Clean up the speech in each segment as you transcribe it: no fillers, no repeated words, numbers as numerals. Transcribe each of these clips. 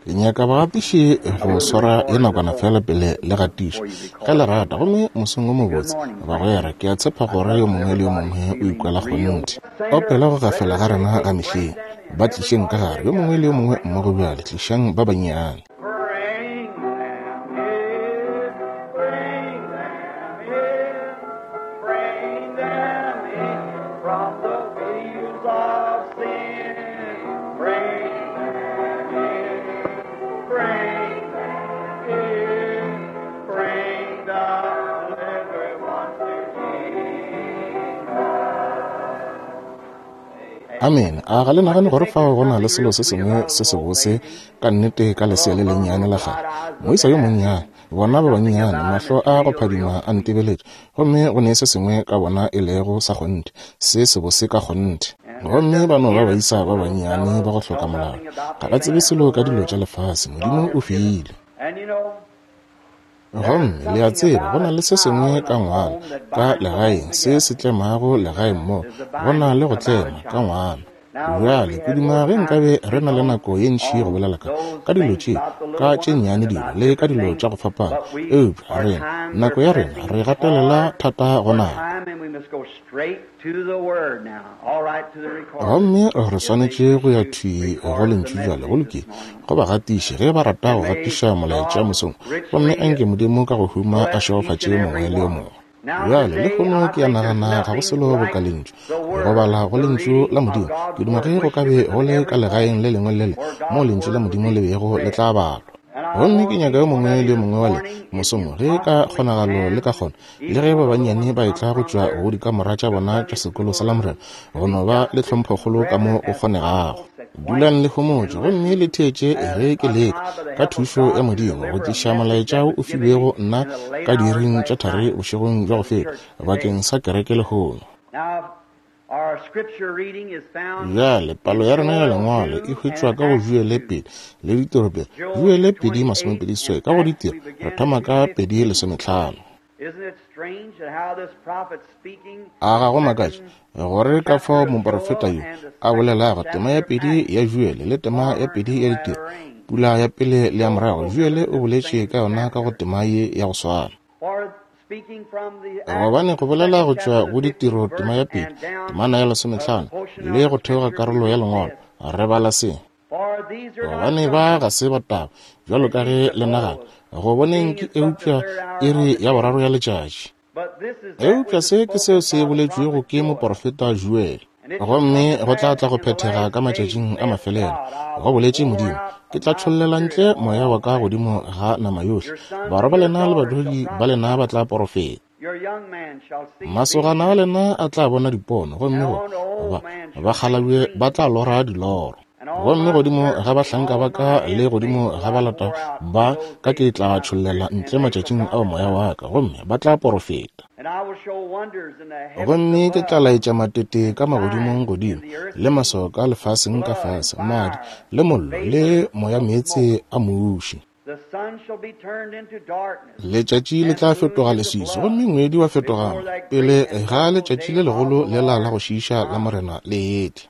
Ke nyaka bagatiši go swara ye nakwana fela pele le gatiša, ge le rata. Gomme mosong wo mobotse, bagwera. Ke a tshepa gore yo mongwe le yo mongwe o ikwela kgonthe. Opela go gafela ga rena ga mehleng. Ba tlišeng ka gare, yo mongwe le yo mongwe mmogo bjale. Tlišang ba bannyane. Bring them in, bring them in, bring them in from the fields of sin. Bring them in, bring them in, bring the little ones to Jesus. Amene. A ga le nagane gore fao go na le selo se sengwe se sebose ka nnete ka lesea le lennyane la kgale? Moisa yo monnyane, bona ba bannyane, mahlo a go phadima a ntebeletše, gomme go ne se sengwe ka bona e lego sa kgonthe, se sebose ka kgonthe. Gomme ba no ba baisa ba bannyane ba go hloka molao. Ga ba tsebe selo ka dilo tša lefase. Modimo o file. Gomme le a tseba, go na le se sengwe ka ngwana, ka legaeng, se se tlemago legae mo. Go na le go tlema ka ngwana. Bjale, ke duma ge nkabe re na le nako ye ntši go bolela ka, ka dilo tše, ka tše nnyane dilo, le ka dilo tša go fapana. Eupša rena, nako ya rena, re gatelela thata go nako. Gomme re swanetše go ya thwi go Lentšu bjale, go lokile, go bagatiši, ge ba rata go gatiša molaetša mosong. Gomme anke Modimo ka go huma a šegofatše yo mongwe le yo mongwe. Bjale, lehono ke a nagana ga go selo boka Lentšu, go bala go Lentšu la Modimo. Ke duma ge go ka be go le ka legaeng le lengwe le le moo Lentšu la Modimo le bego le tla balwa. Gomme ke nyaka yo mongwe le yo mongwe wa lena, mosong wo, ge ka kgonagalo le ka kgona, le ge ba bannyane ba etla go tšwa go dikamora tša bona tša sekolo sa Lamorena, go no ba le tlhomphokgolo ka mo go kgonegago. Dulang le homotše gomme le theetše ge ke leka, ka thušo ya Modimo, go tliša molaetša wo o filwego nna ka diiring tša thari bošegong bja go feta, bakeng sa kereke lehono. Bjale, palo ya rena ya Lengwalo e hwetšwa ka go Joele 2 le Ditiro 2. Joele 2:28, ka go Ditiro re thoma ka 2:15. A ga go makatše gore ka fao moporofeta yo a bolelago tema ya pedi ya Joele le tema ya pedi ya Ditiro, pula ya pele le ya morago, Joele o boletše ka yona ka go tema ye ya go swana. Gobane go bolela go tšwa go Ditiro tema ya pedi, temana ya lesometlhano, le go theoga karolo ya Lengwalo, re bala se. Gobane ba ga se ba taba, bjalo ka ge le nagana, go boneng ke eupša iri ya boraro ya letšatši. Eupša se ke seo se boletšwego ke moporofeta Joele. Gomme go tla tla go phethega ka matšatšing a mafelelo, go boletše Modimo, ke tla tšhollela ntle moya wa ka godimo ga nama yohle. Barwa ba lena le badudi ba lena ba tla porofeta. Masogana a lena a tla bona dipono, gomme go ba bakgalabje ba tla lora diloro. Gomme godimo ga bahlanka ba ka le godimo ga balata ba ka ke tla tšhollela ntle matšatšing ao moya wa ka, gomme ba tla porofeta. Gomme ke tla laetša matete ka magodimong godimo, le maswao ka lefaseng ka fase, madi, le mollo, le moyameetse a muši. Letšatši le tla fetoga leswiswi gomme ngwedi wa fetoga pele ga letšatši le legolo lela la go šiiša la Morena le etla.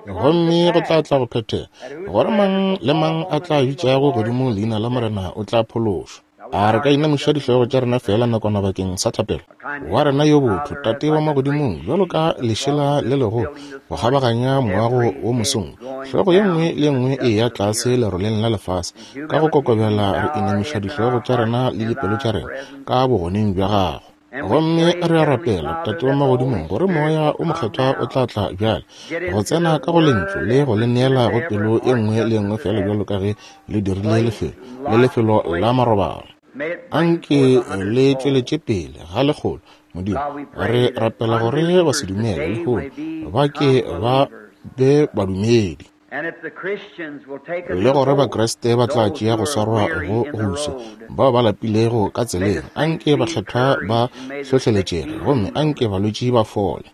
Gomme go tla tla go phethega gore mang le mang a tla bitšago godimo leina la Morena o tla phološwa. A re ka inamiša dihlogo tša rena feela nakwana bakeng sa thapelo? Wa rena yo botho, Tate wa Magodimong, bjalo ka lešela le legolo go kgabaganya moago wo mosong, hlogo ye nngwe le ye nngwe e eya tlase leroleng la lefase, ka go kokobela re inamiša dihlogo tša rena le dipelo tša rena ka bogoneng bja Gago. Gomme re a rapela, Tate wa Magodimong, gore Moya o Mokgethwa o tla tla bjale go tsena ka go Lentšu le go le neela go pelo e nngwe le e nngwe feela bjalo ka ge le dirile lefelo le lefelo la marobalo. Anke le tšweletše pele ga lekgolo, Modimo. Re rapela gore basedumele lehono ba ke ba be badumedi. Le gore Bakriste ba tla tšea go swarwa go goswi bao ba lapilego ka tseleng. Anke bakgethwa ba hlohleletšege gomme anke balwetši ba fole.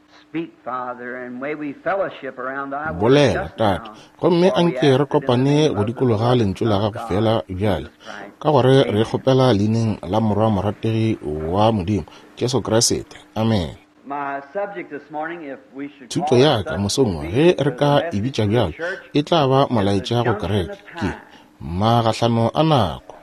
Bolela, Tate, gomme anke re kopane go dikologa Lentšu la Gago feela bjale, ka gore re kgopela Leineng la Morwa morategi wa Modimo, Jesu Kriste. Amene. Thuto ya ka mosong wo, ge re ka e bitša bjalo, e tla ba molaetša go kereke, ke, Magahlano a nako.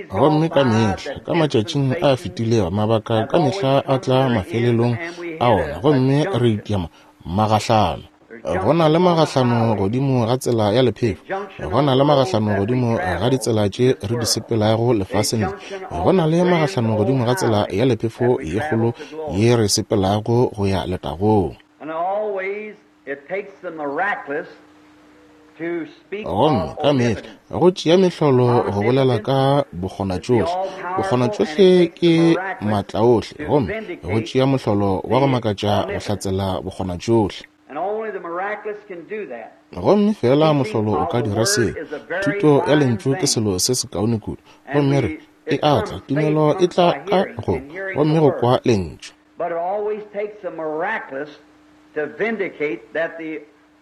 Gomme ka mehla, ka matšatšing a fetilego, mabaka ka mehla a tla mafelelong a ona, gomme re itia magahlano. Go na le magahlano godimo ga tsela ya lephefo, go na le magahlano godimo ga ditsela tše re di sepelago lefaseng le, go na le magahlano godimo ga tsela ya lephefo ye kgolo ye re sepelago go ya letagong. Gomme ka mehla go tšea mehlolo go bolela ka bokgonatšohle. Bokgonatšohle ke maatlaohle, gomme go tšea mohlolo wa go makatša go hlatsela bokgonatšohle. Gomme feela mohlolo o ka dira seo. Thuto ya Lentšu ke selo se sekaone kudu. Gomme re, e a tla, tumelo e tla ka go, gomme go kwa Lentšu.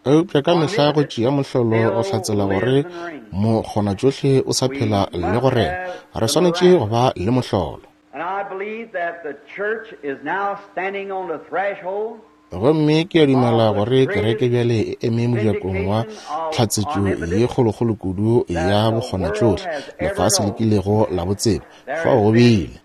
Eupša ka mehla go tšea mohlolo go hlatsela gore mokgonatšohle o sa phela le go rena. Re swanetše go ba le mohlolo. Gomme ke a dumela gore kereke bjale e eme mojakong wa tlhatsetšo ye kgolokgolo kudu ya bokgonatšohle lefase le kilego la bo tseba. Fao go bile.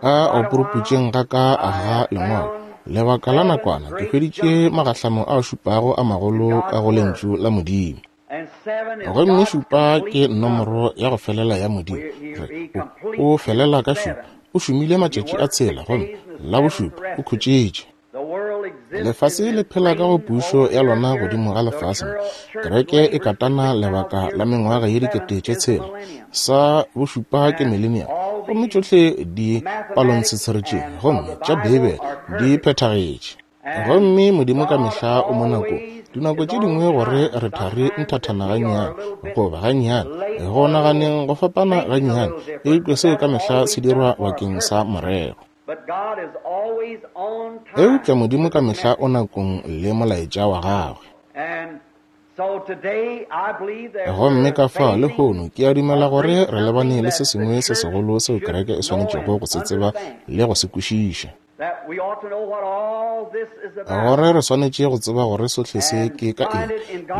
A o puruputšeng ga ka ga Lengwalo, lebaka la nakwana, ke hweditše magahlano a šupago a magolo ka go Lentšu la Modimo. Gomme šupa ke nomoro ya go felela ya Modimo. Re, o, o felela ka šupa. O šomile matšatši a tshela, gomme la bošupa o khutšitše. Lefase le phela ka go pušo ya lona godimo ga lefase mo. Kereke e katana lebaka la mengwaga ye 6000. Sa bošupa ke millennium. Gomme tšohle di palongtshetshere tše, gomme tša Beibele di phethagetše. Gomme Modimo ka mehla o mo nakong. Dinako tše dingwe gore re thari nthathana gannyane, goba gannyane, go naganeng go fapana gannyane, eupša seo ka mehla se dirwa bakeng sa morero. Eupša Modimo ka mehla o nakong le molaetša wa gagwe. Gomme ka fao lehono ke a dumela gore re lebane le se sengwe se segolo seo kereke e swanetšego go se tseba le go se kwešiša. Gore re swanetše go tseba gore sohle se ke ka eng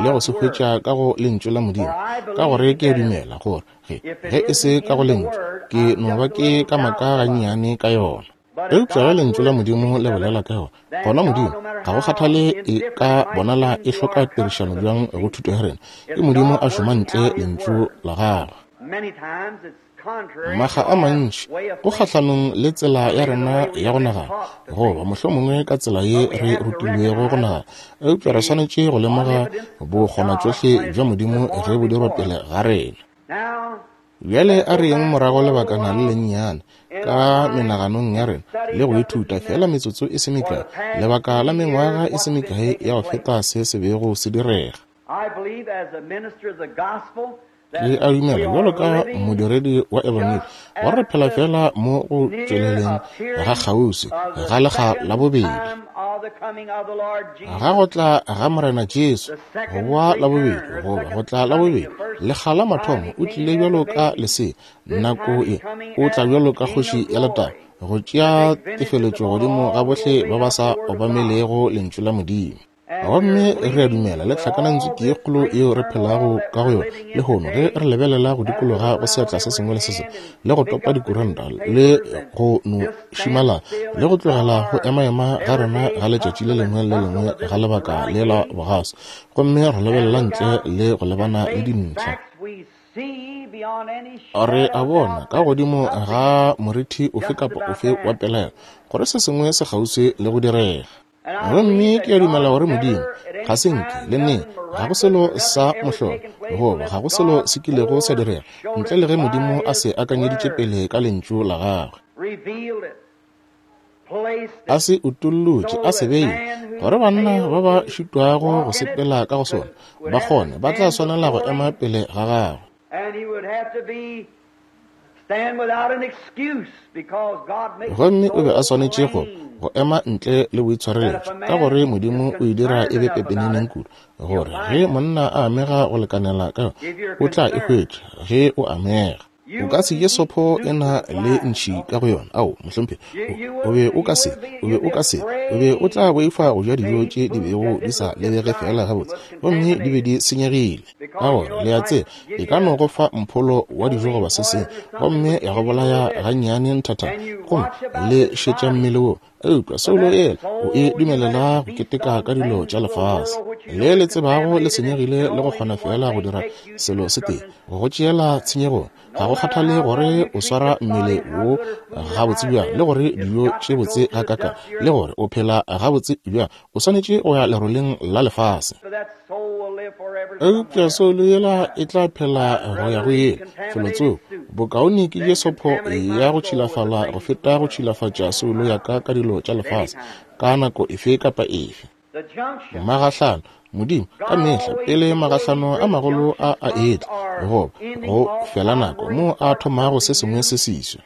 le go se hwetša ka go Lentšu la Modimo, ka gore ke a dumela gore ge, ge e se ka go Lentšu, ke no ba ke ka maka gannyane ka yona. Eupša ge Lentšu la Modimo le bolela ka yona, gona Modimo, ga go kgathale e ka bonala e hloka tirišano bjang go thuto ya rena, ke Modimo a šoma ntle Lentšu la gagwe. Makga a mantši go kgahlanong le tsela ya rena ya go nagana, goba mohlomongwe ka tsela ye re rutilwego go nagana, eupša re swanetše go lemoga bokgonatšohle bja Modimo ge bo dirwa pele ga rena. Bjale a re yeng morago lebakana le lennyane ka menaganong ya rena le go ithuta feela metsotso e se mekae, lebaka la mengwaga e se mekae ya go feta se se bego se direga. Ke a dumela bjalo ka modiredi wa ebangedi gore re phela feela mo go tšweleleng ga kgauswi ga lekga la bobedi ga go tla ga Morena Jesu, go boa la bobedi goba go tla la bobedi. Lekga la mathomo o tlile bjalo ka lesea, nako e o tla bjalo ka kgoši ya letago go tšea tefeletšo godimo ga bohle ba ba sa obamelego Lentšu la Modimo. Gomme re a dumela le tlhakanantswiki ye kgolo yeo re phelago ka go yona lehono, ge re lebelela go dikologa go seatla se sengwe le se sengwe, le go topa dikuranta, le go no šimala, le go tlogela go emaema ga rena ga letšatši le lengwe le lengwe ga lebaka le la bogaso, gomme re lebelela ntle le go lebana le dintlha. Re a bona ka godimo ga morithi ofe kapa ofe wa pelaelo gore se sengwe se kgauswi le go direga. Gomme ke a dumela gore Modimo ga se nke le neng, ga go selo sa mohlolo goba ga go selo se kilego sa direga ntle le ge Modimo a se akanyeditše pele ka Lentšu la gagwe, a se utollotše, a se beile gore banna ba ba šitwago go sepela ka go sona ba kgone, ba tla swanela go ema pele ga gagwe. Gomme o be a swanetše go go ema ntle le boitshwareletšo, ka gore Modimo o e dira e be pepeneneng kudu, gore ge monna a amega go lekanela ka yona, o tla e hwetša ge o amega. O ka se je sopho e na le ntšhi ka go yona. Ao, mohlomphegi, o be o ka se, o be o ka se, o be o tla boifa go ja dijo tše di bego di sa lebege feela gabotse, gomme di be di senyegile. Ka gore, le a tseba, e ka no go fa mpholo wa dijo goba se sengwe, gomme ya go bolaya gannyane nthathana, gomme le šetša mmele wo. Eupša soulo yela o e dumelela go keteka ka dilo tša lefase le le tsebago le senyegile le go kgona feela go dira selo se tee, go tšeela tshenyegong. Ga go kgathale gore o swara mmele wo gabotse bjang le gore dijo tše botse gakaka le gore o phela gabotse bjang, o swanetše go ya leroleng la lefase. Eupša soulo yela e tla phela go ya go ile felotsoko. Bokaone ke je sopho ya go tšhilafala go feta go tšhilafatša soulo ya ka ka dilo tša lefase ka nako efe kapa efe. Magahlano, Modimo ka mehla pele magahlano a magolo a a etla, goba go fela nako moo a thomago se sengwe se seswa.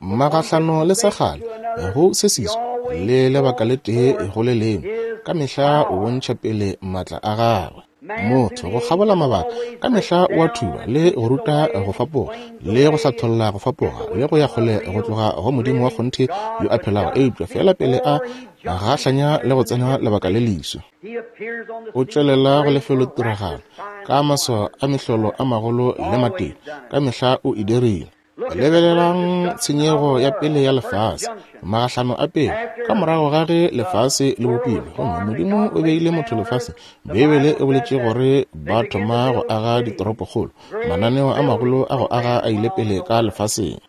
Magahlano le sa kgale go se seswa le lebaka le tee go le lengwe, ka mehla o bontšha pele maatla a gagwe. Motho go kgabola mabaka ka mehla o a thuba le go ruta go fapoga le go hlatholla go fapoga le go ya kgole go tloga go Modimo wa kgonthe yo a phelago, eupša feela pele a gahlanya le go tsena lebaka le leswa, o tšwelela go lefelotiragalo ka maswao a mehlolo a magolo le matete. Ka mehla o e dirile. Lebelelang tshenyego ya pele ya lefase, magahlano a pele, ka morago ga ge lefase le bopilwe, gomme Modimo o beile motho lefaseng. Beibele e boletše gore ba thoma go aga ditoropokgolo, mananeo a magolo a go aga a ile pele ka lefaseng.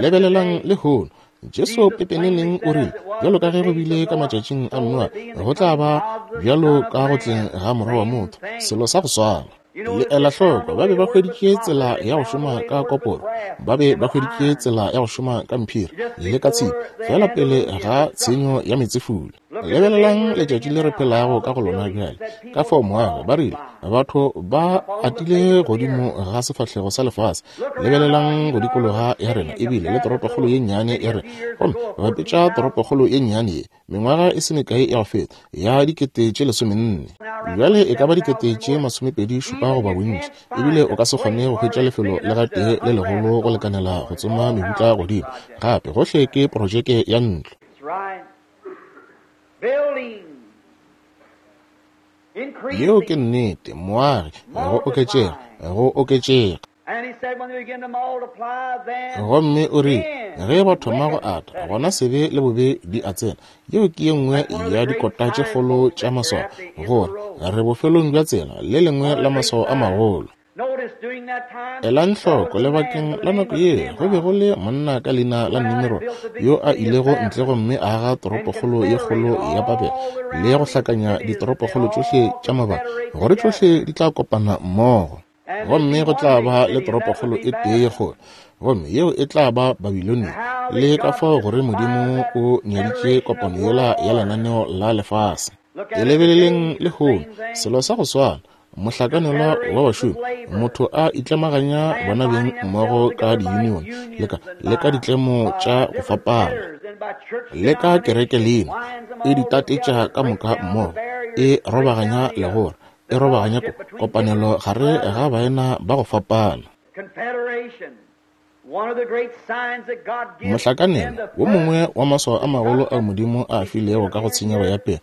Lebelelang lehono, Jesu pepeneneng o rile, bjalo ka ge go bile ka matšatšing a Noa, go tla ba bjalo ka go tleng ga Morwa wa motho, selo sa go swana. Le ela hloko, ba be ba hweditše tsela ya go šoma ka koporo, ba be ba hweditše tsela ya go šoma ka mphiri le ka tshipi, fela pele ga tshenyo ya meetsefula. Lebelelang letšatši le re phelago ka go lona bjale, ka fao moago, ba rile, batho ba atile godimo ga sefahlego sa lefase. Lebelelang go dikologa ya rena, ebile le toropokgolo ye nnyane ya rena, gomme bapetša toropokgolo ye nnyane ye mengwaga e se mekae ya go feta ya 14,000. Bjale e ka ba 27,000 goba bontši, ebile o ka se kgone go hwetša lefelo le gatee le legolo go lekanela go tsoma mebutla godimo. Gape gohle ke projeke ya ntlo. Yeo ke nnete, moagi, go oketšega, go oketšega. Gomme o rile, ge ba thoma go ata, gona sebe le bobe di a tsena. Yeo ke ye nngwe ya dikota tše kgolo tša maswao, gore re bofelong bja tsela, le lengwe la maswao a magolo. Elang hloko, lebakeng la nako ye go be go le monna ka leina la Nimrod yo a ilego ntle gomme a aga toropokgolo ye kgolo ya Babele le go hlakanya ditoropokgolo tšohle tša mabaka, gore tšohle di tla kopana mmogo, gomme go tla ba le toropokgolo e tee ye kgolo, gomme yeo e tla ba Babilonia. Le ka fao gore Modimo o nyaditše kopano yela ya lenaneo la lefase. E lebeleleng lehono, selo sa go swana, mohlakanelwa wa bašomi, motho a itlemaganya bona beng mmogo ka di-union le ka ditlemo tša go fapana, le ka kereke leina, e di tatetša ka moka mmogo, e robaganya legora, e robaganya kopanelo gare ga baena ba go fapana. Mohlakanelo wo mongwe wa maswao a magolo ao Modimo a filego ka go tshenyego ya pele,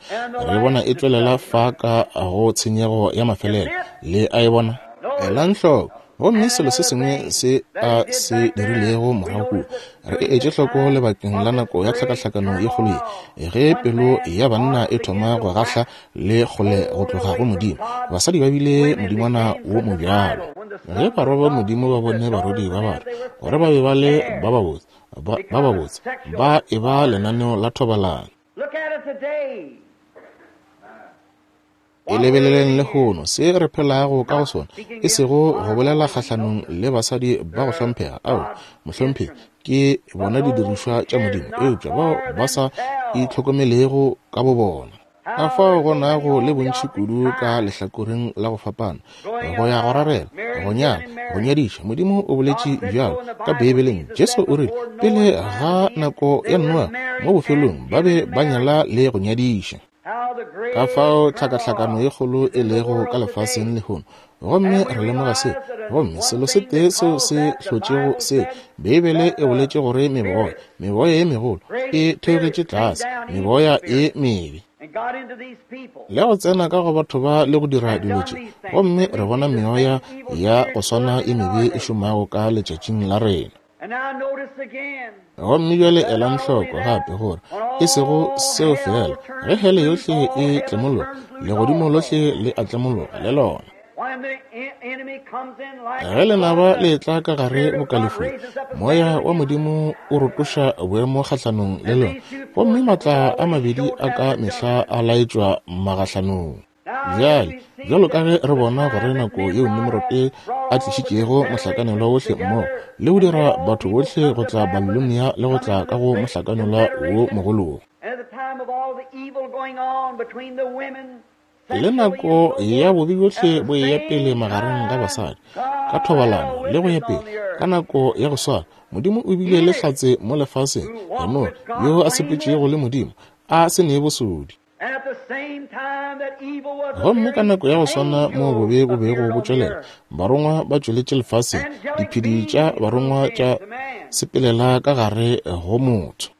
re bona e tšwelela fa ka go tshenyego ya mafelelo. Le a e bona? Elang hloko. Gomme selo se sengwe se a se dirilego morago kua, re e etše hloko lebakeng la nako ya tlhakahlakano ye kgolo ye, ge pelo ya banna e thoma go gahla le kgole go tloga go Modimo, basadi ba bile modingwana wo mobjalo. Ge barwa ba Modimo ba bone barwedi ba batho gore ba be ba le ba babotse, ba babotse, ba e ba lenaneo la thobalano. E lebeleleng lehono se re phelago ka go sona, e sego go bolela kgahlanong le basadi ba go hlomphega, ao, mohlomphegi, ke bona didirišwa tša Modimo, eupša bao ba sa itlhokomelego ka bobona. Ka fao go nago le bontši kudu ka lehlakoreng la go fapana, go ya go rarela, go nyala, go nyadiša. Modimo o boletše bjalo ka Beibeleng. Jesu o rile, pele ga nako ya Noa, mo bofelong ba be ba nyala le go nyadiša. Ka fao tlhakahlakano ye kgolo e lego ka lefaseng lehono, gomme re lemoga se. Gomme selo se tee seo se hlotšego se, Beibele e boletše gore meboya, meboya ye megolo e theogetše tlase, meboya e mebe, le go tsena ka go batho ba le go dira dilo tše. Gomme re bona meoya ya go swana e mebe e šomago ka letšatšing la rena. Gomme bjale elang hloko gape gore e sego seo fela, ge hele yohle e tlemologa, legodimo lohle le a tlemologa le lona. Ge lenaba le etla ka gare bokalefong, moya wa Modimo o rotoša boemo kgahlanong le lona, gomme matla a mabedi a ka mehla a laetšwa magahlanong. Bjale, bjalo ka ge re bona gore nako yeo Nimrote a tlišitšego mohlakanelwa wohle mmogo le go dira batho bohle go tla Babilonia le go tla ka go mohlakanelwa wo mogolo wo, le nako ya bobe bjohle bo eya pele magareng ga basadi ka thobalano le go ya pele, ka nako ya go swana Modimo o bile le hlatse mo lefaseng, Henoge, yo a sepetšego le Modimo a se nee bosodi. Gomme ka nako ya go swana moo bobe bo bego bo tšwelela, barongwa ba tšweletše lefaseng, diphedi tša barongwa tša sepelela ka gare go motho.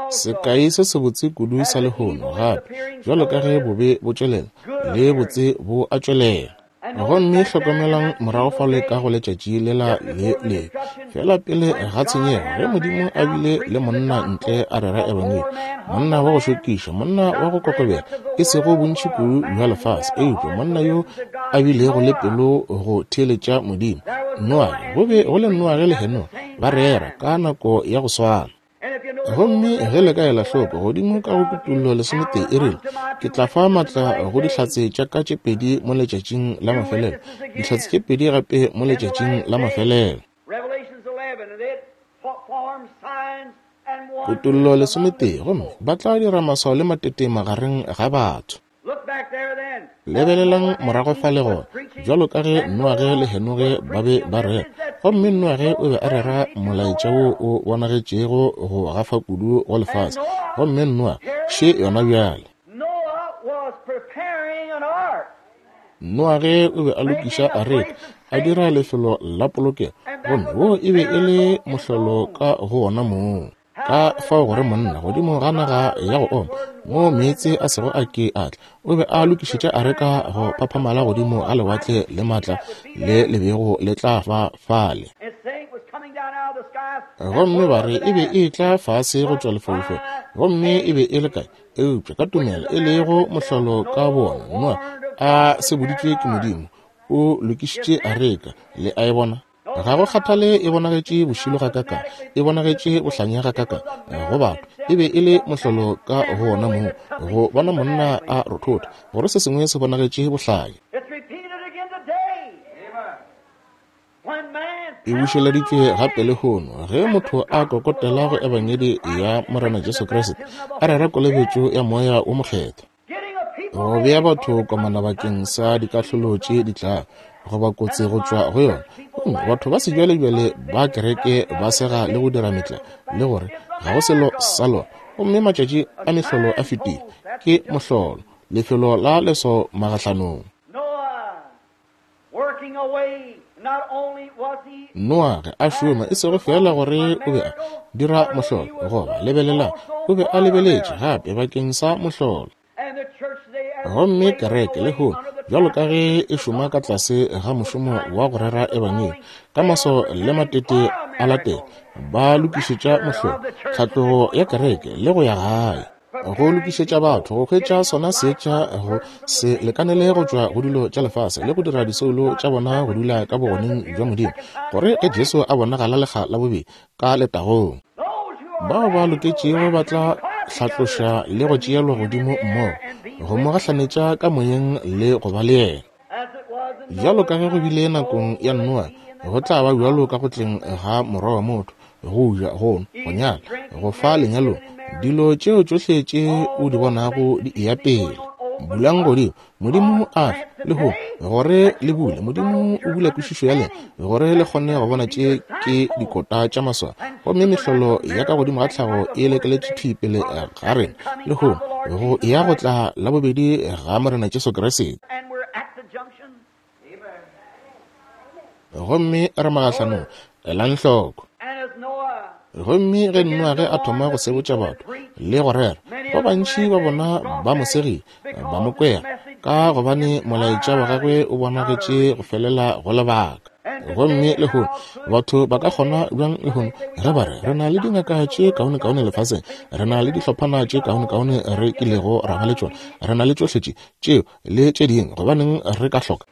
Sekai se sebotse kudu sa lehono gape, bjalo ka ge bobe bo tšwelela, le botse bo a tšwelela. Gomme hlokomelang morago fale ka go letšatši lela le lebe, fela pele ga tshenyego, ge Modimo a bile le monna ntle a rera ebangedi, monna wa go šokiša, monna wa go kokobela, e sego bontši kudu bja lefase, eupša monna yo a bilego le pelo go theeletša Modimo. Noage, go be go le Noage le Henoge ba rera ka nako ya go swana. Gomme ge le ka ela hloko godimo ka go Kutollo 11 e rile, Ke tla fa maatla go dihlatse tša ka tše pedi mo letšatšing la mafelelo, dihlatse tše pedi gape mo letšatšing la mafelelo. Kutollo 11, gomme ba tla dira maswao le matete magareng ga batho. Lebelelang morago fale gona, bjalo ka ge Noage le Henoge ba be ba rera, gomme Noage o be a rera molaetša wo o bonagetšego go gafa kudu go lefase, gomme Noa še yona bjale. Noage o be a lokiša areka, a dira lefelo la polokelo, gomme wo e be e le mohlolo ka go wona mong. Ka fao gore monna godimo ga naga ya go oma, moo meetse a sego a ke a tla, o be a lokišetša areka go phaphamala godimo ga lewatle le maatla le le bego le tla ba fale. Gomme ba re e be e tla fase go tšwa lefaufaung, gomme e be e le kae? Eupša ka tumelo e lego mohlolo ka bona, Noa a seboditšwe ke Modimo, o lokišitše areka. Le a e bona? Ga go kgathale e bonagetše bošilo gakakang, e bonagetše bohlanya gakakang go batho, e be e le mohlolo ka go wona moo go bona monna a rothotha, gore se sengwe se bonagetše bohlanya. E bušeleditšwe gape lehono ge motho a kokotela go Ebangedi ya Morena Jesu Kriste, a rera kolobetšo ya Moya wo Mokgethwa. Go bea batho komana bakeng sa dikahlolo tše di tlago, goba kotsi go tšwa go yona. Gomme batho ba sejwalejwale ba kereke ba sega le go dira metla le gore ga go selo sa lona, gomme matšatši a mehlolo a fetile. Ke mohlolo, lefelo la leso magahlanong. Noage a šoma e sego feela gore o be a dira mohlolo, goba lebelelang, o be a lebeletše gape bakeng sa mohlolo. Gomme kereke lehono, bjalo ka ge e šoma ka tlase ga mošomo wa go rera ebangedi, ka maso le matete a latela, ba lokišetša mohlolo, tlhatlogo ya kereke le go ya gae. Go lokišetša batho go hwetša sona seetša go se lekanele go tšwa go dilo tša lefase le go dira disoulo tša bona go dula ka bogoneng bja Modimo, gore ge Jesu a bonagala lekga la bobedi ka letagong, bao ba loketšego ba tla hlatloša le go tšeelwa godimo mmogo go mo gahlanetša ka moyeng le go ba le yena. Bjalo ka ge go bile nakong ya Noa, go tla ba bjalo ka go tleng ga Morwa wa motho, go ja, go nwa, go nyala, go fa lenyalong, dilo tšeo tšohle tše o di bonago di eya pele. Bulang godimo, Modimo a fe lehono gore le bule. Modimo o bula kwešišo ya lena gore le kgone go bona tše ke dikota tša maswao, gomme mehlolo ya ka godimo ga tlhago e lekeletše thwi pele ga rena lehono. go ya go tla la bobedi ga Morena Jesu Kriste. Gomme re magahlanong, elang hloko. Gomme ge Noage a thoma go sebotša batho le go rera, ba bantši ba bona ba mo segile, ba mo kwera, ka gobane molaetša wa gagwe o bonagetše go felela go lebaka. Gomme lehono batho ba ka kgona bjang lehono ge ba re re na le dingaka tše kaonekaone lefaseng, re na le dihlophana tše kaonekaone re kilego ra ba le tšona, re na le tšohle tše, tšeo le tše dingwe, gobaneng re ka hloka?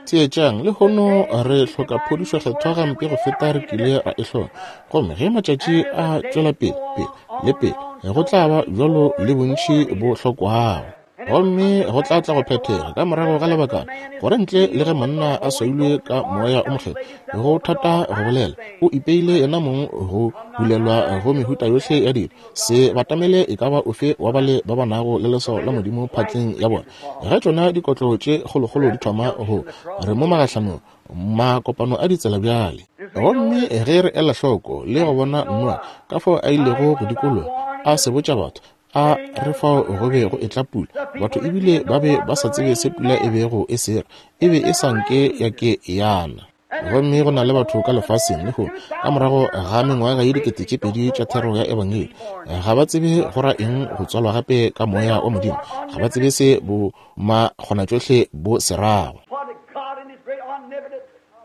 Theetšang, lehono re hloka phodišo kgethwa gampe go feta re kile ra e hloka. Gomme ge matšatši a tšwela pele, pele le pele, go tla ba bjalo le bontši bo hlokwago. Gomme go tla tla go phethega ka morago ga lebakana, gore ntle le ge monna a swailwe ka Moya o Mokgethwa, go thata go bolela, o ipeile yena mong go bulelwa go mehuta yohle ya dilo. Se batamele e ka ba ofe wa bale ba ba nago le leswao la Modimo phatleng ya bona. Ge tšona dikotlo tše kgolokgolo di thoma go re mo magahlanong, makopano a ditsela bjale. Gomme ge re ela hloko le go bona Noa ka fao a ilego go dikologa a sebotša batho, a re fao go be go etla pula, batho ebile ba be ba sa tsebe se pula e bego e se ra, e be e sa nke ya ke yana. Gomme go na le batho ka lefaseng lehono, ka morago ga mengwaga ye 2000 tša thero ya Ebangedi, ga ba tsebe go ra eng go tswalwa gape ka Moya wa Modimo. Ga ba tsebe se bo makgonatšohle bo se rago.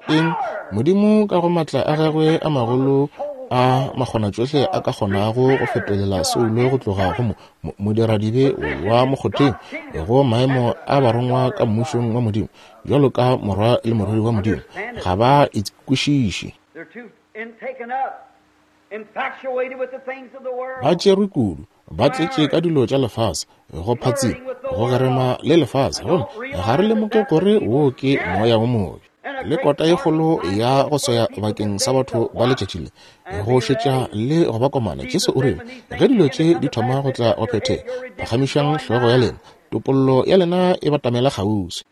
Eng? Modimo ka go maatla a gagwe a magolo a makgonatšohle a ka kgonago go fetolela soulo go tloga go modiradibe wa mokgotheng go maemo a barongwa ka mmušong wa Modimo, bjalo ka morwa le morwedi wa Modimo, ga ba e kwešiše. Ba tšerwe kudu, ba tletše ka dilo tša lefase, go phatsima, go gerema le lefase, gomme ga re lemoge gore wo ke moya wo mobe. Le kota ye kgolo ya go swaya bakeng sa batho ba letšatši le, go šetša le go ba komana. Jesu o rile, ge dilo tše di thoma go tla go phethega, phagamišang hlogo ya lena, topollo ya lena e batamela kgauswi.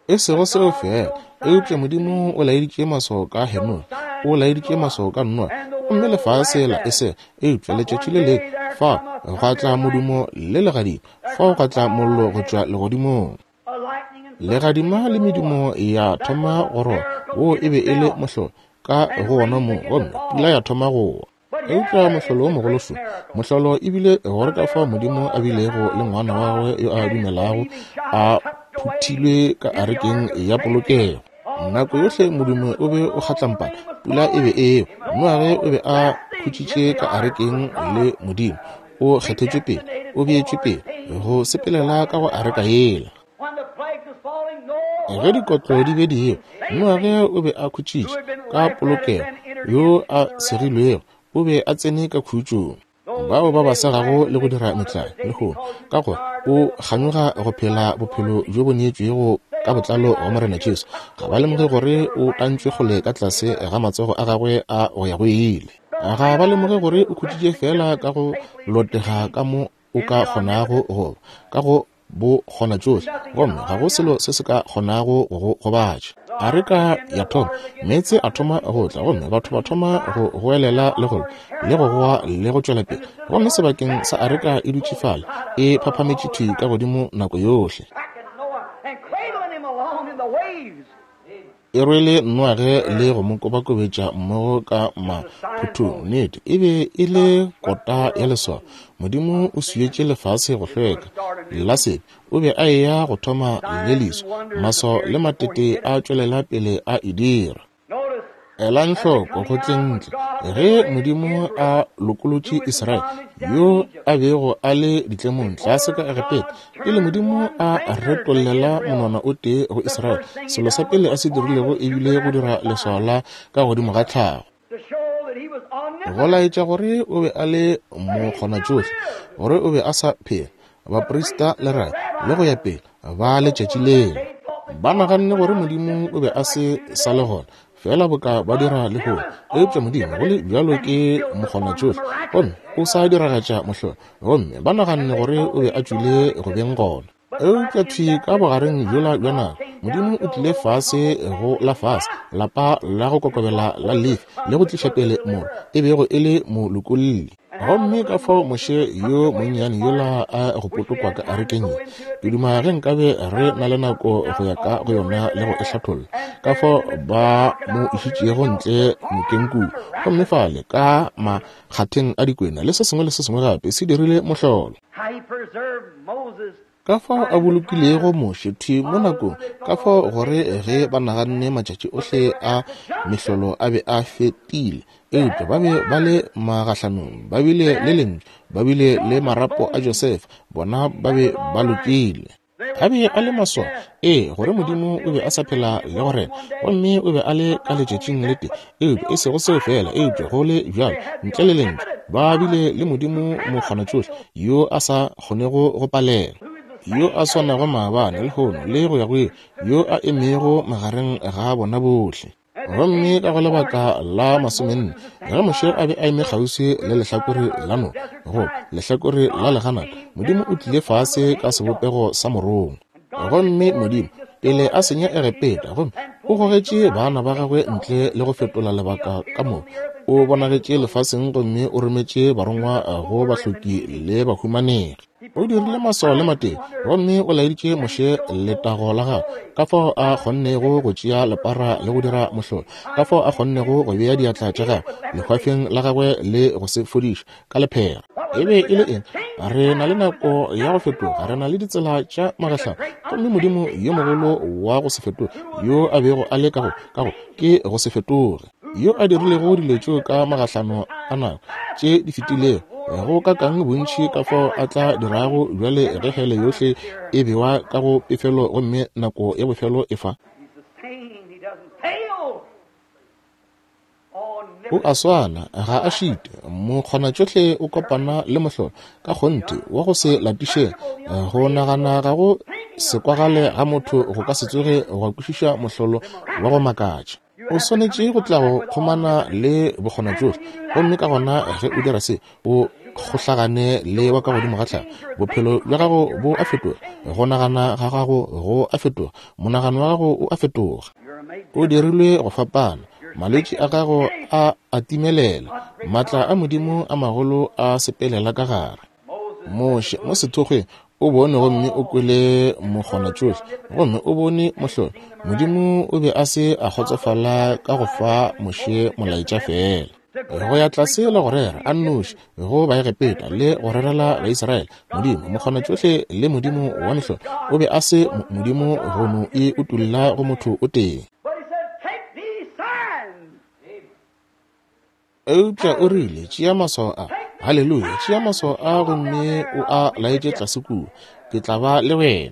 E sego seo feela, eupša Modimo o laeditše maswao ka Henoge, o laeditše maswao ka Noa, gomme lefase la e sega. Eupša letšatši le lengwe fao gwa tla modumo le legadima, fao gwa tla mollo go tšwa legodimong. Legadima le medumo ya thoma go roba, wo e be e le mohlolo ka go wona mo, gomme pula ya thoma go wa. Eupša mohlolo wo mogolo šo, mohlolo e bile gore ka fao Modimo a bilego le ngwana wa gagwe yo a dumelago a phuthilwe ka arekeng ya polokego. Nako yohle modumo o be o kgatlampana, pula e be e ewa. Noage o be a khutšitše ka arekeng le Modimo, o kgethetšwe pele, o beetšwe pele go sepelela ka go areka yela. Ge dikotlo di be di ewa, Noage o be a khutšitše ka polokego, yo a segilwego o be a tsene ka khutšong. Bao ba ba segago le go dira metlae lehono, ka gore o kganyoga go phela bophelo bjo bo neetšwego ka botlalo go Morena Jesu, ga ba lemoge gore o tantšwe kgole ka tlase ga matsogo a gagwe a go ya go ile. Ga ba lemoge gore o khutšitše feela ka go lotega ka mo o ka kgonago go ba, ka go bo kgona tšohle, gomme ga go selo se se ka kgonago go go gobatša. Areka ya thoma, meetse a thoma go tla, gomme batho ba thoma go goelela le go le go goa le go tšwela pele, gomme sebakeng sa areka e dutše fale e phaphametše thwi ka godimo nako yohle. E rwele Noage le go mo kobakobetša mmogo ka maphuthong. Nnete, e be e le kota ya leswao. Modimo o swietše lefase go hlweka la sebe. O be a eya go thoma le leswa. Maswao le matete a tšwelela pele a e dira. Elang hloko go tleng ntle ge Modimo a lokolotše Israele yo a bego a le ditlemong tlase ka Egepeta. Pele Modimo a retollela monwana o tee go Israele, selo sa pele a se dirilego e bile go dira leswao la ka godimo ga tlhago, go laetša gore o be a le mokgonatšohle, gore o be a sa phela. Baprista le rabi le go ya pele ba letšatši leo ba naganne gore Modimo o be a se sa le gona, fela boka ba dira lehono. Eupša Modimo go le bjalo ke mokgonatšohle, gomme o sa diragatša mohlolo, gomme ba naganne gore o be a tšwile go beng gona. Eupša thwi ka bogareng bjola bja nako, Modimo o tlile fase go la fase, lapa la go kokobela la Lefi, le go tliša pele morwa, e bego e le molokolli. Gomme ka fao Moshe yo monnyane yola a go potokwa ka arekeng ye, ke duma ge nkabe re na le nako go ya ka go yona le go e hlatholla, ka fao ba mo išitšego ntle nokeng kua, gomme fale ka makgatheng a dikwena le se sengwe le se sengwe gape se dirile mohlolo. Ka fao a bolokilego Moshe thwi mo nakong, ka fao gore ge ba naganne matšatši ohle a mehlolo a be a fetile, eupša ba be ba le magahlanong, ba bile le lentšu, ba bile le marapo a Josefa, bona ba be ba lokile. A be a le maswao, ee, gore Modimo o be a sa phela le go rena, gomme o be a le ka letšatšing le tee, eupša e sego seo feela, eupša go le bjalo, ntle le lentšu, ba bile le Modimo mokgonatšohle yo a sa kgonego go palela, yo a swanago maabane, lehono, le go ya go ile, yo a emego magareng ga bona bohle. Gomme ka go lebaka la masomenne, ge Moshe a be a eme kgauswi le lehlakore la noka, go lehlakore la leganata, Modimo o tlile fase ka sebopego sa morongwa. Gomme Modimo, pele a senya Egepeta, gomme o gogetše baana ba gagwe ntle le go fetola lebaka ka moka, o bonagetše lefaseng gomme o rometše barongwa go bahloki le bahumanegi. O dirile maswao le matee, gomme o laeditše Moshe letago la gagwe, ka fao a kgonnego go tšea lepara le go dira mohlolo, ka fao a kgonnego go bea diatla tša gagwe lehwafeng la gagwe le go se fodiša ka lephera. E be e le eng? Re na le nako ya go fetoga, re na le ditsela tša magahlano, gomme Modimo yo mogolo wa go se fetoge yo a bego a le ka go, ka go, ke go se fetoge, yo a dirilego dilo tšeo ka magahlano a nako tše di fetilego, go ka kang bontši ka fao a tla dirago bjale ge hele yohle e bewa ka go pefelo gomme nako ya bofelo e fa. O a swana, ga a šite, mokgonatšohle o kopana le mohlolo, ka kgonthe, wa go se latišege. Go nagana ga go se kwagale ga motho go ka se tsoge gwa kwešiša mohlolo wa go makatša. O swanetše go tla go kgomana le bokgonatšohle, gomme ka gona ge o dira se, o kgohlagane le wa ka godimo ga tlhago. Bophelo bja gago bo a fetoga, go nagana ga gago go a fetoga, monagano wa gago o a fetoga. O dirilwe go fapana, malwetši a gago a a timelela, maatla a Modimo a magolo a sepelela ka gare. Moshe mo sethokgweng o bone gomme o kwele mokgonatšohle, gomme o bone mohlolo. Modimo o be a se a kgotsofala ka go fa Moshe molaetša feela, go ya tlase le go rera a nnoši go Baegepeta le go rerela Baisraele. Modimo mokgonatšohle le Modimo wa mehlolo o be a se Modimo go no e utolla go motho o tee. Eupša o rile, Tšea maswao a. Haleluya! Tšea maswao a gomme o a laetše tlase kua. Ke tla ba le wena.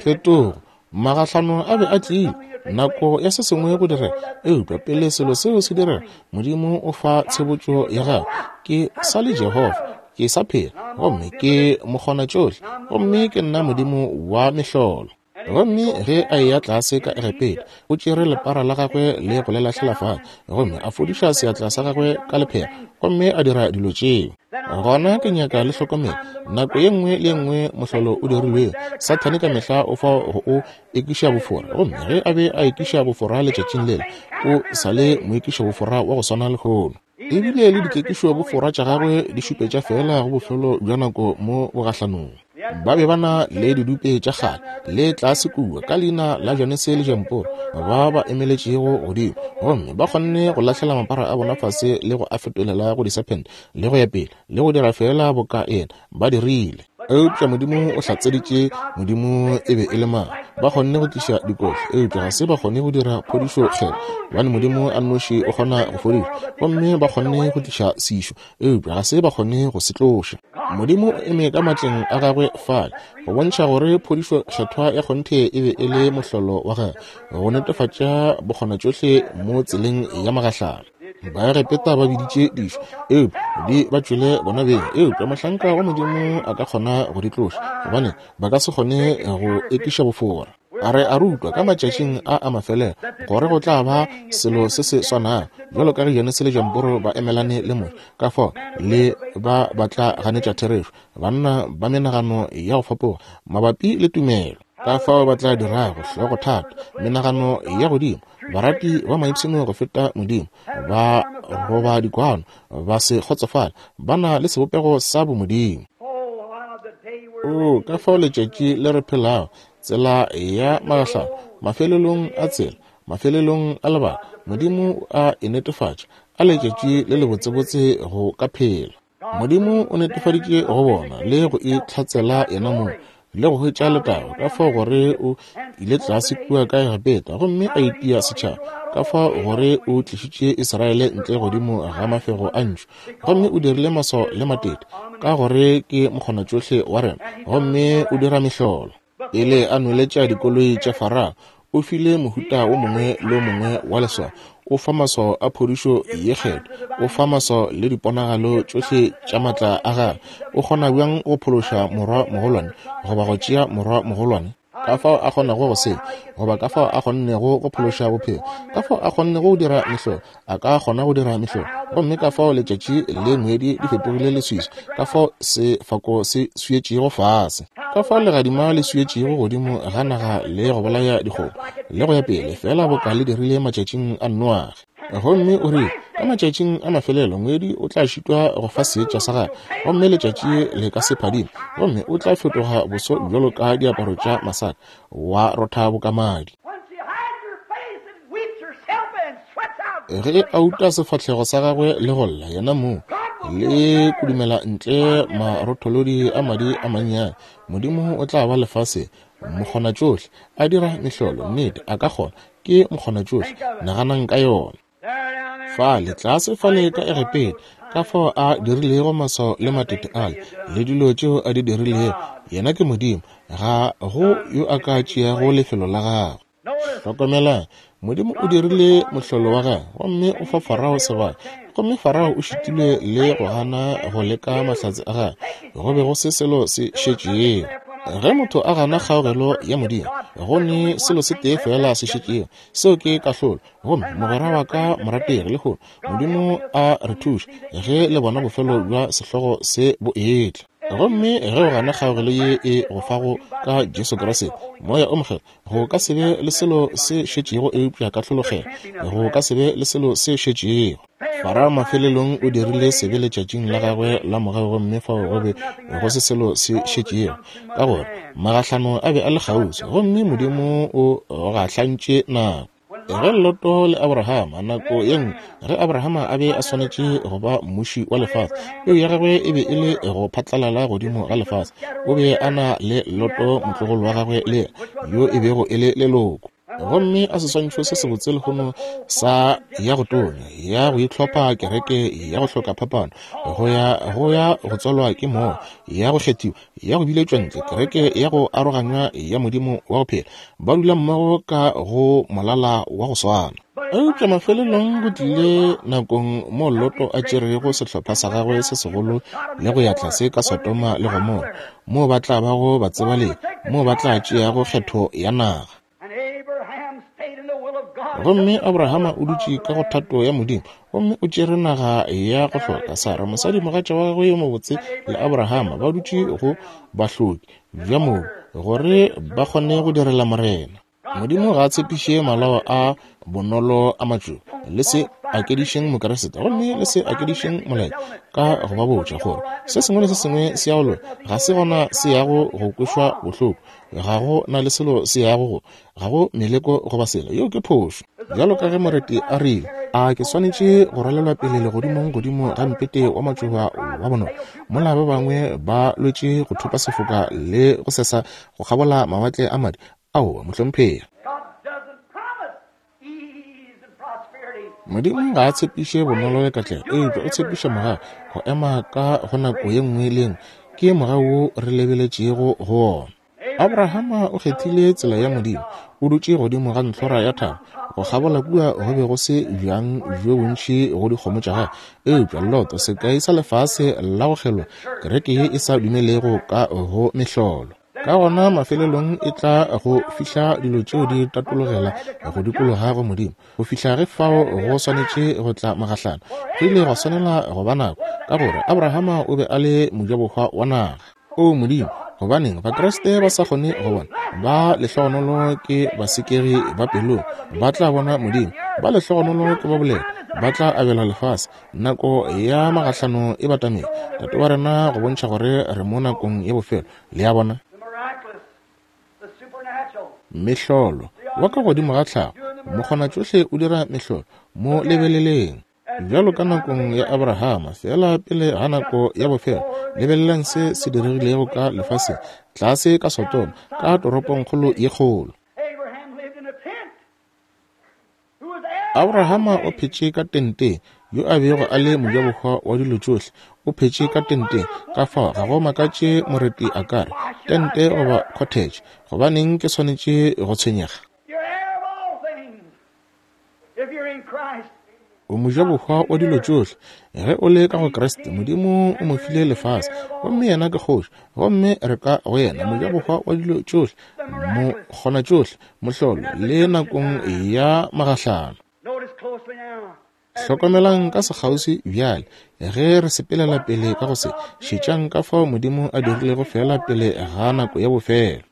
Phetogo, magahlano a be a tlile, nako ya se sengwe go direga. Eupša pele selo seo se direga, Modimo o fa tshebotšo ya gagwe. Ke sa le Jehofa, ke sa phela, gomme ke mokgonatšohle, gomme ke nna Modimo wa mehlolo. Gomme ge a eya tlase ka Egepeta, o tšere lepara la gagwe le go le lahlela fase, gomme a fodiša seatla sa gagwe ka lephera, gomme a dira dilo tšeo. Gona ke nyaka le hlokomele, nako ye nngwe le ye nngwe mohlolo o dirilwego, Sathane ka mehla o fa go o ekiša bofora. Gomme ge a be a ekiša bofora letšatšing lela, o sa le moekiša bofora wa go swana lehono. Ebile le dikekišo bofora tša gagwe di šupetša feela go bofelo bja nako mo bogahlanong. Ba be ba na le didupe tša kgale le tlase kua ka leina la Janese le Jamporo ba ba emeletšego godimo, gomme ba kgonne go lahlela mapara a bona fase le go a fetolela go disephente le go ya pele le go dira feela boka yena ba dirile. Eupša Modimo o hlatseditše Modimo e be e le mang. Ba kgonne go tliša dikotlo, eupša ga se ba kgone go dira phodišo kgethwa, gobane Modimo a nnoši o kgona go fodiša. Gomme ba kgonne go tliša sešo, eupša ga se ba kgone go se tloša. Modimo o eme ka matleng a gagwe fale go bontšha gore phodišo kgethwa ya kgonthe e be e le mohlolo wa gagwe, go netefatša bokgonatšohle mo tseleng ya magahlano. Baegepeta ba biditše dišo, eupša di ba tšwele bona beng. Eupša mohlanka wa Modimo a ka kgona go di tloša, gobane ba ka se kgone go ekiša bofora. Re a rutwa ka matšatšing a a mafelelo gore go tla ba selo se se swanago, bjalo ka ge Janese le Jamboro ba emelane le Moshe, ka fao le ba ba tla ganetša therešo, banna ba menagano ya go fapoga mabapi le tumelo. Ka fao ba tla dirago hlogothata, menagano ya godimo, barati ba maipshino go feta Modimo, ba roba dikwano, ba se kgotsofale, ba na le sebopego sa bomodimo. Oo, ka fao letšatši le re phelago, tsela ya magahlano, mafelelong a tsela, mafelelong a lebaka, Modimo a e netefatša, a letšatši le lebotsebotse go ka phela. Modimo o netefaditše go bona le go itlhatsela yena mong le go hwetša letago, ka fao gore o ile tlase kua ka Egepeta gomme a itia setšhaba, ka fao gore o tlišitše Israele ntle godimo ga mafego a ntšu gomme o dirile maswao le matete, ka gore ke mokgonatšohle wa rena gomme o dira mehlolo. Pele a nweletša dikoloi tša Farao, o file mohuta wo mongwe le wo mongwe wa leswao. O fa maswao a phodišo ye kgethwa. O fa maswao le diponagalo tšohle tša matla a gagwe. O kgona bjang go phološa morwa mogolwane goba go tšea morwa mogolwane? Ka fao a kgonago go se, goba ka fao a kgonnego go phološa bophelo, ka fao a kgonnego go dira mehlolo, a ka kgona go dira mehlolo. Gomme ka fao letšatši le ngwedi di fetogile leswiswi, ka fao sefako se swietšego fase, ka fao legadima le swietšego godimo ga naga le go bolaya dikgomo, le go ya pele, feela boka le dirile matšatšing a Noage. Gomme o rile, ka matšatšing a mafelelo ngwedi o tla šitwa go fa seetša sa gagwe, gomme letšatši le ka se phadime, gomme o tla fetoga boso bjalo ka diaparo tša masaka, wa rotha boka madi. Ge a uta sefahlego sa gagwe le go lla yena mong, le kudumela ntle marotholodi a madi a mannyane, Modimo o tla ba lefaseng, mokgonatšohle, a dira mehlolo. Nnete, a ka kgona. Ke mokgonatšohle. Naganang ka yona. Fale, tlase fale ka Egepeta, ka fao a dirilego maswao le matete ale, le dilo tšeo a di dirilego. Yena ke Modimo. Ga go yo a ka tšeago lefelo la gagwe. Hlokomelang, Modimo o dirile mohlolo wa gagwe gomme o fa Farao sebaka, gomme Farao o šitilwe le go gana go leka mahlatse a gagwe. Go be go se selo se šetšego. Ge motho a gana kgaogelo ya Modimo, go ne selo se tee feela se šetšego, seo ke kahlolo. Gomme mogwera wa ka morategi lehono, Modimo a re thuše ge le bona bofelo bja sehlogo se bo etla. Gomme ge o gana kgaogelo ye e go fago ka Jesu Kriste, Moya o Mokgethwa, go ka se be le selo se šetšego eupša kahlologelo. Go ka se be le selo se šetšego. Farao mafelelong o dirile sebe letšatšing la gagwe la mogau, gomme fao go be go se selo se šetšego, ka gore magahlano a be a le kgauswi, gomme Modimo o gahlantše nako. Ge Loto le Abrahama, nako ye nngwe, ge Abrahama a be a swanetše go ba mmuši wa lefase, peu ya gagwe e be e le go phatlalala godimo ga lefase. O be a na le Loto motlogolo wa gagwe le yo e bego e le leloko. Gomme a seswantšho se sebotse lehono sa ya go tonya, ya go itlhopha kereke ya go hloka phapano, go ya go ya go tswalwa ke moya, ya go kgethiwa, ya go biletšwa ntle, kereke ya go aroganywa ya Modimo wa go phela, ba dula mmogo ka go molala wa go swana. Eupša mafelelong go tlile nakong mo Loto a tšerego sehlopha sa gagwe se segolo le go ya tlase ka Sodoma le Gomora, moo ba tla bago batsebalegi, moo ba tla tšeago kgetho ya naga. Gomme Abrahama o dutše ka go thato ya Modimo, gomme o tšere naga ya go hloka. Sara, mosadimogatša wa gagwe yo mobotse, le Abrahama ba dutše go bahloki bja mobu, gore ba kgone go direla Morena. Modimo ga a tshepiše malao a bonolo a matšoba. Le se akedišeng Mokeresete, gomme le se akedišeng molaetša ka go ba botša gore se sengwe le se sengwe se ya go loka, ga se gona se yago go kwešwa bohloko, ga go na le selo se yago go, ga go meleko goba selo. Yeo ke phošo. Bjalo ka ge moreti a rile, A ke swanetše go rwalelwa pele legodimong godimo ga mpete wa matšoba wa bonolo, mola ba bangwe ba lwetše go thopa sefoka le go sesa go kgabola mawatle a madi? Aowa, mohlomphegi. Modimo ga a tshepiše bonolo le katlego, eupša o tshepiša mogau go ema ka go nako ye nngwe le ye nngwe. Ke mogau wo re lebeletšego go wona. Abrahama o kgethile tsela ya Modimo. O dutše godimo ga ntlhora ya thaba. Go kgabola kua go be go se bjang bjo bontši go dikgomo tša gagwe. Eupša Loto, sekai sa lefase la go kgelwa, kereke ye e sa dumelego ka go mehlolo. Ka gona mafelelong e tla go fihla dilo tšeo di tatologela go dikologa go Modimo, go fihla ge fao go swanetše go tla magahlano. Go ile gwa swanela go ba nako, ka gore Abrahama o be a le mojabohwa wa naga. O Modimo, gobaneng Bakriste ba sa kgone go bona? Ba lehlogonolo ke basekegi ba pelong, ba tla bona Modimo. Ba lehlogonolo ke ba boleta, ba tla abelwa lefase. Nako ya magahlano e batamela, Tate wa rena, go bontšha gore re mo nakong ya bofelo. Le a bona? Mehlolo wa ka godimo ga tlhago, mokgonatšohle o dira mehlolo. Mo lebeleleng. Bjalo ka nakong ya Abrahama, feela pele ga nako ya bofelo, lebelelang se se diregilego ka lefaseng, tlase ka Sodoma, ka toropongkgolo ye kgolo. Abrahama o phetše ka tenteng, yo a bego a le mojabohwa wa dilo tšohle, o phetše ka tenteng. Ka fao ga go makatše moreti a ka re, Tente goba cottage, gobaneng ke swanetše go tshwenyega? O mojabohwa wa dilo tšohle. Ge o le ka go Kriste, Modimo o mo file lefase, gomme yena ke kgoši, gomme re ka go yena, mojabohwa wa dilo tšohle, mokgonatšohle, mohlolo, le nakong ya magahlano. Hlokomelang ka sekgauswi bjale, ge re sepelela pele ka go se, šetšang ka fao Modimo a dirilego feela pele ga nako ya bofelo.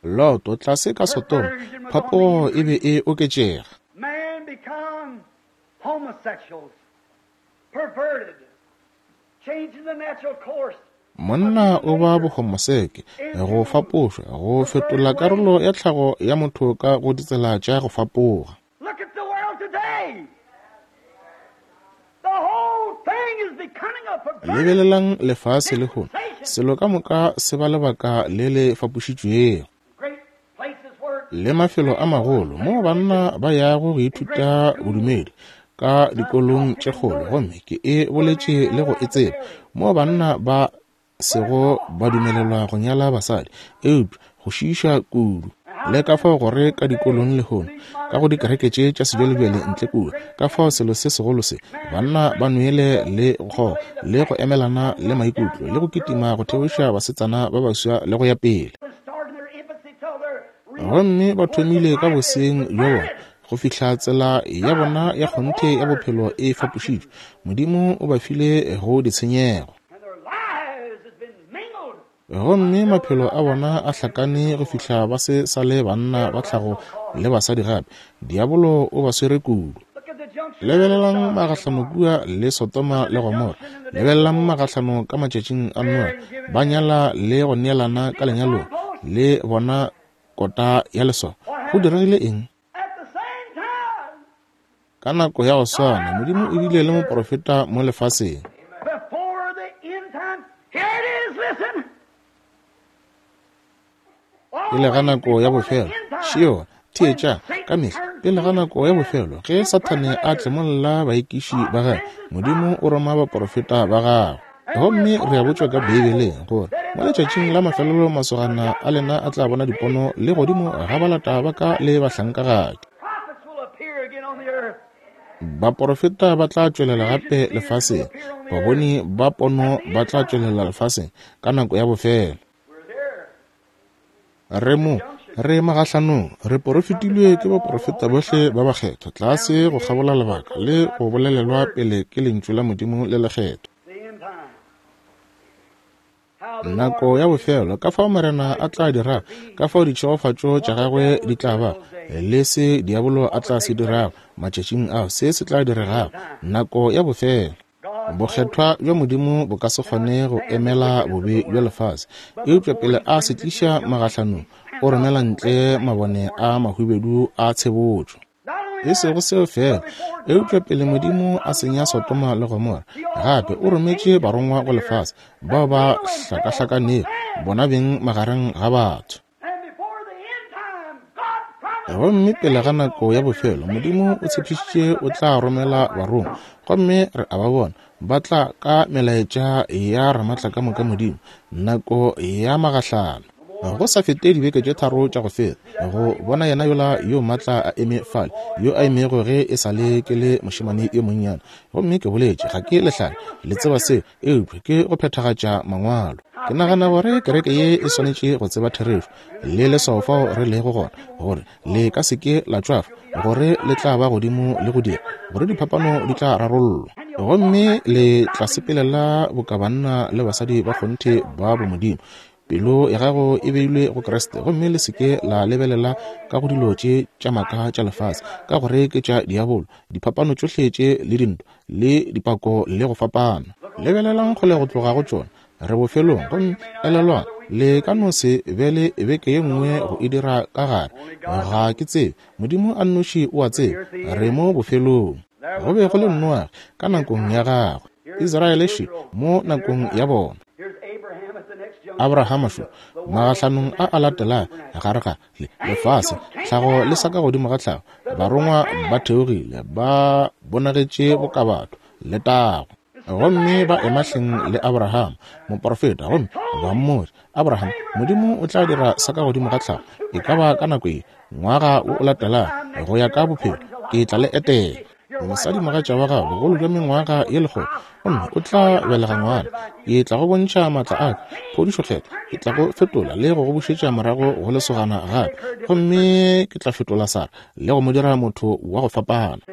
Loto, tlase ka Sodoma, phapogo e be e oketšega. Monna o ba bohomoseke, go fapošwa, go fetola karolo ya tlhago ya motho ka go ditsela tša go fapoga. Lebelelang lefase lehono, selo ka moka se ba lebaka le le fapošitšwego. Le mafelo a magolo moo banna ba yago go ithuta bodumedi ka dikolong tše kgolo, gomme ke e boletše le go e tseba, moo banna ba sego ba dumelelwa go nyala basadi, eupša go šiiša kudu. Le ka fao gore ka dikolong lehono, ka go dikereke tše tša sebjalebjale ntle kua, ka fao selo se segolo se, banna ba nwele le go kgoga, le go emelana le maikutlo, le go kitima go theoša basetsana ba baswa le go ya pele. Gomme ba thomile ka boseng bja bona, go fihla tsela ya bona ya kgonthe ya bophelo e fapošitšwe. Modimo o ba file go ditshenyego. Gomme maphelo a bona a hlakane go fihla ba se sa le banna ba tlhago le basadi gape. Diabolo o ba swere kudu. Lebelelang magahlano kua le Sodoma le Gomora. Lebelelang magahlano ka matšatšing a Noa. Ba nyala le go neelana ka lenyalong le bona kota ya leswao. Go diregile eng? Ka nako ya go swana, Modimo o bile le moprofeta mo lefaseng. Pele ga nako ya bofelo, šeo, theetša, ka mehla, pele ga nako ya bofelo, ge Sathane a tlemolla baekiši ba gagwe, Modimo o roma baprofeta ba gagwe. Gomme re a botšwa ka Beibeleng gore mo letšatšing la mafelelo masogana a lena a tla bona dipono le godimo ga balata ba ka le bahlankagadi. Baporofeta ba tla tšwelela gape lefaseng, baboni ba pono ba tla tšwelela lefaseng ka nako ya bofelo. Re mo, re magahlanong, re porofetilwe ke baporofeta bohle ba bakgethwa tlase go kgabola lebaka le go bolelelwa pele ke Lentšu la Modimo le lekgethwa. Nako ya bofelo, ka fao Morena a tla dirago, ka fao ditšhegofatšo tša gagwe di tla ba, le se diabolo a tla se dirago matšatšing ao, se se tla diregago, nako ya bofelo. Bokgethwa bja Modimo bo ka se kgone go emela bobe bja lefase, eupša pele a se tliša magahlanong, o romela ntle mabone a mahubedu a tshebotšo. E sego seo feela, eupša pele Modimo a senya Sodoma le Gomora, gape o rometše barongwa go lefase, bao ba hlakahlakanego bona beng magareng ga batho. Gomme pele ga nako ya bofelo, Modimo o tshepišitše o tla romela barongwa, gomme re a ba bona ba tla ka melaetša ya Ramatlakamoka Modimo, nako ya magahlano. Go sa fete dibeke tše tharo tša go feta, go bona yena yola yo maatla a eme fale, yo a emego ge e sa le ke le mošemane yo monnyane. Gomme ke boletše, ga ke lehlale, le tseba seo, eupša ke go phethagatša Mangwalo. Ke nagana gore kereke ye e swanetše go tseba therešo le leswao fao re lego gona, gore le ka se ke la tšwafa, gore le tla ba godimo le go dira, gore diphapano di tla rarollwa, gomme le tla sepelela boka banna le basadi ba kgonthe ba bomodimo. Pelo ya gago e beilwe go Kriste, gomme le se ke la lebelela ka go dilo tše tša maaka tša lefase, ka gore ke tša diabolo, diphapano tšohle tše le dintwa, le dipako le go fapana. Lebelelang kgole go tloga go tšona. Re bofelong, gomme elelwang, le ka no se be le beke ye nngwe go e dira ka gare. Ga ke tsebe. Modimo a nnoši o a tseba. Re mo bofelong. Go be go le Noage ka nakong ya gagwe, Israele še mo nakong ya bona. Abrahama šo magahlanong a a latelago gare ga le lefase, tlhago le sa ka godimo ga tlhago, barongwa ba theogile, ba bonagetše boka batho, letago. Gomme ba ema hleng le Abraham, moprofeta, gomme ba mmotša, Abraham, Modimo o tla dira sa ka godimo ga tlhago, e ka ba ka nako ye, ngwaga wo o latelago, go ya ka bophelo, ke tla le etela. Mosadi mogatša wa gago bogolo bja mengwaga ye lekgolo, gomme o tla belega ngwana. Ke tla go bontšha maatla a ka, phodišo kgethwa. Ke tla go fetola le go go bušetša morago go lesogana gape, gomme ke tla fetola Sara le go mo dira motho wa go fapana.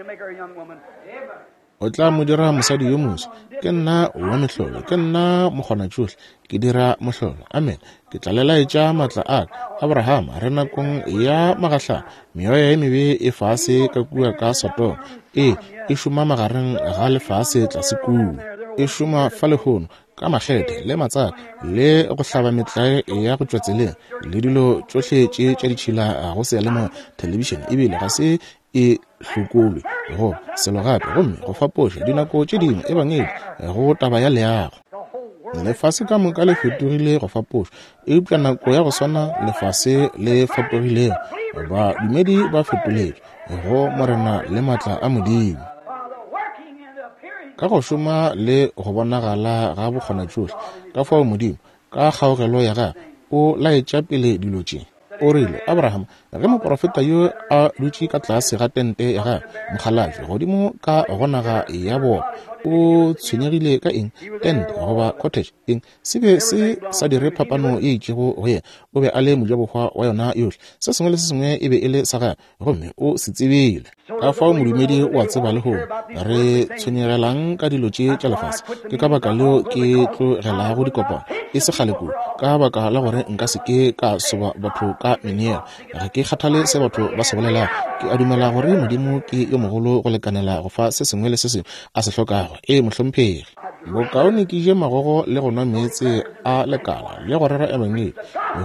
O tla mo dira mosadi yo moswa. Ke nna wa mehlolo, ke nna mokgonatšohle, ke dira mohlolo. Amen. Ke tla le laetša maatla a ka. Abrahama, re nakong ya magahlano. Meoya ye mebe e fase ka kua ka Sodoma. Ee, e šoma magareng ga lefase tlase kua. E šoma fa lehono ka makgethe le matsaka le go hlaba metlae ya go tšwa tseleng le dilo tšohle tše tša ditšhila go seyalemoya, thelebišene, ebile ga se e hlokolwe go selo gape, gomme go fapoša dinako tše dingwe ebangedi go taba ya leago. Lefase ka moka le fetogile go fapoša, eupša nako ya go swana lefase le fapogilego, badumedi ba fetoletšwe go Morena le maatla a Modimo. Ka go šoma le go bonagala ga bokgonatšohle, ka fao Modimo ka kgaogelo ya gagwe o laetša pele dilo tše. O rile, Abraham, ge moprofeta yo a dutše ka tlase ga tente ya gagwe, mokgalabje, godimo ka go naga ya bona, o tshwenyegile ka eng? Tente goba cottage, eng? Se be se sa dire phapano ye itšego go yena. O be a le mojabohwa wa yona yohle. Se sengwe le se sengwe e be e le sa gagwe, gomme o se tsebile. Ka fao modumedi o a tseba lehono, re tshwenyegelang ka dilo tše tša lefase. Ke ka baka leo ke tlogelago dikopano e se kgale kudu, ka baka la gore nka se ke ka soba batho ka meneelo. Ga ke kgathale se batho ba se bolelago. Ke a dumela gore Modimo ke yo mogolo go lekanela go fa se sengwe le se sengwe a se hlokago. Ee, mohlomphegi. Bokaone ke je magogo le go nwa meetse a lekala le go rera ebangedi,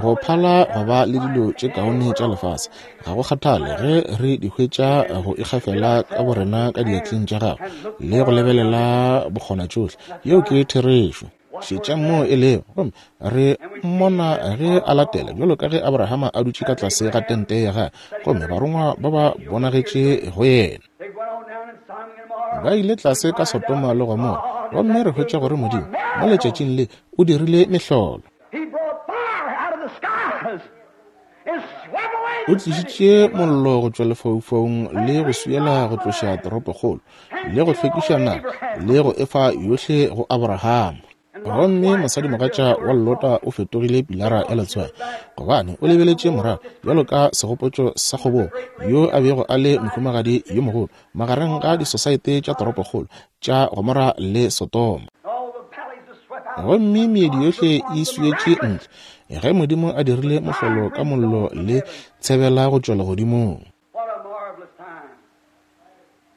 go phala go ba le dilo tše kaone tša lefase. Ga go kgathale ge re di hwetša go ikgafela ka borena ka diatleng tša Gagwe le go lebelela bokgonatšohle. Yeo ke therešo. Šetšang moo e lego. Gomme re mmona ge a latela, bjalo ka ge Abrahama a dutše ka tlase ga tente ya gagwe, gomme barongwa ba ba bonagetše go yena. Ba ile tlase ka Sodoma le Gomora, gomme re hwetša gore Modimo, mo letšatšing le, o dirile mehlolo. O tlišitše mollo go tšwa lefaufaung le go swiela go tloša toropokgolo, le go hlwekiša naga, le go efa yohle go Abrahama. Gomme mosadimogatša wa Lota o fetogile pilara ya letswai, gobane o lebeletše morago bjalo ka segopotšo sa kgobogo, yo a bego a le mohumagadi yo mogolo magareng ga disosaete tša toropokgolo tša Gomora le Sodoma. Gomme meedi yohle e swietše ntle, ge Modimo a dirile mohlolo ka mollo le tshebela go tšwa legodimong.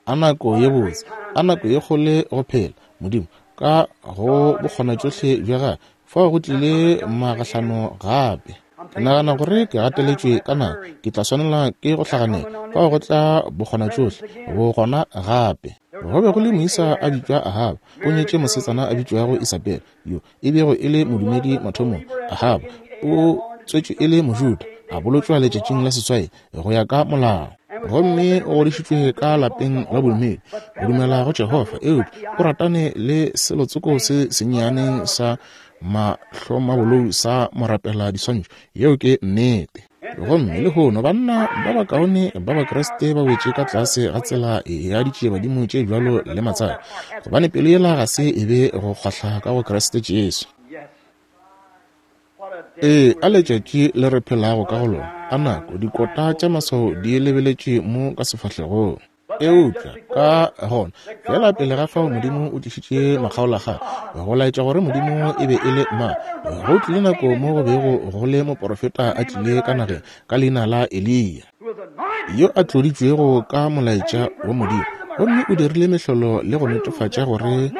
A nako ye botse, a nako ye kgole go phela, Modimo, ka go bokgonatšohle bja Gagwe, fao go tlile magahlano gape. Ke nagana gore ke gateletšwe ka nako, ke tla swanela ke go hlaganela. Fao go tla bokgonatšohle, bogona gape. Go be go le moisa a bitšwa Ahaba, o nyetše mosetsana a bitšwago Isabele, yo e bego e le modumedi mathomong. Ahaba o tswetšwe e le Mojuda, a bolotšwa letšatšing la seswai go ya ka molao. Gomme o godišitšwe ka lapeng la bodumedi, o dumela go Jehofa, eupša o ratane le selotsoko se sennyane sa mahlomabolou sa morapela diswantšho. Yeo ke nnete. Gomme lehono banna ba bakaone ba Bakriste ba wetše ka tlase ga tsela ya ditšiebadimo tše bjalo le matsaka, gobane pelo yela ga se e be go kgwahla ka go Kriste Jesu. Ee, a letšatši le re phelago ka go lona, a nako, dikota tša maswao di lebeletše mo ka sefahlegong. Eupša ka gona, feela pele ga fao Modimo o tlišitše makgaolakgang, go laetša gore Modimo e be e le mang. Go tlile nako mo go bego go le moporofeta a tlile ka nageng ka leina la Eliya, yo a tloditšwego ka molaetša wa Modimo, gomme o dirile mehlolo le go netefatša gore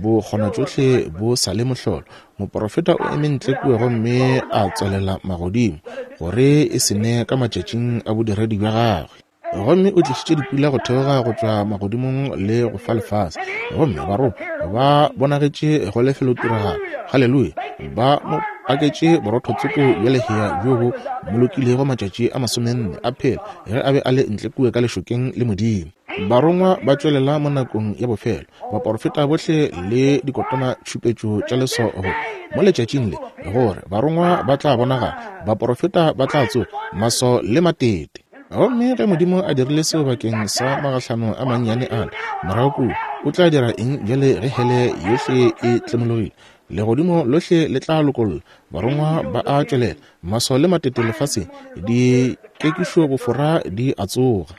bokgonatšohle bo sa le mohlolo. Moporofeta o eme ntle kua gomme a tswalela magodimo gore e se ne ka matšatšing a bodiredi bja gagwe. Gomme o tlišitše dipula go theoga go tšwa magodimong le go fa lefase. Gomme barongwa ba bonagetše go lefelotiragalo. Haleluya! Ba mo paketše borotho-tsoko bja lehea bjo bo molokilego matšatši a masomenne a phela ge a be a le ntle kua ka lešokeng le Modimo. Barongwa ba tšwelela mo nakong ya bofelo. Baporofeta bohle le dikotana tšhupetšo tša leswao go mo letšatšing le gore barongwa ba tla bonagala, baporofeta ba tla tsoga, maswao le matete. Gomme ge Modimo a dirile seo bakeng sa magahlano a mannyane ale morago kua, o tla dira eng bjale ge hele yohle e tlemologile? Legodimo lohle le tla lokolla, barongwa ba a tšwelela, maswao le matete lefaseng, dikekišo bofora di a tsoga.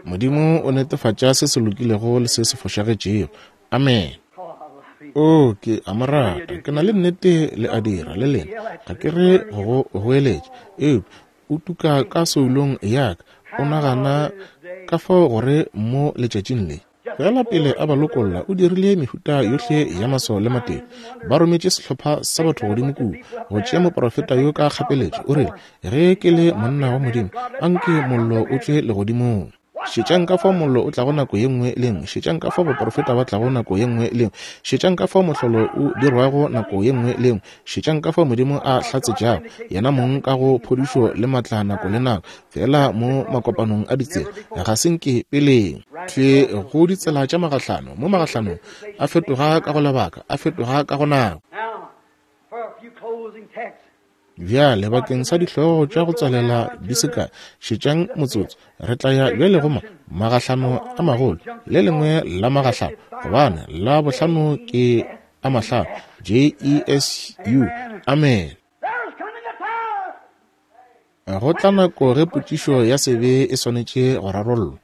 Modimo o netefatša se se lokilego le se se fošagetšego. Amen. O, ke a mo rata. Ke na le nnete le a dira, le lena. Ga ke re go go goeletša, eupša o tuka ka soulong ya ka. O nagana ka fao gore mo letšatšing le, feela pele a ba lokolla, o dirile mehuta yohle ya maswao le matete. Ba rometše sehlopha sa batho godimo kua go tšea moprofeta yo ka kgapeletšo. O rile, Ge ke le monna wa Modimo, anke mollo o tšwe legodimong. Šetšang ka fao mollo o tlago nako ye nngwe le nngwe. Šetšang ka fao baprofeta ba tlago nako ye nngwe le nngwe. Šetšang ka fao mohlolo o dirwago nako ye nngwe le nngwe. Šetšang ka fao Modimo a hlatsetšago Yena mong ka go phodišo le matla nako le nako, feela mo makopanong a ditsela, ga se nke peleng. Thwi go ditsela tša magahlano, mo magahlanong, a fetoga ka go lebaka, a fetoga ka go nako. Bjale bakeng sa dihlogo tša go tswalela di se kae, šetšang motsotso. Re tla ya bjale go ma, magahlano a magolo, le lengwe la magahlano, gobane la bohlano ke a mahlano, J-E-S-U. Amene. Go tla nako ge potšišo ya sebe e swanetše go rarollwa.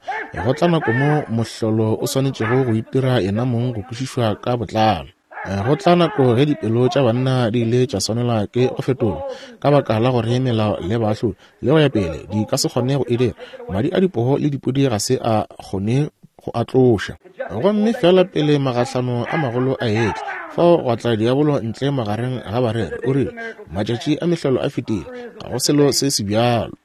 Go tla nako mo mohlolo o swanetšego go itira yena mong go kwešišwa ka botlalo. Go tla nako ge dipelo tša banna di ile tša swanelwa ke go fetolwa ka baka la gore melao le baahlodi le go ya pele di ka se kgone go e dira. Madi a dipoo le dipudi ga se a kgone go a tloša. Gomme feela pele magahlano a magolo a etla, fao gwa tla diabolo ntle magareng ga bareri, o rile, Matšatši a mehlolo a fetile, ga go selo se se bjalo.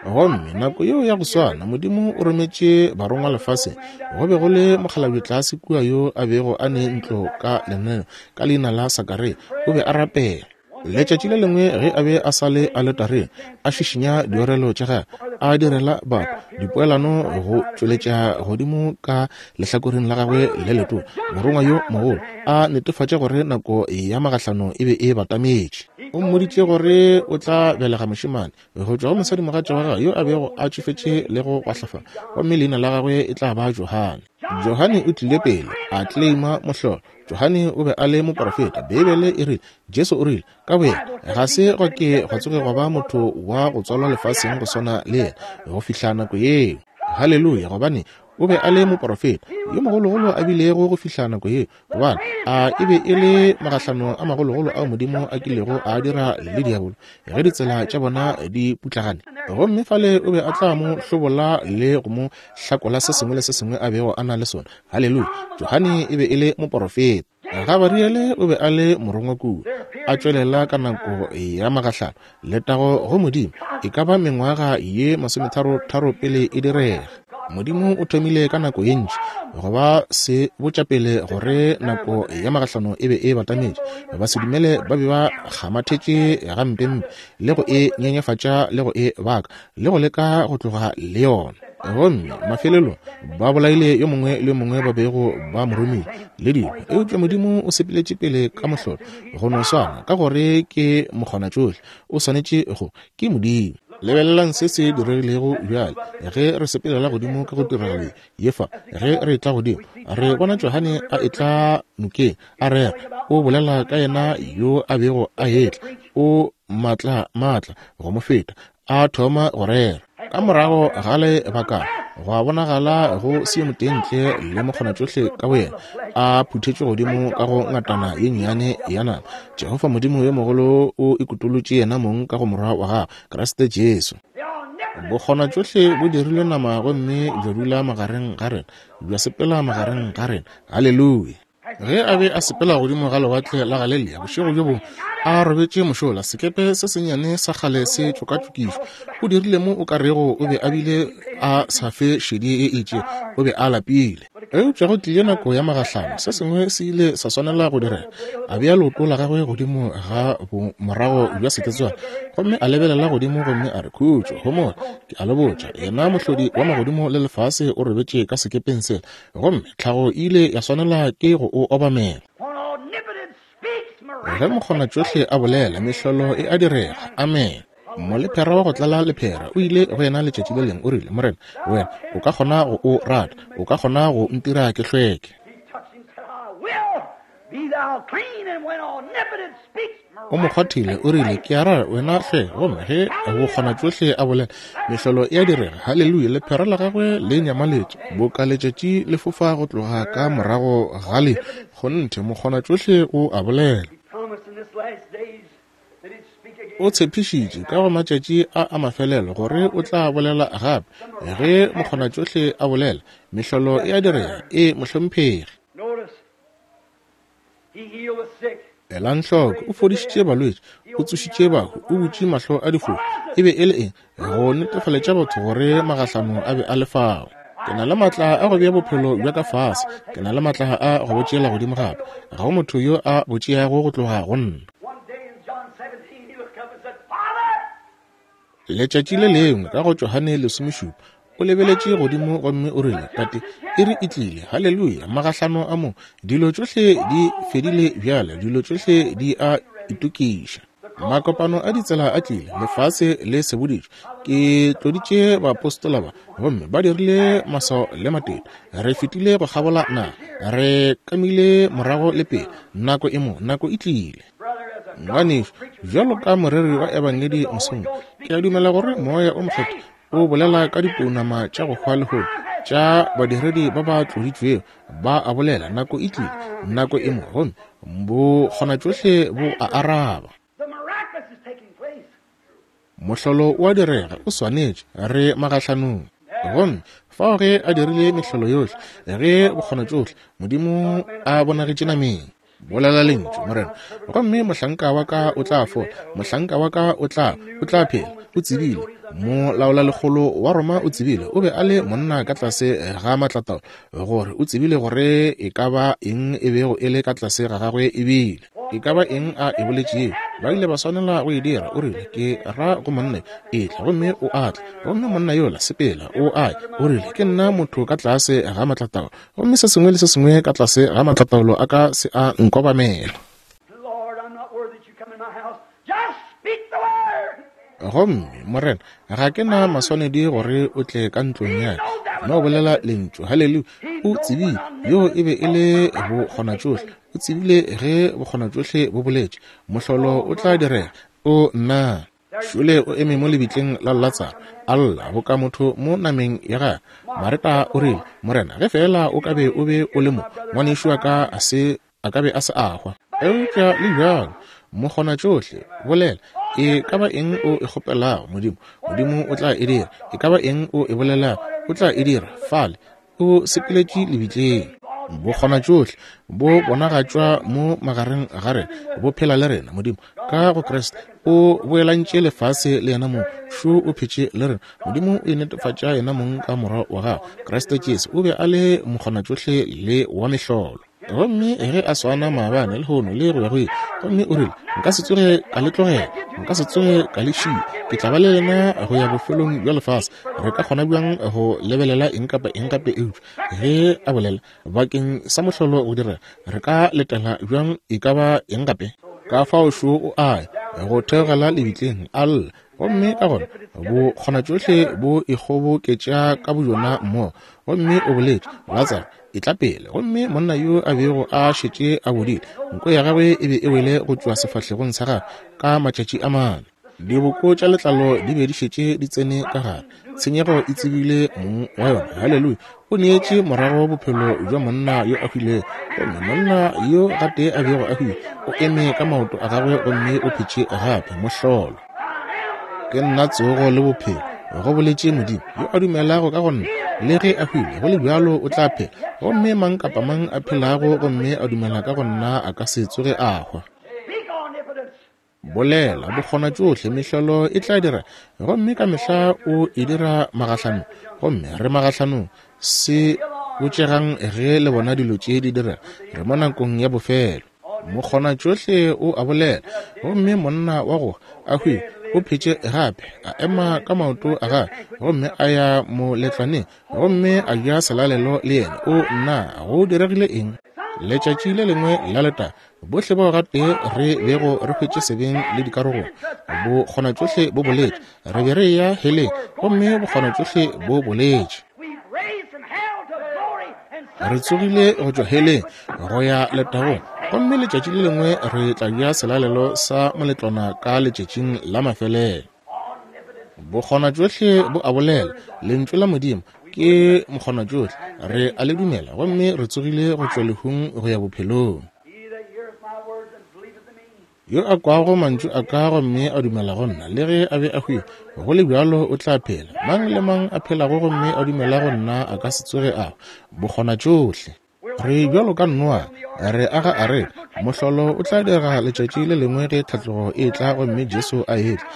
Gomme nako yeo ya go swana, Modimo o rometše barongwa lefaseng. Go be go le mokgalabje tlase kua yo a bego a ne ntlo ka lenaneo ka leina la Sakaria, o be a rapela. Letšatši le lengwe ge a be a sa le aletareng, a šišinya diorelo tša gagwe, a direla batho dipoelano go tšweletša godimo ka lehlakoreng la gagwe le letona, morongwa yo mogolo a netefatša gore nako ya magahlano e be e batametše. O mmoditše gore o tla belega mošemane go tšwa go mosadimogatša wa gagwe yo a bego a tšofetše le go gwahlafala, gomme leina la gagwe e tla ba Johane. Johane o tlile pele a tleleima mohlolo. Johane o be a le moporofeta. Beibele e rile, Jesu o rile, ka boyena, ga se gwa ke gwa tsoge gwa ba motho wa go tswalwa lefaseng go swana le yena go fihla nako yeo. Haleluya! Gobane o be a le moporofeta yo mogologolo a bilego go fihla nako yeo, gobane a e be e le magahlano a magologolo ao Modimo a kilego a dira le diabolo ge ditsela tša bona di putlagane. Gomme fale o be a tla mo hlobola le go mo hlakola se sengwe le se sengwe a bego a na le sona. Haleluya! Johane e be e le moporofeta. Gabariele o be a le morongwa kua, a tšwelela ka nako ya magahlano. Letago go Modimo, e ka ba mengwaga ye masometharotharo pele e direga. Modimo o thomile ka nako ye ntši go ba se botša pele gore nako ya magahlano e be e batametše. Basedumele ba be ba kgamathetše gampempe le go e nyenyefatša le go e baka le go leka go tloga le yona. Gomme mafelelong ba bolaile yo mongwe le yo mongwe ba bego ba mo romile le dilo. Eupša Modimo o sepeletše pele ka mohlolo go no swana, ka gore ke mokgonatšohle, o swanetše go, ke Modimo. Lebelelang se se diregilego bjale ge re sepelela godimo ka go tiragalo ye fa. Ge re etla godimo, re bona Johane a etla nokeng, a rera, o bolela ka yena yo a bego a etla, o maatla maatla go mo feta, a thoma go rera. Ka morago ga lebakana, gwa bonagala go se yo motee ntle le mokgonatšohle ka boyena a phuthetšwe godimo ka go ngatana ye nnyane ya nama. Jehofa Modimo yo mogolo o ikutolotše yena mong ka go Morwa wa gagwe, Kriste Jesu. Bokgonatšohle bo dirilwe nama gomme bja dula magareng ga rena, bja sepela magareng ga rena. Haleluya! Ge a be a sepela godimo ga lewatle la Galelia bošego bjo bongwe, a robetše mošola, sekepe se sennyane sa kgale se tšokatšokišwa, o dirile mo o ka rego o be a bile a sa fe šedi e itšego, o be a lapile. Eupša go tlile nako ya magahlano, se sengwe se ile sa swanela go direga. A bea leoto la gagwe godimo ga bomorago bja seketswana gomme a lebelela godimo gomme a re, Khutšo, homola, ke a le botša, yena Mohlodi wa magodimo le lefase o robetše ka sekepeng sela. Gomme tlhago e ile ya swanela ke go o obamela. Ge mokgonatšohle a bolela, mehlolo e a direga. Amene. Molephera wa go tlala lephera o ile go yena letšatši le lengwe, o rile, Morena, wena o ka kgona go o rata, o ka kgona go ntira ke hlweke. O mo kgwathile, o rile, Ke a ra wena hle. Gomme ge bokgonatšohle a bolela, mehlolo e a direga. Haleluya! Lephera la gagwe le nyamaletše boka letšatši le fofa go tloga ka morago ga le. Kgonthe, mokgonatšohle o a bolela. O tshepišitše ka go matšatši a a mafelelo gore o tla bolela gape. Ge mokgonatšohle a bolela, mehlolo e a direga. Ee, mohlomphegi. Elang hloko, o fodišitše balwetši, o tsošitše bahu, o butše mahlo a difofu. E be e le eng? Go netefaletša batho gore magahlano a be a le fao. Ke na le matla a go bea bophelo bja ka fase, ke na le matla a go bo tšeela godimo gape. Ga go motho yo a bo tšeago go tloga go nna. Letšatši le lengwe ka go Johane lesomešupa, o lebeletše godimo gomme o rile, Tate, iri e tlile. Haleluya! Magahlano a mo, dilo tšohle di fedile bjale, dilo tšohle di a itokiša. Makopano a ditsela a tlile, lefase le seboditšwe. Ke tloditše baapostola ba, gomme ba dirile maswao le matete. Re fetile go kgabola naga, re kamile morago le pele. Nako e mo, nako e tlile. Ngwanešu, bjalo ka moreri wa Ebangedi mosong, ke a dumela gore Moya o Mokgethwa o bolela ka dipounama tša go hwa lehono tša badiredi ba ba tloditšwego, ba a bolela, nako e tlile, nako e mo, gomme bokgonatšohle bo a araba. Mohlolo o a direga, o swanetše, re magahlanong. Gomme fao ge a dirile mehlolo yohle, ge bokgonatšohle Modimo a bonagetše nameng, Bolela lentšu, Morena, gomme mohlanka wa ka o tla fola, mohlanka wa ka o tla, o tla phela. O tsebile, molaolalekgolo wa Roma o tsebile, o be a le monna ka tlase ga maatlataolo, gore o tsebile gore e ka ba eng e bego e le ka tlase ga gagwe e bile. E ka ba eng a e boletšego, ba ile ba swanela go e dira. O rile, Ke ra go monna etla, gomme o a tla. Gomme monna yola, sepela, o a ya. O rile, Ke nna motho ka tlase ga maatlataolo, Gomme se sengwe le se sengwe ka tlase ga matlataolo a ka se a nkobamela. Gomme, Morena, ga ke na maswanedi gore o tle ka ntlong ya ka. No bolela lentšu. Haleluya. O tsebile yoo e be e le bokgonatšohle. O tsebile ge bokgonatšohle bo boletše, mohlolo o tla direga. O nna. Šole o eme mo lebitleng la Latsaro, a lla boka motho mo nameng ya gagwe. Mareta o rile, Morena, ge feela o ka be o be o le mo, ngwanešu wa ka a se a ka be a se a hwa. Eupša le bjalo, Mokgonatšohle, bolela, e ka ba eng o e kgopelago, Modimo, Modimo o tla e dira. E ka ba eng o e bolelago, o tla e dira. Fale, o sepeletše lebitleng. Bokgonatšohle bo bonagatšwa mo magareng ga rena, bo phela le rena. Modimo ka go Kriste o boelantše lefase le yena mong, šo o phetše le rena. Modimo o inetefatša yena mong ka Morwa wa gagwe, Kriste Jesu. O be a le mokgonatšohle le wa mehlolo. Gomme ge a swana maabane, lehono, le go ya go ile. Gomme o rile, Nka se tsoge ka le tlogela, nka se tsoge ka le šia, ke tla ba le lena go ya bofelong bja lefase. Re ka kgona bjang go lebelela eng kapa eng gape eupša ge a bolela bakeng sa mohlolo go direga? Re ka letela bjang e ka ba eng gape? Ka fao šo o a ya go theogela lebitleng, a lla. Gomme ka gona bokgonatšohle bo ikgoboketša ka bojona mmogo. Gomme o boletše, Latsaro, etla pele. Gomme monna yo a bego a šetše a bodile, nko ya gagwe e be e wele go tšwa sefahlegong sa gagwe ka matšatši a mane. Diboko tša letlalo di be di šetše di tsene ka gare. Tshenyego e tsebile mong wa yona. Haleluya! O neetše morago bophelo bja monna yo a hwilego. Gomme monna yo gatee a bego a hwile, o eme ka maoto a gagwe gomme o phetše gape. Mohlolo! Ke nna tsogo le bophelo, go boletše Modimo. Yo a dumelago ka go nna, le ge a hwile, go le bjalo o tla phela. Gomme mang kapa mang a phelago gomme a dumela ka go nna a ka se tsoge a hwa. Bolela, bokgonatšohle, mehlolo e tla dira, gomme ka mehla o e dira magahlanong, gomme re magahlanong. Se botšegang ge le bona dilo tše di direga, re mo nakong ya bofelo. Mokgonatšohle o a bolela, gomme monna wa go a hwile o phetše gape, a ema ka maoto a gagwe, gomme a ya moletlwaneng, gomme a ja selalelo le yena. O nna, go diregile eng? Letšatši le lengwe la letago, Bohle bao gatee re bego re hwetše sebeng le dikarogong, bokgonatšohle bo boletše. Re be re eya heleng, gomme bokgonatšohle bo boletše. Re tsogile go tšwa heleng go ya letagong, gomme letšatši le lengwe re tla ja selalelo sa moletlwana ka letšatšing la mafelelo. Bokgonatšohle bo a bolela, Lentšu la Modimo ke mokgonatšohle, re a le dumela, gomme re tsogile go tšwa lehung go ya bophelong. Yo a kwago mantšu a ka gomme a dumela go nna, le ge a be a hwile, go le bjalo o tla phela. Mang le mang a phelago gomme a dumela go nna a ka se tsoge a hwa. Bokgonatšohle. Re bjalo ka Noa, re aga areka. Mohlolo o tla direga letšatši le lengwe ge tlhatlogo e etla gomme Jesu a etla.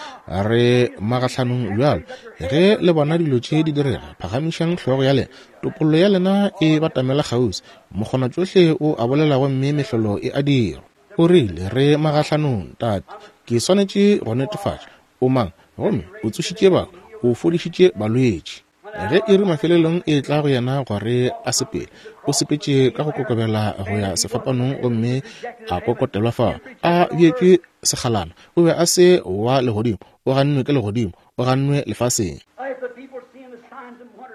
Re magahlanong bjalo. Ge le bona dilo tše di direga, phagamišang hlogo ya lena. Topollo ya lena e batamela kgauswi. Mokgonatšohle o a bolela gomme mehlolo e a dirwa. O rile, Re magahlanong, Tate. Ke swanetše go netefatša. O mang? Gomme o tsošitše bahu, o fodišitše balwetši. Ge iri mafelelong e etla go yena gore a sepele, o sepetše ka go kokobela go ya sefapanong gomme a kokotelwa fao, a bjetšwe sekgalana. O be a se wa legodimo, o gannwe ke legodimo, o gannwe lefaseng.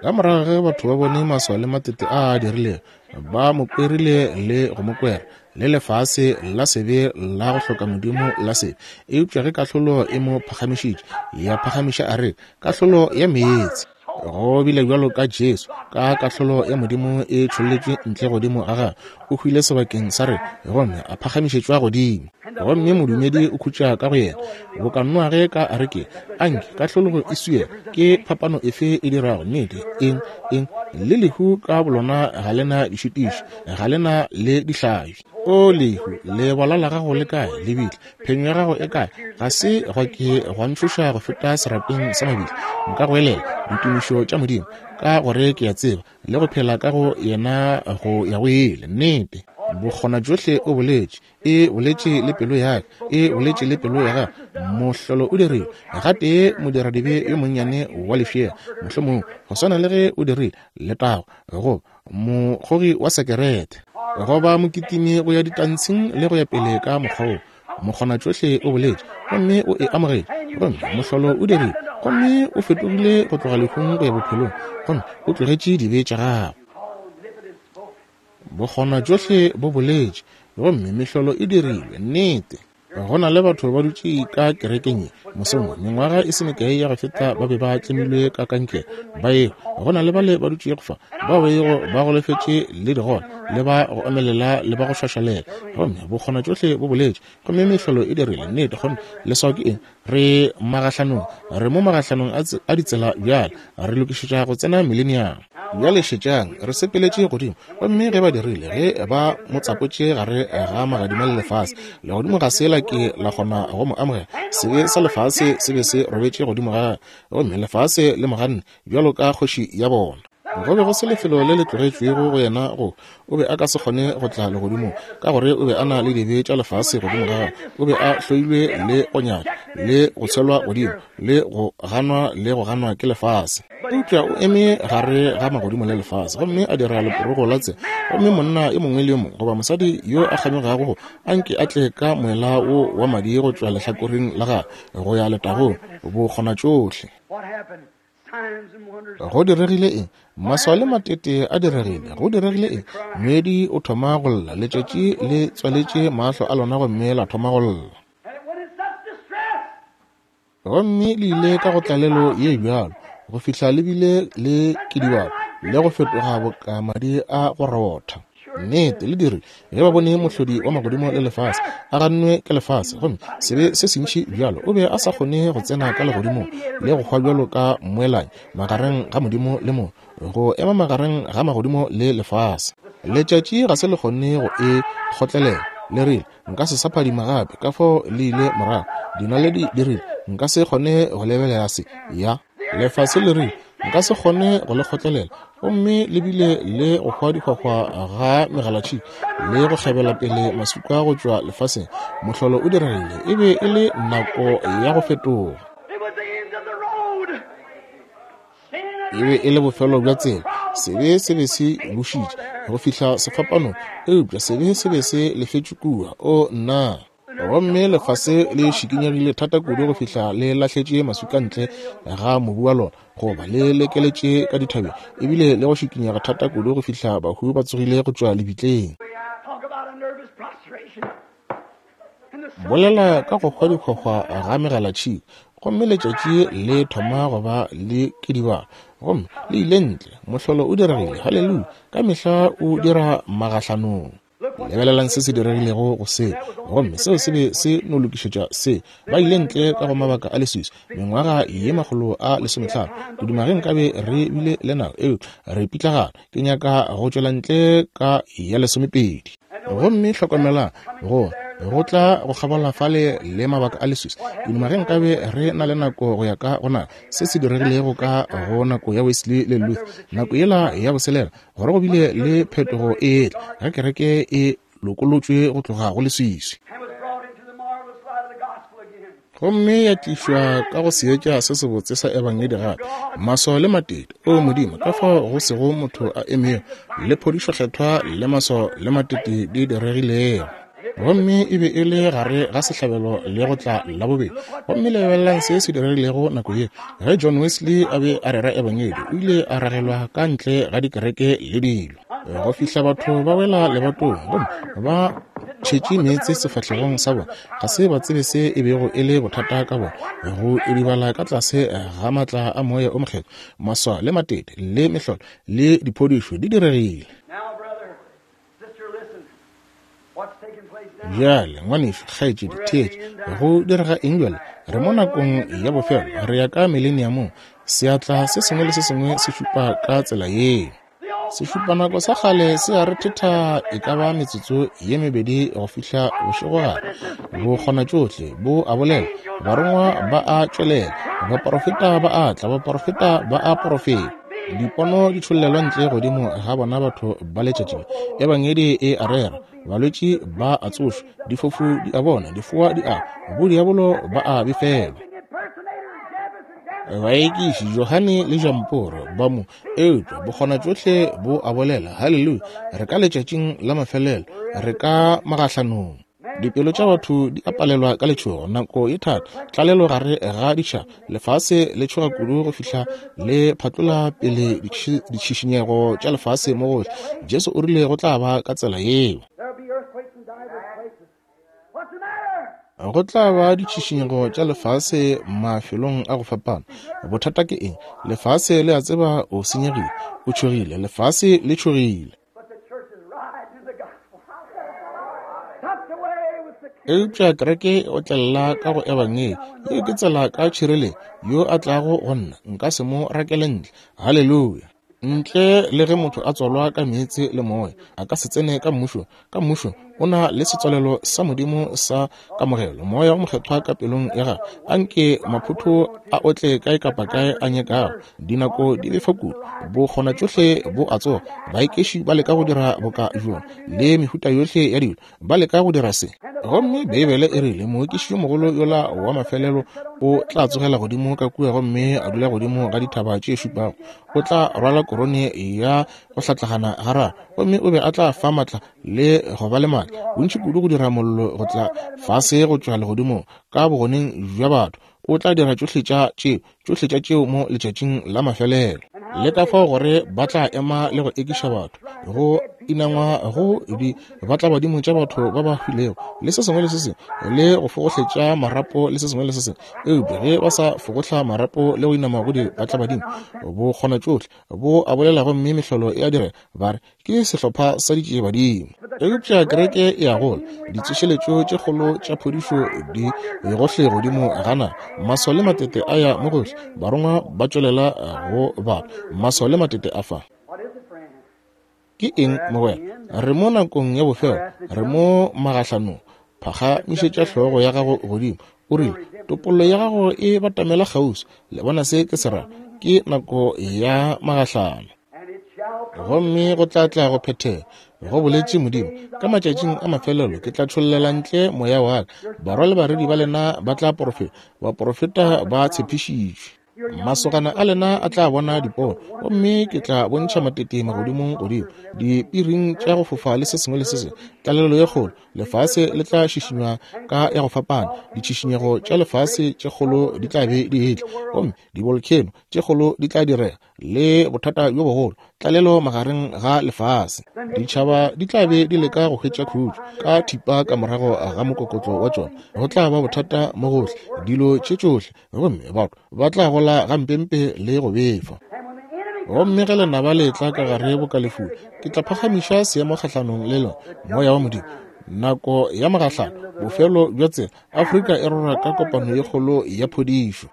Ka morago ge batho ba bone maswao le matete a a dirilego, ba mo kwerile le go mo kwera, le lefase la sebe la go hloka Modimo la sebe. Eupša ge kahlolo e mo phagamišitše, ya phagamiša a re, kahlolo ya meetse. Go bile bjalo ka Jesu, ka kahlolo ya Modimo e tšholletšwe ntle godimo ga gagwe, o hwile sebakeng sa rena, gomme a phagamišetšwa godimo. Gomme modumedi o khutša ka go yena, boka Noage ka arekeng. Anke kahlologo e swiela, ke phapano efe e dirago? Nnete, eng, eng, le lehu ka bolona ga le na dišitiši, ga le na le dihlabi. O lehu, lebola la gago le kae? Lebitla, phenyo ya gago e kae? Ga se gwa ke gwa ntšhoša go feta serapeng sa mabitla. Nka goelela ditumišo tša Modimo, ka gore ke a tseba le go phela ka go yena go ya go ile. Nnete, Bokgonatšohle o boletše. E boletše le pelo ya ka, e boletše le pelo ya gagwe. Mohlolo o dirile. Gatee modiradibe yo monnyane wa lefšega, mohlomongwe go swana le ge o dirile, letago, goba mokgogi wa sekerete, goba mokitimi go ya ditantshing le go ya pele ka mokgwa wo. Mokgonatšohle o boletše, gomme o e amogetše, gomme mohlolo o dirile, gomme o fetogile go tloga lehung go ya bophelong, gomme o tlogetše dibe tša gagwe. Bokgonatšohle bo boletše, gomme mehlolo e dirilwe. Nnete. Go na le batho ba dutše ka kerekeng ye. Mosong wo, mengwaga e se mekae ya go feta ba be ba tlemilwe ka kankere, ba ehwa. Go na le bale ba dutšego fa, bao ba bego ba golofetše le digole, le ba go omelela le ba go šwašwalela. Gomme bokgonatšohle bo boletše, gomme mehlolo e dirile. Nnete, gomme leswao ke eng? Re magahlanong, re mo magahlanong a ditsela bjale, re lokišetša go tsena Mileniamo. Bjale šetšang, re sepeletše godimo. Gomme ge ba dirile, ge ba mo tsapotše gare ga magadima le lefase, legodimo ga se la ke la kgona go mo amogela. Sebe sa lefase se be se robetše godimo ga gagwe, gomme lefase le mo ganne bjalo ka kgoši ya bona. Go be go se lefelo le le tlogetšwego go yena go o be a ka se kgone go tla legodimong, ka gore o be a na le dibe tša lefase godimo ga gagwe. O be a hloilwe le go nyatšwa le go tshelwa godimo le go ganwa le go ganwa ke lefase. Eupša o eme gare ga magodimo le lefase gomme a dira leporogo la tsela, gomme monna yo mongwe le yo mongwe goba mosadi yo a kganyogago go anke a tle ka moela wo wa madi go tšwa lehlakoreng la gagwe go ya letagong, bokgonatšohle. Go diregile eng? Maswao le matete a diregile. Go diregile eng? Moedi o thoma go lla. Letšatši le tswaletše mahlo a lona gomme la thoma go lla. Gomme le ile ka go tlalelo ye bjalo go fihla le bile le kidibalo le go fetoga boka madi a go rotha. Nnete, le dirile ge ba bone mohlodi wa magodimo le lefase a gannwe ke lefase, gomme sebe se sentši bjalo, o be a sa kgone go tsena ka legodimong le go hwa bjalo ka mmoelanyi magareng ga Modimo le motho, go ema magareng ga magodimo le lefase. Letšatši ga se le kgone go e kgotlelela, le rile, Nka se sa phadima gape, ka fao le ile morago. Dinaledi di rile, Nka se kgone go lebelela se. Ya. Lefase le rile, Nka se kgone go le kgotlelela. Gomme le bile le go hwa dihwahwa ga megalatšhika le go kgebela pele maswika go tšwa lefaseng. Mohlolo o diregile. E be e le nako ya go fetoga. E be e le bofelo bja tsela. Sebe se be se bušitše go fihla sefapanong, eupša sebe se be se lefetšwe kua. O nna! Gomme lefase le šikinyegile thata kudu go fihla le lahletše maswika ntle ga mobu wa lona, goba le lekeletše ka dithabeng, ebile le go šikinyega thata kudu go fihla bahu ba tsogile go tšwa lebitleng. Bolela ka go hwa dihwahwa ga megalatšhika, gomme letšatši le thoma go ba le kidibalo, gomme le ile ntle. Mohlolo o diregile. Haleluya! Ka mehla o dira magahlanong. Lebelelang se se diregilego go seo, gomme seo se be se no lokišetša se. Ba ile ntle ka go mabaka a leswiswi, mengwaga ye 150. Ke duma ge nkabe re bile le nako, eupša re pitlagana. Ke nyaka go tšwela ntle ka ya lesomepedi. Gomme hlokomelang, go go tla go kgabola fale le mabaka a leswiswi. Ke duma ge nkabe re na le nako go ya ka go nako se se diregilego ka go nako ya Wesley le Luther, nako yela ya boselela, gore go bile le phetogo e etla ge kereke e lokolotšwe go tloga go leswiswi gomme ya tlišwa ka go seetša se sebotse sa ebangedi gape, maswao le matete. O Modimo, ka fao go sego motho a emego le phodišo kgethwa le maswao le matete di diregilego. Gomme e be e le gare ga sehlabelo le go tla la bobedi. Gomme lebelelang se se diregilego nako ye. Ge John Wesley a be a rera ebangedi, o ile a ragelwa ka ntle ga dikereke le dilo, go fihla batho ba wela lebatong gomme ba tšhetše meetse sefahlegong sa bona. Ga se ba tsebe se e bego e le bothata ka bona, go idibala ka tlase ga maatla a Moya o Mokgethwa. Maswao le matete le mehlolo le diphodišo di diregile. Bjale, ngwanešu, kgaetšedi, theetša. Go direga eng bjale? Re mo nakong ya bofelo. Re ya ka mileniamong. Seatla se sengwe le se sengwe se šupa ka tsela yeo. Sešupanako sa kgale se a rethetha e ka ba metsotso ye mebedi go fihla bošegogare. Bo kgona tšohle, bo a bolela, barongwa ba a tšwelela, baporofeta ba a tla, baporofeta ba a porofeta. Dipono di tšhollelwa ntle godimo ga bona batho ba letšatši le. Ebangedi e a rera, balwetši ba a tsošwa, difofu di a bona, difoa di a, bodiabolo ba a befelwa. Baekiši Johane le Jamporo ba mo, eupša bokgona tšohle bo a bolela. Haleluya! Re ka letšatšing la mafelelo, re ka magahlanong. Dipelo tša batho di a palelwa ka letšhogo, nako e thata, tlalelo gare ga ditšhaba, lefase le tšhoga kudu go fihla le phatlola pele ditšhišinyego tša lefase mo gohle. Jesu o rile go tla ba ka tsela yeo. Go tla ba ditšhišinyego tša lefase mafelong a go fapana. Bothata ke eng? Lefase le a tseba o senyegile, o tšhogile. Lefase le tšhogile. Eupša kereke e otlelela ka go Ebangedi. Yeo ke tsela ka tšhireletšo. Yo a tlago go nna, nka se mo rakele ntle. Haleluya! Ntle le ge motho a tswalwa ka meetse le moya, a ka se tsene ka mmušong. Ka mmušong o na le setswalelo sa Modimo sa kamogelo, Moya o Mokgethwa ka pelong ya gagwe. Anke maphotho a otle kae kapa kae a nyakago. Dinako di befa kudu, bokgona tšohle bo a tsoga. Baekeši ba leka go dira boka bjona le mehuta yohle ya dilo, ba leka go dira se. Gomme Beibele e rile moekiši yo mogolo yola wa mafelelo o tla tsogela godimo ka kua gomme a dula godimo ga dithaba tše šupago. O tla rwala korone ya go hlatlagana gararo, gomme o be a tla fa matla le go ba le matla bontši kudu go dira mollo go tla fase go tšwa legodimong ka bogoneng bja batho. O tla dira tšohle tša tšeo, tšohle tša tšeo mo letšatšing la mafelelo. Le ka fao gore ba tla ema le go ekiša batho, go inangwa go di batlabadimo tša batho ba ba hwilego, le se sengwe le se sengwe, le go fogohletša marapo le se sengwe le se sengwe. Eupša ge ba sa fogohla marapo le go inama go di batlabadimo, bo kgona tšohle, bo a bolela gomme mehlolo e a direga, ba re, Ke sehlopha sa ditšiebadimo. Eupša kereke e a gola, ditsošeletšo tše kgolo tša phodišo di gohle godimo ga naga, maswao le matete a ya mo gohle, barongwa ba tšwelela go batho, maswao le matete a fa. Ke eng, mogwera? Re mo nakong ya bofelo, re mo magahlanong. Phagamišetša hlogo ya gago godimo, o rile, topollo ya gago e batamela kgauswi. Le bona se ke se ra? Ke nako ya magahlano. Gomme go tla tla go phethega, go boletše Modimo, ka matšatšing a mafelelo ke tla tšhollela ntle moya wa ka, barwa le barwedi ba lena ba tla porofeta, baporofeta ba tshepišitšwe. Masogana a lena a tla bona dipono, gomme ke tla bontšha matete magodimong godimo, dipiring tša go fofa le se sengwe le se sengwe, tlalelo ye kgolo. Lefase le tla šišinywa ka ya go fapana, ditšhišinyego tša lefase tše kgolo di tla be di etla, gomme dibolkheno tše kgolo di tla direga, le bothata bjo bogolo, tlalelo magareng ga lefase. Ditšhaba di tla be di leka go hwetša khutšo ka thipa ka morago ga mokokotlo wa tšona. Go tla ba bothata mo gohle, dilo tše tšohle, gomme batho ba tla gola gampempe le go befa. Gomme ge lenaba le etla ka gare boka lefula, ke tla phagamiša seemo kgahlanong le lona, Moya wa Modimo. Nako ya mogahlano, bofelo bja tsela, Afrika e rora ka kopano ye kgolo ya phodišo.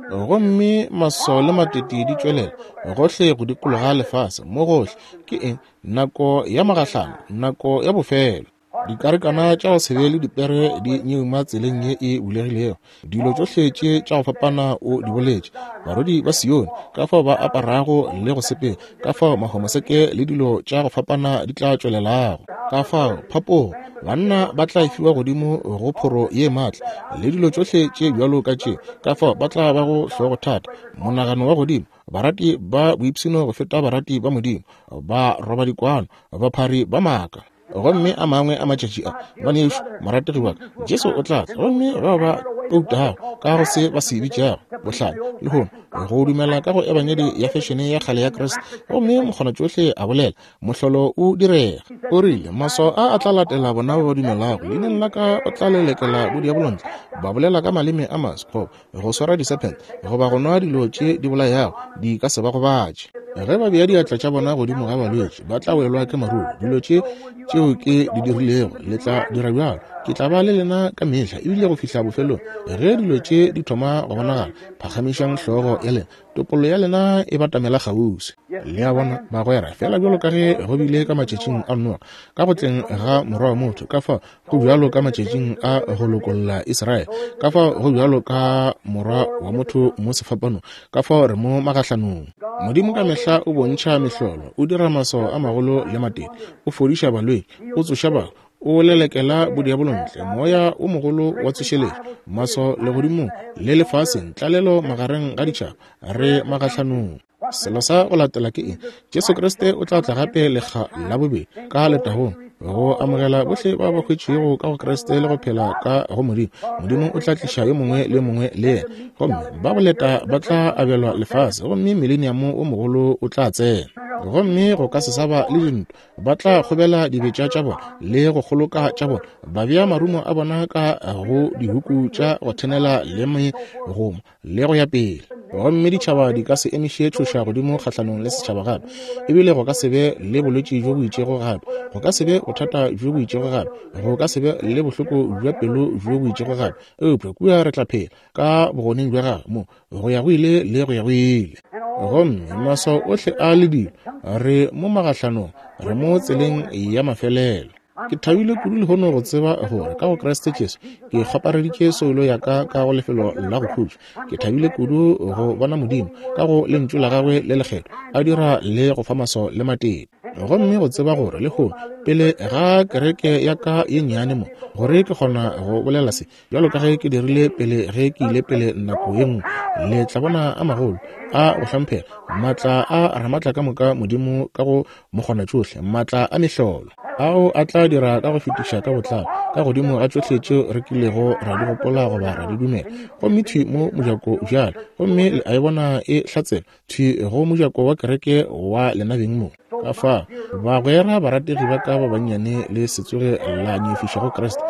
Gomme maswao le matete di tšwelela gohle go dikologa lefase, mo gohle. Ke eng? Nako ya mogahlano, nako ya bofelo. Dikarikana tša go se be le dipere di nyeuma tseleng ye e bulegilego. Dilo tšohle tše tša go fapana o di boletše. Barwedi ba Sione, ka fao ba aparago le go sepela, ka fao mahomoseke le dilo tša go fapana di tla tšwelelago, ka fao phapogo, banna ba tla fiwa godimo go phoro ye maatla, le dilo tšohle tše bjalo ka tše, ka fao ba tla bago hlogothata, monagano wa godimo, barati ba boipshino go feta barati ba Modimo, ba roba dikwano, baphari ba maaka. Gomme a mangwe a matšatši a, ngwanešu morategi wa ka, Jesu o tla tla, gomme bao ba toutago ka go se ba se bitšago bohlale lehono, go dumela ka go ebangedi ya fešene ya kgale ya Kriste, gomme mokgonatšohle a bolela, mohlolo o direga. O rile, Maswao a a tla latela bona ba ba dumelago, leineng la ka o tla lelekela bodiabolo ntle, ba bolela ka maleme a maswa, goba go swara disephente, goba go nwa dilo tše di bolayago, di ka se ba gobatše. Ge ba bea diatla tša bona godimo ga balwetši, ba tla welwa ke maruru. Dilo tše tšeo ke di dirilego, le tla dira bjalo. Ke tla ba le lena ka mehla, ebile go fihla bofelong. Ge dilo tše di thoma go bonagala, phagamišang hlogo ya lena, topollo ya lena e batamela kgauswi. Le a bona, bagwera, feela bjalo ka ge go bile ka matšatšing a Noa, ka go tleng ga Morwa wa motho, ka fao go bjalo ka matšatšing a go lokolla Israele, ka fao go bjalo ka Morwa wa motho mo sefapanong, ka fao re mo magahlanong. Modimo ka mehla o bontšha mehlolo, o dira maswao a magolo le matete, o fodiša balwetši, o tsoša bahu, o lelekela bodiabolo ntle, moya o mogolo wa tsošeletšo, maswao legodimong le lefaseng, tlalelo magareng ga ditšhaba, re magahlanong. Selo sa go latela ke eng? Jesu Kriste o tla tla gape lekga la bobedi ka letagong go amogela bohle ba ba hwetšego ka go Kriste le go phela ka go Modimo. Modimo o tla tliša yo mongwe le yo mongwe le yena, gomme ba boleta ba tla abelwa lefase, gomme mileniamo o mogolo o tla tsena. Gomme go ka se sa ba le dintwa. Ba tla kgobela dibetša tša bona le go kgoloka tša bona, ba bea marumo a bona ka go dihuku tša go thenela le megoma le go ya pele. Gomme ditšhaba di ka se emiše tšhoša godimo kgahlanong le setšhaba gape, ebile go ka se be le bolwetši bjo bo itšego gape, go ka se be bothata bjo bo itšego gape, go ka se be le bohloko bja pelo bjo bo itšego gape, eupša kua re tla phela ka bogoneng bja gagwe mo go ya go ile le go ya go ile. Gomme maswao ohle a le dilo, re mo magahlanong, re mo tseleng ya mafelelo. Ke thabile kudu lehono go tseba gore ka go Kriste Jesu ke kgopareditše soulo ya ka ka go lefelo la go khutša. Ke thabile kudu go bona Modimo ka go Lentšu la Gagwe le lekgethwa a dira le go fa maswao le matete. Gomme go tseba gore lehono, pele ga kereke ya ka ye nnyane mo, gore ke kgona go bolela se bjalo ka ge ke dirile pele ge ke ile pele nako ye nngwe, le tla bona a magolo a go hlomphega, maatla a Ramatla ka moka Modimo ka go Mokgonatšohle, maatla a mehlolo ao a tla dira ka go fetiša ka botlalo ka godimo ga tšohle tšeo re kilego ra di gopola goba ra di dumela. Gomme thwi mo mojako bjale, gomme le a e bona e hlatsela thwi go mojako wa kereke wa lena beng mo. Ka fao, bagwera barategi ba ka ba bannyane, le se tsoge la nyefiša go Kriste,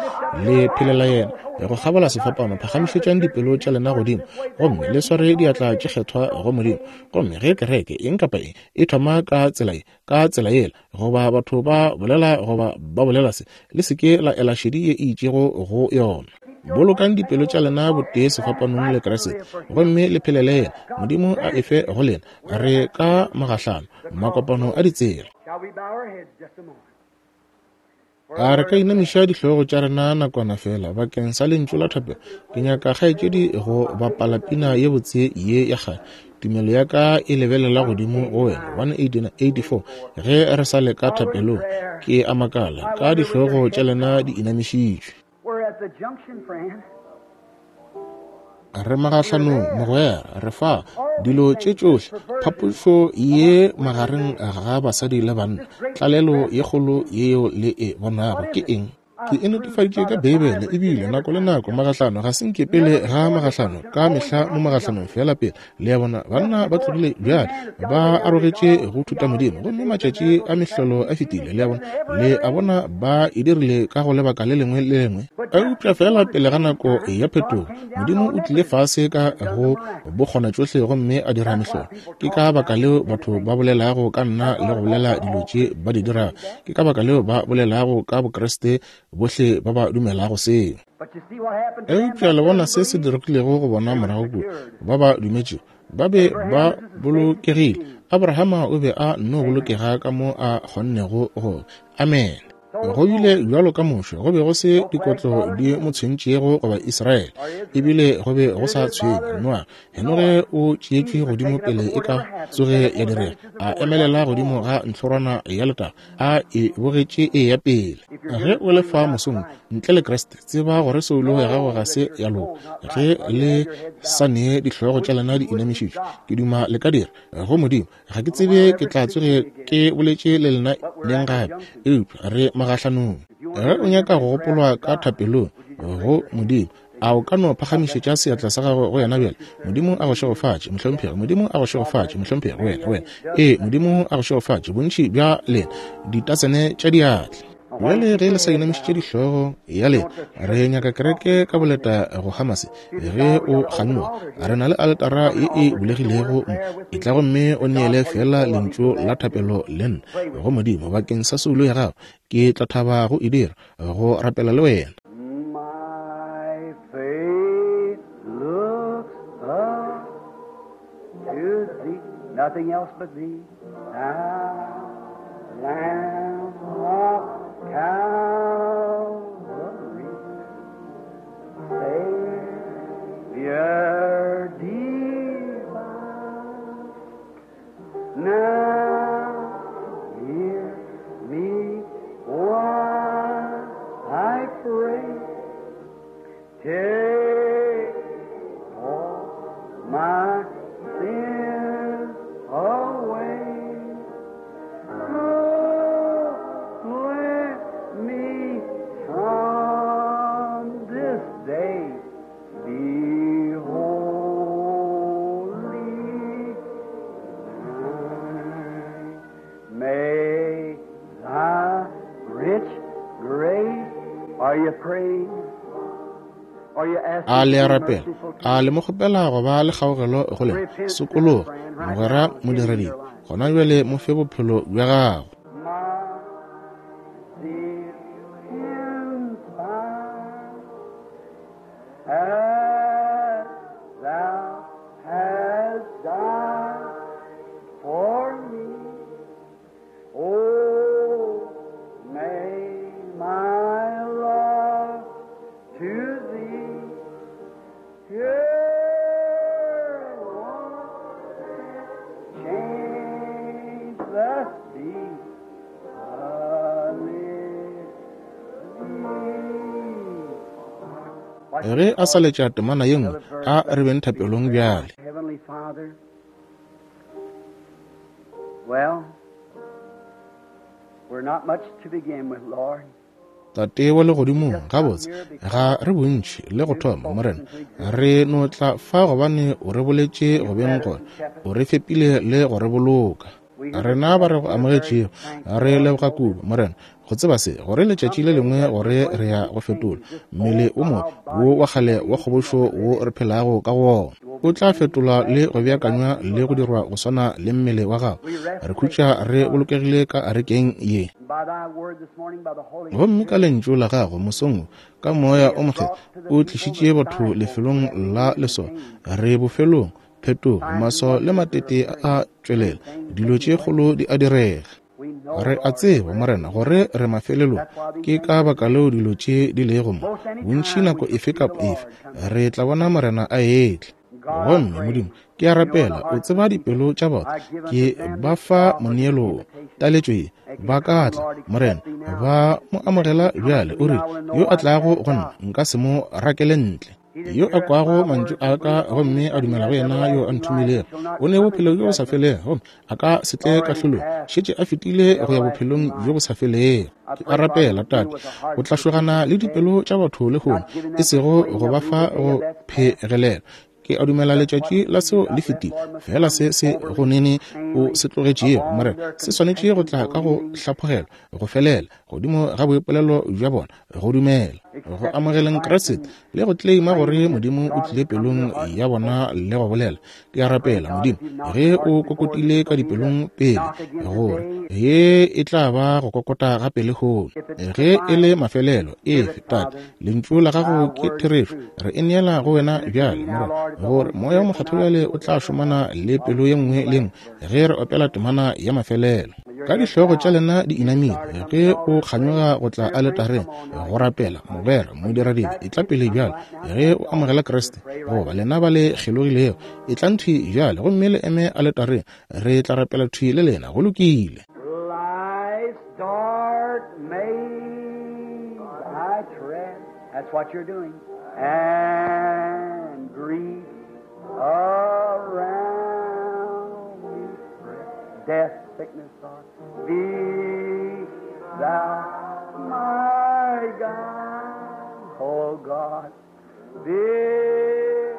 le phelela yena go kgabola sefapano. Phagamišetšang dipelo tša lena godimo gomme le sware diatla tše kgethwa go Modimo. Gomme ge kereke eng kapa eng e thoma ka tsela ye, ka tsela yela, goba batho ba bolela goba ba bolela se, le se ke la ela šedi ye e itšego go yona. Bolokang dipelo tša lena botee sefapanong le Kriste, gomme le phelele yena. Modimo a e fe go lena. Re ka magahlano, makopano a ditsela. A re ka inamiša dihlogo tša rena nakwana fela bakeng sa lentšu la thapelo? Ke nyaka kgaetšedi go bapala pina ye botse ye ya kgale, Tumelo ya ka e lebelela godimo go wena, 184, ge re sa le ka thapelong. Ke a makala, ka dihlogo tša lena di inamišitšwe. Re magahlanong, mogwera. Re fa dilo tše tšohle, phapošo ye magareng ga basadi le banna, tlalelo ye kgolo yeo le e bonago. Ke eng? Ke e netefaditše ka Beibele, ebile nako le nako magahlano, ga se nke pele ga magahlano, ka mehla mo magahlanong feela pele. Le a bona, banna ba tlogile bjale, ba arogetše go thutamodimo, gomme matšatši a mehlolo a fetile. Le a bona, le a bona, ba e dirile ka go lebaka le lengwe le lengwe. Eupša feela pele ga nako ya phetogo, Modimo o tlile fase ka go bokgonatšohle gomme a dira mehlolo. Ke ka baka leo batho ba bolelago ka nna le go bolela dilo tše ba di dirago. Ke ka baka leo ba bolelago ka Bokriste, bohle ba ba dumelago seo. Eupša le bona se se diregilego go bona morago kua, ba ba dumetšego, ba be ba bolokegile. Abrahama o be a nno bolokega ka mo a kgonnego go. Amene. Go bile bjalo ka Moshe, go be go se dikotlo di mo tshwentšego goba Israele, ebile go be go sa tshwenye Noa. Henoge o tšeetšwe godimo pele e ka tsoge ya direga, a emelela godimo ga ntlhorwana ya letago, a e bogetše e ya pele. Ge o le fa mosong ntle le Kriste, tseba gore soulo ya gago ga se ya loka. Ge le sa nee dihlogo tša lena di inamišitšwe, ke duma le ka dira go Modimo. Ga ke tsebe ke tla tsoge ke boletše le lena neng gape, eupša re magahlanong. Ge o nyaka go gopolwa ka thapelong go Modimo, a o ka no phagamišetša seatla sa gago go yena bjale? Modimo a go šegofatše, mohlomphegi. Modimo a go šegofatše, mohlomphegi. Wena, wena. Ee, Modimo a go šegofatše, bontši bja lena, ditatsene tša diatla. Bjale ge le sa inamišitše dihlogo ya lena, re nyaka kereke ka boleta go Hamase. Ge o kganyoga, re na le aletara ye e bulegilego mo. Etla gomme o neele feela lentšu la thapelo le nna go Modimo bakeng sa soulo ya gago. Ke tla thaba go e dira, go rapela le wena. My faith looks up to thee, nothing else but thee. Thou Lamb of Calvary, Savior divine. Now hear me while I pray. Take all my sins away. Rich grace, are you praying? Are you asking A le to a be rapela? merciful to A you? le mo kgopela go ba le kgaogelo go lena? Repent, Sokologa, friend, right mogwera now. Give him modiredi, your life. gona bjale mo fe bophelo bja gago. My zeal inspire, as thou hast died for me. Oh, may my love to thee changeless be. Ge a sa letša temana ye nngwe, a re beng thapelong bjale. Heavenly Father, well, we're not much to begin with, Lord. Tate wa legodimong, gabotse ga re bontši le go thoma, Morena. Re no tla fa gobane o re boletše go beng gona, o re fepile le go re boloka. Rena ba re go amogetšego re leboga kudu, Morena, go tseba se, gore letšatši le lengwe gore re ya go fetola mmele o mobe wo wa kgale wa kgobošo wo re phelago ka go wona. O tla fetolwa le go beakanywa le go dirwa go swana le mmele wa gago. Re khutša re bolokegile ka arekeng ye. And by thy word this morning, by the Holy Gomme ka Spirit, lentšu la gago mosong wo, ka moya o mokgethwa o tlišitše batho lefelong la leswao. Re bofelong, phetogo, maswao le matete a tšwelela, dilo tše kgolo di a direga. we know, Re a Lord, tseba, Morena, gore re mafelelong. that's why these Ke things ka are baka leo dilo tše di lego mo. most any Bontši time nako we shall efe see the kapa efe Lord come. re tla bona Morena a etla. God, I Gomme pray, Modimo, ke a you know the rapela, o hearts of tseba the people. dipelo tša batho. I give Ke unto them ba this fa offer, this moneelo wo, invitation. taletšo ye, They can ba ka come, tla, Lord, accept Morena, thee now. ba mo amogela Come bjale. unto O me, rile, I will in no yo a wise tlago cast go nna out. nka se mo rakele ntle. He that Yo a heareth kwago my mantšu words a and ka believeth on gomme him a that dumela hath go yena yo a everlasting life, nthomilego, shall not o ne come bophelo into bjo bo sa judgment, felego, gomme a ka se but tle already kahlolong, passed šetše a fetile to go ya everlasting bophelong bjo life. bo sa felego. I Ke a pray, Father, rapela, to deal Tate, with the hearts o tla of the people šogana le today, dipelo tša batho lehono, not giving e them sego persuading go of ba thee fa the day go of that's past. phegelela. Ke a dumela Just what letšatši la you seo got le left, fetile, Lord, must fela come se se go soberly, nene o sanely, se tlogetšego, of all Morena, their se swanetše go confessions, tla ka go believing, hlaphogelwa, go felela godimo ga boipolelo bja bona, go dumela, go accepting amogeleng Christ Kriste and le go kleima gore claiming that Modimo o God has tlile come to pelong their hearts ya and bona spoken. le go bolela. Ke a I pray, rapela, God, Modimo, if you've knocked ge at o hearts before, this kokotile ka will be the dipelong pele, knock again gore today. ye e tla ba go kokota gape lehono. If it's the Ge e le final, mafelelo, give efe, it, Tate, Father. lentšu la Thy gago ke word is therešo. truth. Re e neela go wena Send it to bjale, me now, Morena, Lord, if the gore Holy moya o Spirit will mokgethwa now bjale deal o with tla every šomana heart le while pelo we ye sing nngwe the le ye last nngwe verse. ge re opela temana ya mafelelo. With your Ka head dihlogo tša bowed, lena di if you inamile, desire to come to ge the o altar and pray, kganyoga go tla dear friend, aletareng come on now. go You rapela, accept Christ. mogwera, Or you modiradibe, e tla backslid, pele come bjale. right now to Ge that o altar. amogela We'll Kriste, pray right goba now. lena ba le kgelogilego, e tlang thwi bjale gomme le eme aletareng, re tla rapela thwi le lena. Go lokile. Life's dark maze I tread. That's what you're doing. And grief around me spread. Death, sickness, sorrow. Be thou my God, oh God. Bid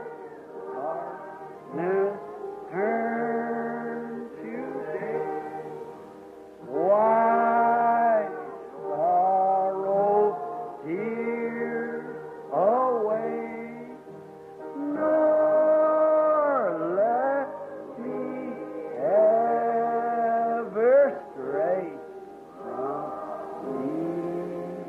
darkness turn to day. Why sorrow, tears away, nor let me ever stray from thee.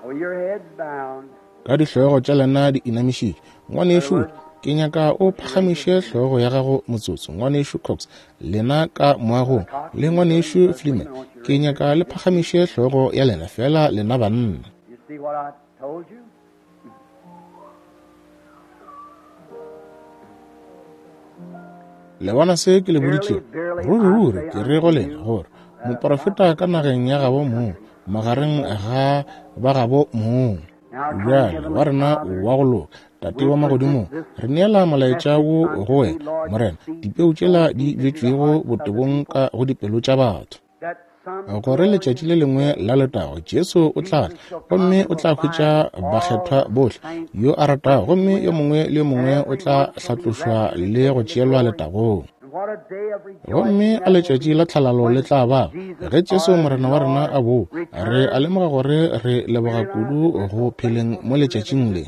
Oh, your head's bound. Ka dihlogo tša lena di inamišitše, ngwanešu, In other words, ke nyaka o phagamiše hlogo ya gago motsotso. Ngwanešu Cox, lena ka moagong, Cox le in the building, ngwanešu Brother Fleeman, Freeman, I want you to ke raise your nyaka hand. le Just phagamiše hlogo ya lena fela lena banna. you see what I told you? Le bona se ke le Verily, boditšego? verily, I Ruri-ruri say ke re unto go lena you gore that a moprofeta prophet ka is nageng ya in gabo his mong, country. magareng ga ba gabo mong. Now, our kind Bjale wa Heavenly rena Father, wa go loka, Tate we wa present magodimong, this re neela molaetša message wo unto go thee, wena, Lord, the Morena, seed dipeu tšela sown di deep into the bjetšwego hearts of the botebong people, ka go dipelo tša batho. that some Gore letšatši glorious le lengwe day la letago Jesu o tla tla Jesus shall come gomme and o will tla hwetša find all bakgethwa the bohle saints yo a ratago, fresh gomme yo with, mongwe le yo and mongwe o tla everyone shall be hlatlošwa raptured and le go taken to tšeelwa glory. letagong. And Gomme a letšatši la tlhalalo le tla ba ge Jesu Morena wa rena a boa. Re a lemoga gore re leboga kudu go pheleng mo letšatšing le.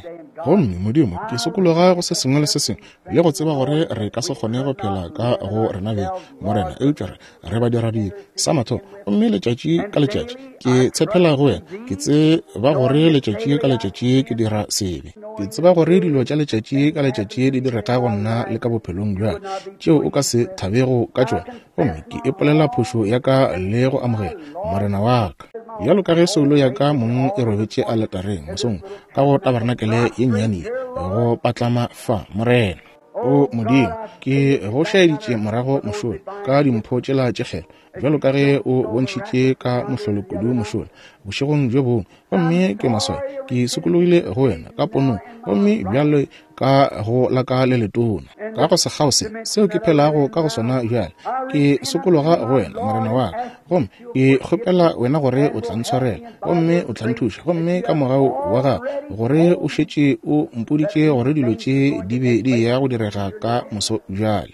Gomme, Modimo, ke sokologa go se sengwe le se sengwe, le go tseba gore re ka se kgone go phela ka go rena beng, Morena, eupša re, re badiradibe, sa mathomo. Gomme letšatši ka letšatši ke tshepela go Wena. Ke tseba gore letšatši ka letšatši ke dira sebe. Ke tseba gore dilo tša letšatši ka letšatši di direga go nna le ka bophelong bja tšeo o ka se thabego ka tšona. Gomme ke ipolela phošo ya ka le go amogela Morena wa ka. Bjalo ka ge soulo ya ka mong e robetše aletareng mosong ka go tabarenakele ye nnyane ye, go patlama fa, Morena. O Modimo, ke go šaeditše morago mošola ka dimpho tšela tše kgethwa, bjalo ka ge o bontšhitše ka mohlolo kudu mošola bošegong bjo bongwe. Gomme ke maswabi, ke sokologile go wena ka ponong, gomme bjale ka go la ka le letona, ka go sekgao se seo ke phelago ka go sona bjale, ke sokologa go wena, Morena wa ka, gomme ke kgopela wena gore o tla ntshwarela gomme o tla nthuša, gomme ka mogau wa gago gore o šetše o mpoditše gore dilo tše di be di eya go direga ka moso bjale,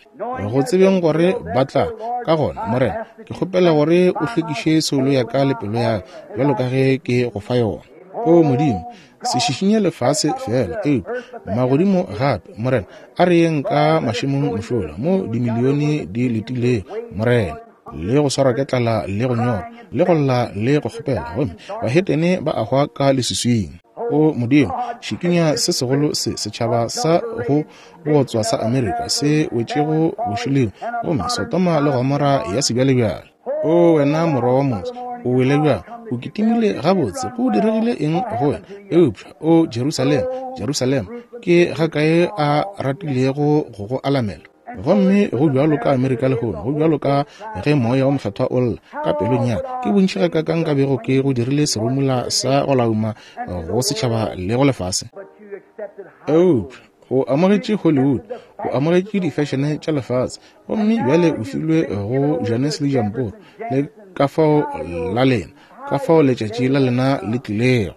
go tsebeng gore ba tla. Ka gona, Morena, ke kgopela gore o hlwekiše soulo ya ka le pelo ya ka bjalo ka ge ke go fa yona. O Modimo, se šišinye lefase feela, eupša magodimo gape. Morena, a re yeng ka mašemong mošola mo dimilione di letilego, Morena, le go swarwa ke tlala le go nyorwa le go lla le go kgopela, gomme bahetene ba a hwa ka leswiswing. O Modimo, šikinya se segolo se setšhaba sa go botswa sa Amerika se wetšego bošoleng, gomme Sodoma le Gomora ya sebjalebjale. O wena morwa wa motse, o wele bjang, o kitimile gabotse, go diregile eng go wena? Eupša, o Jerusalema, Jerusalema, ke gakae a ratilego go go alamela? Gomme go bjalo ka Amerika lehono, go bjalo ka ge Moya wo Mokgethwa o lla ka pelong ya ka, ke bontši gakaakang nka bego ke go dirile serumula sa go lauma go setšhaba le go lefase. Eupša o amogetše Hollywood, o amogetše difešene tša lefase, gomme bjale o filwe go Jannes le Jamporo, le ka fao la lena, ka fao letšatši la lena le tlilego,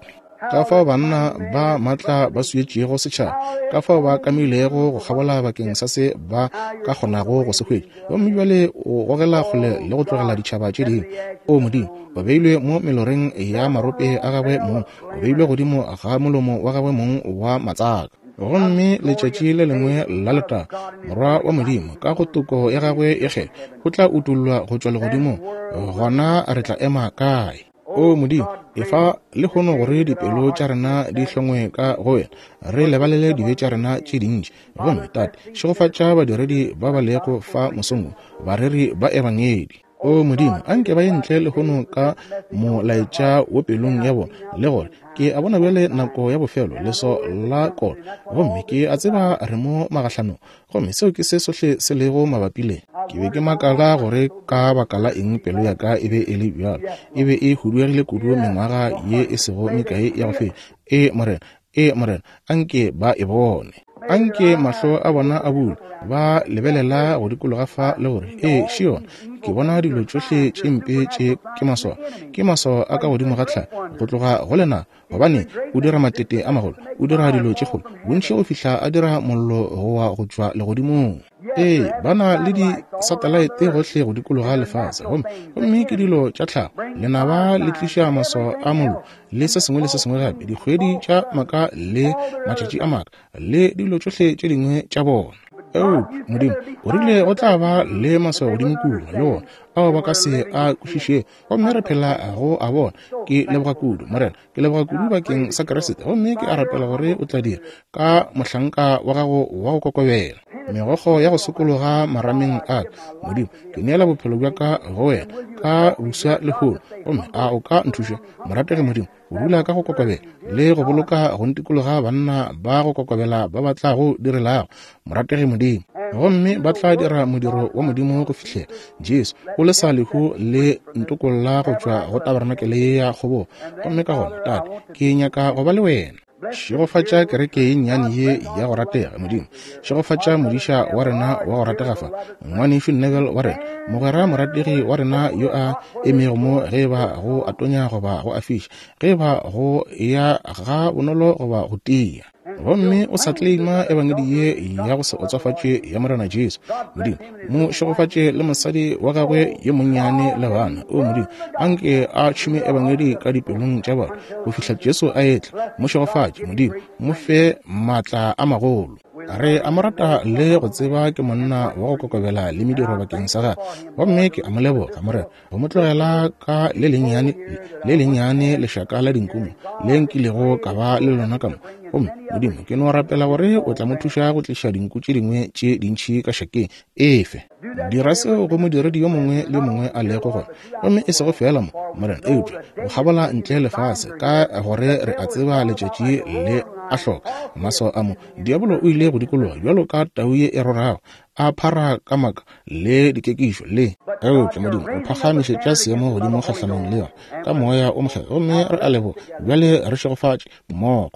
ka fao banna ba maatla ba swietšego setšhaba, ka fao ba kamilego go kgabola bakeng sa se ba ka kgonago go se hwetša, gomme bjale o gogela kgole le go tlogela ditšhaba tše dingwe. O Modimo, o beilwe mo meloreng ya marope a gagwe mong, o beilwe godimo ga molomo wa gagwe mong wa matsaka. Gomme letšatši le lengwe la letago, Morwa wa Modimo, ka go toko ya gagwe e kgethwa, o tla utollwa go tšwa legodimong. Gona re tla ema kae? O Modimo, efa lehono gore dipelo tša rena di hlongwe ka go wena, re lebalele dibe tša rena tše dintši. Gomme, Tate, šegofatša badiredi ba ba lego fa mosong wo, bareri ba Ebangedi. O Modimo, a nke ba ye ntle lehono ka molaetša wo pelong ya bona, le gore ke a bona bjale nako ya bofelo, leso la kolo, gomme ke a tseba re mo magahlanong, gomme seo ke se sohle se lego mabapi le. Ke be ke makala gore ka baka la eng pelo ya ka e be e le bjalo, e be e huduegile kudu mengwaga ye e sego mekae ya go feta. Ee, Morena, Ee, Morena, a nke ba e bone. A nke mahlo a bona a bulwe, ba lebelela go dikologa fa le gore, Ee, še yona. Ke bona dilo tšohle tše mpe tše ke maswao. Ke maswao a ka godimo ga tlhago, go tloga go lenaba, gobane o dira matete a magolo, o dira dilo tše kgolo, bontši go fihla a dira mollo go wa go tšwa legodimong. Ee, ba na le disatalaete gohle go dikologa lefase, gomme, gomme ke dilo tša tlhago. Lenaba le tliša maswao a mollo le se sengwe le se sengwe gape, dikgwedi tša maka le matšatši a maka le dilo tšohle tše dingwe tša bona. Eupša Modimo o rile go tla ba le maswao godimo kua le wona ao ba ka se a kwešišego, gomme re phela go a bona. Ke leboga kudu, Morena. Ke leboga kudu bakeng sa Kriste, gomme ke a rapela gore o tla dira ka mohlanka wa gago wa go kokobela megokgo ya go sokologa marameng a ka. Modimo, ke neela bophelo bja ka go wena ka buswa lehono, gomme a o ka nthuša, morategi Modimo, go dula ka go kokobela le go boloka go ntikologa banna ba go kokobela ba ba tla go direlago, morategi Modimo, gomme ba tla dira modiro wa Modimo go fihlela Jesu o lesa lehu le ntokolla go tšwa go tabarenakele ya kgobogo. Gomme ka gona, Tate, ke nyaka go ba le wena. Šegofatša kereke ye nnyane ye ya go ratega, Modimo. Šegofatša modiša wa rena wa go ratega fa, Ngwanešu Neville wa rena, mogwera morategi wa rena yo a emego mo, ge eba go a tonya goba go a fiša, ge eba go ya ga bonolo goba go tia. Gomme o sa claima ebangedi ye ya go se otsofatše ya Morena Jesu. Modimo, mo šegofatše le mosadi wa gagwe yo monnyane le bana. O Modimo, anke a tšhume ebangedi ka dipelong tša bona go fihla Jesu a etla. Mo šegofatše, Modimo, mo fe maatla a magolo. Re a mo rata le go tseba ke monna wa go kokobela le mediro bakeng sa gagwe. Gomme ke a mo leboga, Morena, go mo tlogela ka le lennyane, le lennyane lešaka la dinkumo le nkilego ka ba le lona ka mo. Gomme, Modimo, ke no rapela gore o tla mo thuša go tliša dinku tše dingwe tše dintši ka šakeng. Efe. Dira seo go modiredi yo mongwe le yo mongwe a lego gona, gomme e sego feela mo, Morena, eupša go kgabola ntle lefase, ka gore re a tseba letšatši le a hloka maswao a mo. Diabolo o ile go dikologa bjalo ka tau ye e rorago, a phara ka maka le dikekišo le. Eupša Modimo o phagamišetša seemo godimo kgahlanong le yona ka Moya o Mokgethwa, gomme re a leboga. Bjale re šegofatše mmogo.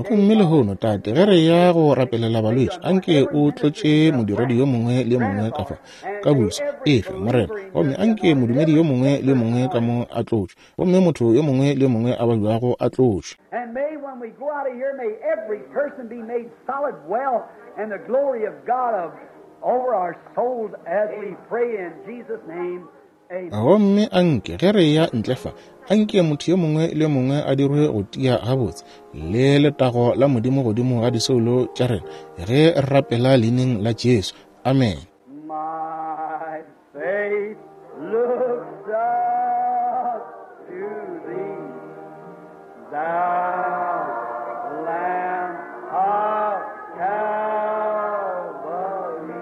Gomme lehono, Tate, ge re ya go rapelela balwetši, anke o tlotše modiredi yo mongwe le yo mongwe ka fa ka buso efe, Morena. Gomme anke modumedi yo mongwe le yo mongwe ka mo a tlotšwe, gomme motho yo mongwe le yo mongwe a babjago a tlotšwe. And may when we go out of here, may every person be made solid well and the glory of God of, over our souls as we pray in Jesus' name. Amen. Gomme anke ge re ya ntle fa, anke motho yo mongwe le yo mongwe a dirwe go tia gabotse le letago la Modimo godimo ga disoulo tša rena ge re rapela leineng la Jesu. Amen. My faith looks up to thee, thou Lamb of Calvary.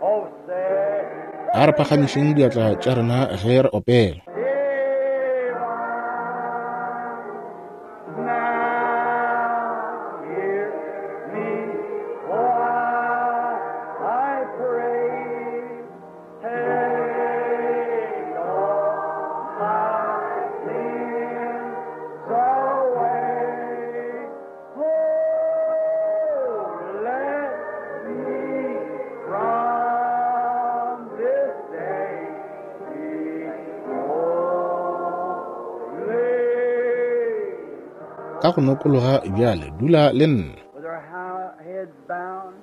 Oh, say, A re phagamišeng diatla tša rena ge re opela. divine, now hear me while I pray. Take all my sins away. Oh, let me from this day be holy. Ka go nokologa bjale, dula le nna. With our heads bowed,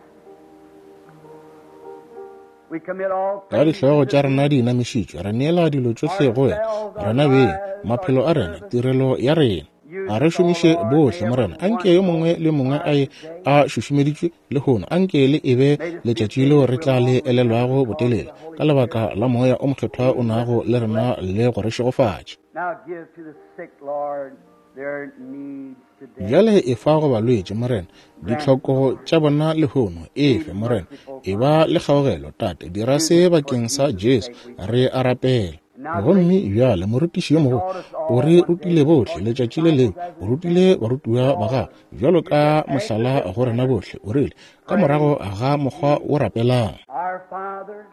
we commit all Ka things dihlogo to tša thee. rena di inamišitšwe, re neela dilo tšohle go wena, rena beng, maphelo a rena, tirelo ya rena. A re šomiše bohle, Morena. Anke yo mongwe le yo mongwe a ye a šušumeditšwe lehono. Anke le e be letšatši leo re tla le elelwago botelele, ka lebaka la Moya o Mokgethwa o nago le rena le go re šegofatša. Now give to the sick, Lord, their needs today. Bjale efa go balwetši, Morena, ditlhoko tša bona lehono. Efe, Morena, e ba le kgaogelo, Tate. Dira se bakeng sa Jesu, re a rapela. Gomme bjale morutiši yo mogolo o re rutile bohle letšatši le lengwe, o rutile barutiwa ba gagwe bjalo ka mohlala go rena bohle. O rile, ka morago ga mokgwa o rapelang, Our Father,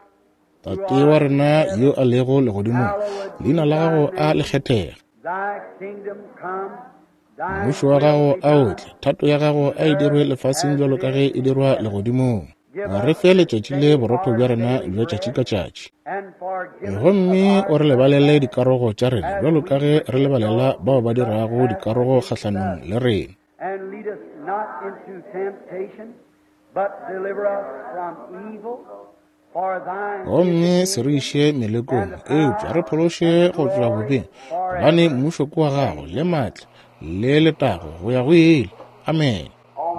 Tate wa rena yo a lego legodimong, leina la gago a le kgethege, thy kingdom come, thy mmušo wa will gago be a o done. tle, thato ya gago a e dirwe lefaseng bjalo ka ge e dirwa legodimong. Re fe letšatši le borotho bja rena bja tšatši ka tšatši, And forgive us of gomme our o re lebalele dikarogo tša rena bjalo ka ge re lebalela bao ba dirago dikarogo kgahlanong le rena. And lead us not into temptation, but deliver us from evil. For thine Gomme is se the re kingdom, iše melekong, eupša re phološe go tšwa bobeng, gobane mmušo ke wa gago le maatla le letago go ya go ile. Amen.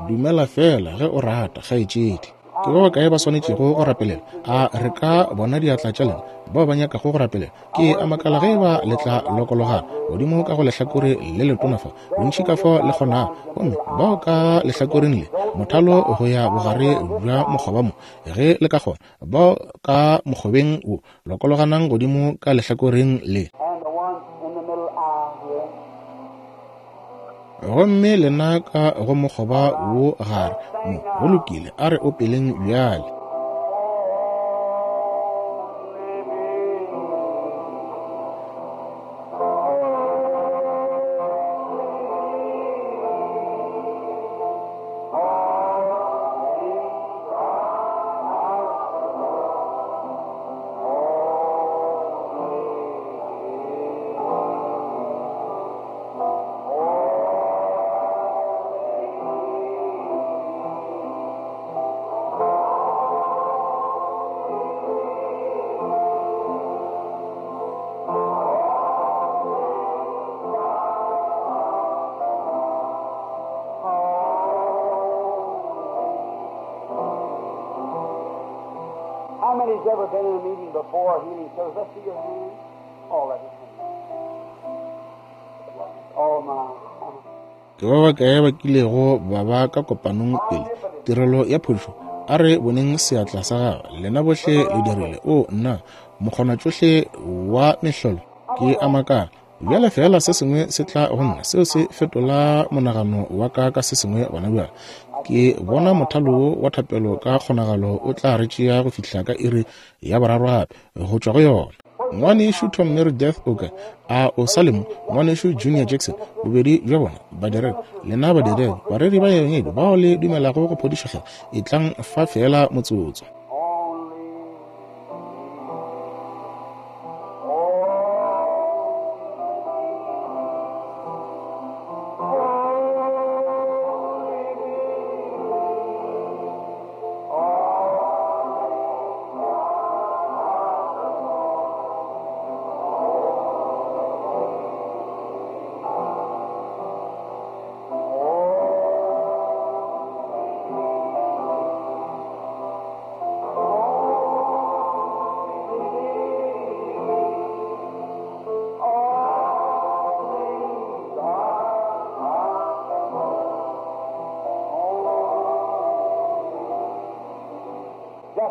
Dumela fela ge o rata, kgaetšedi. Ke ba bakae ba swanetšego go rapelela? A re ka bona diatla tša lena bao ba nyakago go rapelela? Ke a makala ge eba le tla lokologana godimo ka go lehlakore le letona fa, bontši ka fao le kgonago, gomme bao ka lehlakoreng le mothalo go ya bogare bja mokgoba mo, ge le ka kgona, bao ka mokgobeng wo lokologanang godimo ka lehlakoreng le. And the ones in the middle aisle here. Gomme lena ka go mokgoba wo gare mo, go lokile, a re opeleng bjale. many's ever been in a meeting before, a healing service? Let's see your hand. Oh, let it Oh, my. Ke ba bakae ba kilego ba ba ka kopanong pele tirelo ya phodišo? A re boneng seatla sa gago. Lena bohle le dirile. O nna, mokgonatšohle wa mehlolo, ke a makala. Bjale feela se sengwe se tla go nna, seo se fetola monagano wa ka ka se sengwe gona bjale. Ke bona mothalo wo wa thapelo ka kgonagalo o tla re tšea go fihla ka iri ya boraro gape, go tšwa go yona. Ngwanešu Tom Meredith o kae? A o sa le mo? Ngwanešu Junior Jackson, bobedi bja bona badiredi, lena badiredi, bareri ba ebangedi bao le dumelago go phodišo hle, etlang fa feela motsotso.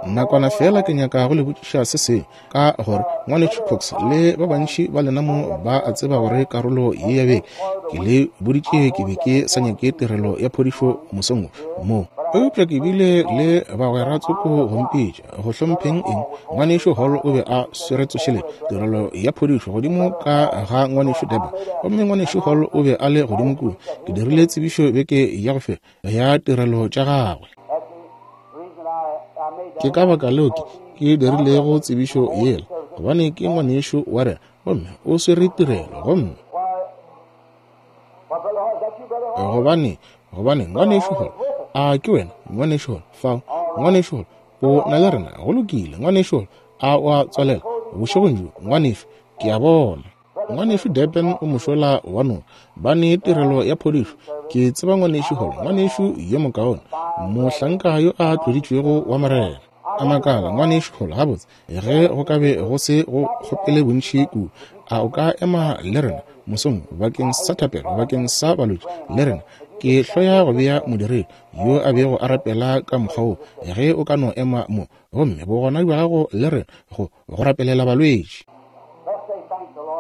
Nakwana feela ke nyaka go le botšiša se sengwe, ka gore Ngwanešu Cox le ba bantši ba lena mo ba a tseba gore karolo ye ya beke ke le boditše ke be ke sa nyake tirelo ya phodišo mosong wo mo, eupša ke bile le bagwera tsoko go mpitša go hlompheng eng. Ngwanešu Hall o be a swere tsošeletšo tirelo ya phodišo godimo ka ga Ngwanešu Deba, gomme Ngwanešu Hall o be a le godimo kua. Ke dirile tsebišo beke ya go feta ya tirelo tša gagwe. Ke ka baka leo ke ke dirilego tsebišo yela, gobane ke ngwanešu wa rena, gomme o swere tirelo, gomme gobane gobane ngwanešu Hall, a ke wena ngwanešu Hall fao? Ngwanešu Hall o na le rena, go lokile. Ngwanešu Hall, a o a tswalela bošegong bjo, ngwanešu? Ke a bona Ngwanešu Durban o mošola wa noka, ba ne tirelo ya phodišo. Ke tseba Ngwanešu Hall, ngwanešu yo mokaone, mohlanka yo a tloditšwego wa Morena. A makala, Ngwanešu Hall, gabotse, ge go ka be go se go kgopele bontši kudu, a o ka ema le rena mosong bakeng sa thapelo, bakeng sa balwetši le rena? Ke hloya go bea modiredi yo a bego a rapela ka mokgwa wo, ge o ka no ema mo, gomme bogona bja gago le rena go go rapelela balwetši.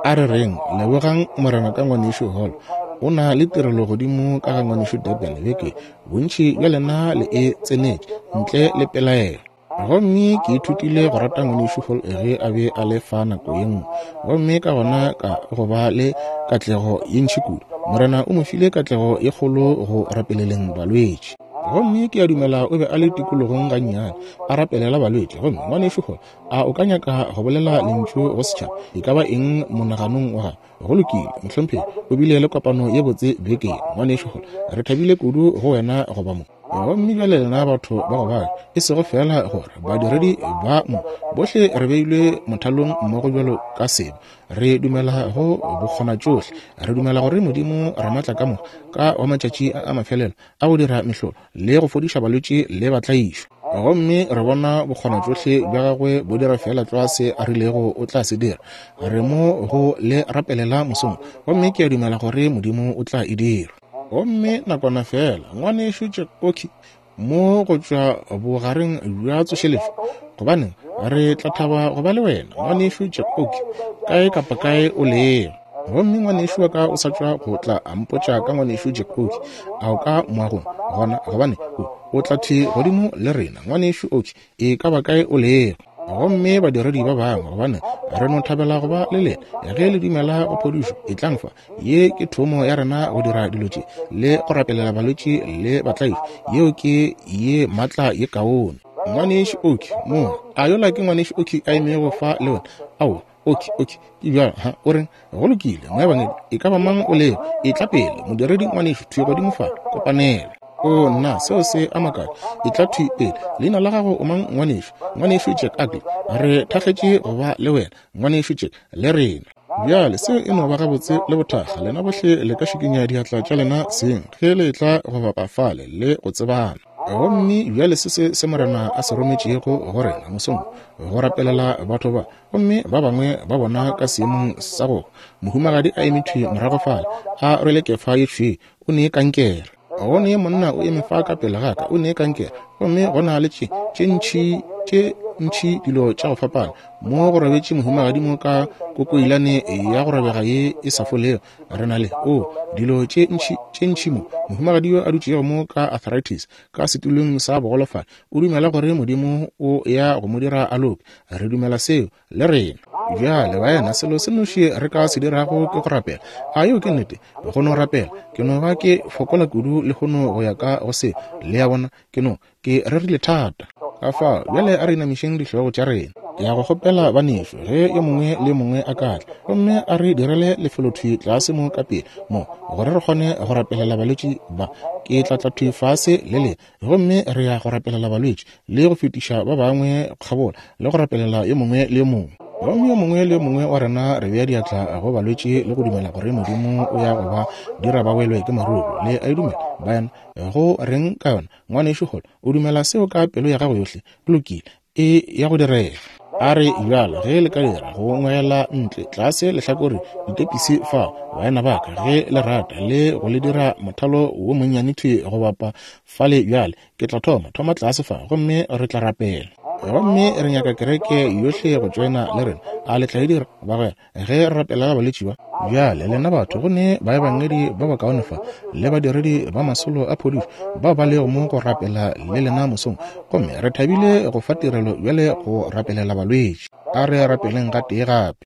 A re reng, lebogang Morena ka Ngwanešu Hall. O na le tirelo godimo ka ga Ngwanešu Durban beke. Bontši bja lena le e tsenetše, ntle le pelaelo. Gomme ke ithutile go rata Ngwanešu Hall ge a be a le fa nako ye nngwe, gomme ka gona ka go ba le katlego ye ntši kudu. Morena o mo file katlego ye kgolo go rapeleleng balwetši. Gomme ke a dumela o be a le tikologong gannyane, a rapelela balwetši. Gomme Ngwanešu Hall, a o ka nyaka go bolela lentšu go setšhaba e ka ba eng monaganong wa gago? Go lokile, mohlomphegi, o bile le kopano ye botse beke, Ngwanešu Hall. Re thabile kudu go wena go ba mo. Gomme bjale lena batho ba go bala, e sego feela gore badiredi ba mo bohle re beilwe mothalong mmogo bjalo ka sebo, re dumela go bokgonatšohle, re dumela gore Modimo Ramaatlakamoka ka wa matšatši a a mafelelo a go dira mehlolo le go fodiša balwetši le batlaišwa. Gomme re bona bokgonatšohle bja gagwe bo dira feela tlwa se a rilego o tla se dira. Re mo go le rapelela mosong, gomme ke a dumela gore Modimo o tla e dira. Gomme nakwana feela, Ngwanešu Jack Oakey mo go tšwa bogareng bja tsošeletšo, gobaneng, re tla thaba go ba le wena, Ngwanešu Jack Oakey, kae kapa kae o lego. Gomme ngwanešu wa ka o sa tšwa go tla a mpotša ka Ngwanešu Jack Oakey, a o ka moagong gona, gobane o, o tla thwi godimo le rena, Ngwanešu Oakey, e ka ba kae o lego. Gomme badiredi ba bangwe, gobane re no thabela go ba le lena. Ge le dumela go phodišo, etlang fa. Ye ke thomo ya rena go dira dilo tše le go rapelela balwetši le batlaišwa. Yeo ke ye maatla ye kaone. Ngwanešu Oakey mo, a yola ke Ngwanešu Oakey a emego fa le wena? Aowa, Oakey, Oakey, ke bjalo, ha, o reng? Go lokile, moebangedi, e ka ba mang o lego, etla pele, modiredi ngwanešu, thwi godimo fa, kopanelo. O, nna, seo se a makatša. Etla thwi pele. Leina la gago o mang, ngwanešu? Ngwanešu Jack Ackley. Re thakgetše go ba le wena, Ngwanešu Jack, le rena. Bjale, seo e no ba gabotse le bothakga. Lena bohle le ka šikinya diatla tša lena seng ge le etla go bapa fale le go tsebana. Gomme bjale se se se Morena a se rometšego go rena mosong, go rapelela batho ba, gomme ba bangwe ba bona ka seemong sa go mohumagadi a eme thwi morago fale, a rwele kefa ye tšhweu, o ne kankere. Go ne monna o eme fa ka pele ga ka, o ne kankere. Gomme go na le tše, tše ntši, tše ntši dilo tša go fapana. Mo go robetše mohumagadi mo ka kokoilane ya go robega ye e sa folego. Re na le, o, dilo tše ntši, tše ntši mo. Mohumagadi yo a dutšego mo ka arthritis, ka setulong sa bogolofadi, o dumela gore Modimo o ya go mo dira a loke. Re dumela seo, le rena. Bjale, baena, selo se noši re ka se dirago ke go rapela. A yeo ke nnete? Go no rapela. Ke no ba ke fokola kudu lehono go ya ka go se. Le a bona? Ke no, ke rerile thata. Ka fao, bjale a re inamišeng dihlogo tša rena. Ke ya go kgopela banešu, ge yo mongwe le yo mongwe a ka tla, gomme a re direle lefelothwi tlase mo ka pele, mo, gore re kgone go rapelela balwetši ba. Ke tla tla thwi fase le lena, gomme re ya go rapelela balwetši, le go fetiša ba bangwe kgabola, le go rapelela yo mongwe le yo mongwe. Gomme yo mongwe le yo mongwe wa rena re bea diatla go balwetši le go dumela gore Modimo o ya go ba dira ba welwe ke maruru. Le a e dumela, baena? Go reng ka yona, ngwanešu Hall? O dumela seo ka pelo ya gago yohle? Go lokile, e ya go direga. A re bjalo, ge le ka dira go ngwela ntle tlase lehlakore ditepisi fa, baena ba ka, ge le rata, le go le dira mothalo wo monnyane thwi go bapa fale bjale. Ke tla thoma, thoma tlase fa, gomme re tla rapela. Gomme re nyaka kereke yohle go tšoena le rena. A le tla e dira, bagwera, ge re rapelela balwetši ba? Bjale, lena batho, go ne baebangedi ba bakaone fa, le badiredi ba masolo a phodišo bao ba lego mo go rapela le lena mosong. Gomme re thabile go fa tirelo bjale go rapelela balwetši. A re rapeleng gatee gape.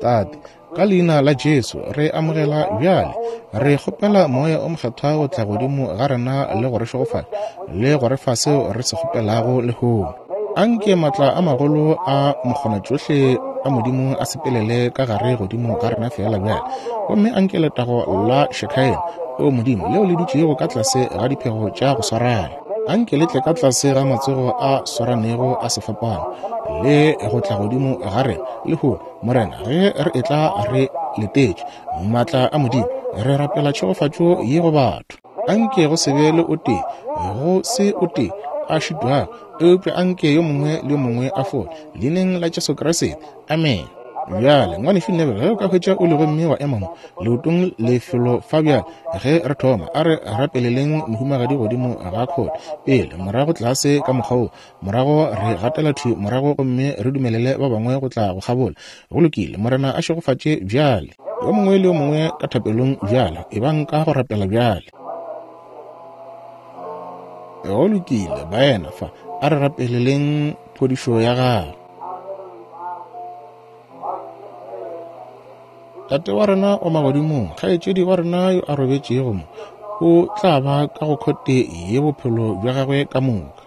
Tate, ka leina la Jesu, re amogela bjale. Re kgopela Moya o Mokgethwa go tla godimo ga rena le go re šegofatša le go re fa seo re se kgopelago lehono. Anke matla a magolo a mokgonatšohle a Modimo a sepelele ka gare godimo ga rena feela bjale. Gomme anke letago la Shekinah, o Modimo, leo le dutšego ka tlase ga diphego tša go swarana, anke le tle ka tlase ga matsogo a swaranego a sefapano le go tla godimo ga rena lehono, Morena, ge re etla re letetše maatla a Modimo, re rapela tšhegofatšo ye go batho. Anke go se be le o tee, go se o tee a šitwago, eupša anke yo mongwe le yo mongwe a fole, leineng la Jesu Kriste. Amen. Bjale, ngwanešu Neville, ge o ka hwetša o le gomme wa ema mo leotong lefelo fa bjale, ge re thoma, a re rapeleleng mohumagadi godimo ga khote pele, morago tlase ka mokgwa wo, morago re gatela thwi morago gomme re dumelele ba bangwe go tla go kgabola. Go lokile, Morena a šegofatše bjale. Yo mongwe le yo mongwe ka thapelong bjale, ebang ka go rapela bjale. Go lokile, baena fa, a re rapeleleng phodišo ya gago. Tate wa rena wa magodimong, kgaetšedi wa rena yo a robetšego mo, o tla ba ka go khote ye bophelo bja gagwe ka moka.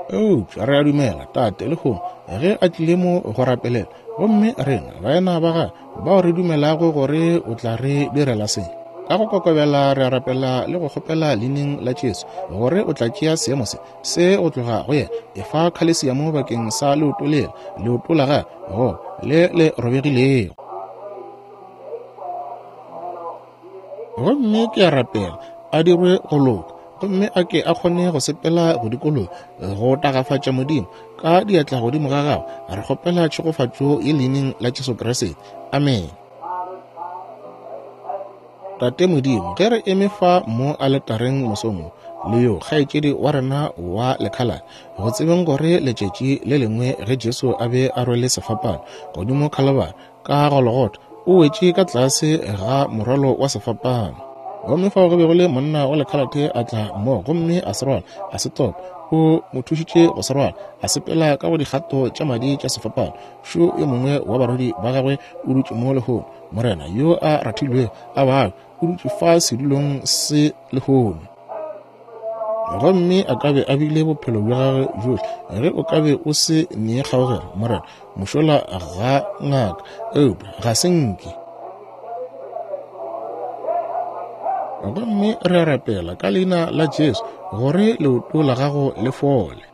Eupša re a dumela, Tate, lehono, ge a tlile mo go rapelela, gomme rena, baena ba gagwe, bao re dumelago gore o tla re direla se, ka go kokobela re a rapela le go kgopela leineng la Jesu, gore o tla tšea seemo se, se go tloga go yena. Efa khalesiamo bakeng sa leoto lela, leoto la gagwe, go le le robegilego. Gomme ke a rapela a dirwe go loka, gomme a ke a kgone go sepela go dikologa go tagafatša Modimo ka diatla godimo ga gagwe. Re kgopela tšhegofatšo ye leineng la Jesu Kriste. Amen. Tate Modimo, ge re eme fa mo aletareng mosong wo, le yo kgaetšedi wa rena wa lekhalane, go tsebeng gore letšatši le lengwe ge Jesu a be a rwele sefapano godimo Khalabari ka Golgotha, o wetše ka tlase ga morwalo wa sefapano. Gomme fao go be go le monna wa lekhalate a tla mo gomme a se rwala, a se topa. O mo thušitše go se rwala, a sepela ka go dikgato tša madi tša sefapano. Šo yo mongwe wa barwedi ba gagwe o dutše mo lehono, Morena yo a rathilwego a babe, o dutše fa sedulong se lehono. Gomme a ka be a bile bophelo bja gagwe bjohle ge o ka be o se nee kgaogelo, Morena, mošola ga ngaka, eupša ga se nke. Gomme re a rapela ka leina la Jesu gore leoto la gago le fole.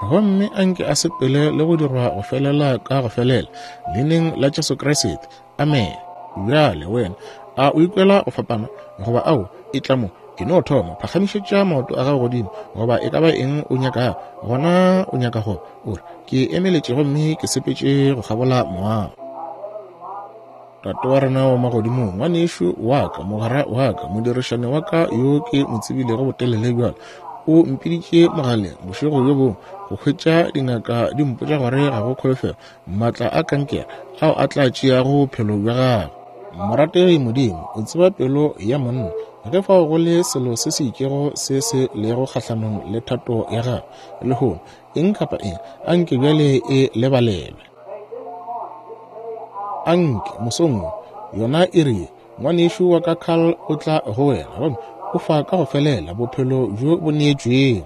Gomme a nke a sepele le go dirwa go felela ka go felela, Leineng la Jesu Kriste. Amene. Bjale, wena, a o ikwela go fapana? Goba ao, e tla mo, e no thoma, phagamišetša maoto a gago godimo, goba e ka ba eng o nyakago. Gona o nyaka go, o re, Ke emeletše gomme ke sepetše go kgabola moago. Tate wa rena wa Magodimong, ngwanešu wa ka, mogwera wa ka, modirišane wa ka yo ke mo tsebilego botelele bjalo, o mpiditše mogaleng bošego bjo bongwe go hwetša dingaka di mpotša gore ga go kholofelo, maatla a kankere ao a tla tšeago bophelo bja gagwe. Morategi Modimo, o tseba pelo ya monna. Ge fao go le selo se se itšego se se lego kgahlanong le thato ya Gago lehono, eng kapa eng, anke bjale e lebalelwe. Anke, mosong wo, yona iri ye, ngwanešu wa ka Carl o tla go wena, gomme o fa ka go felela bophelo bjo bo neetšwego.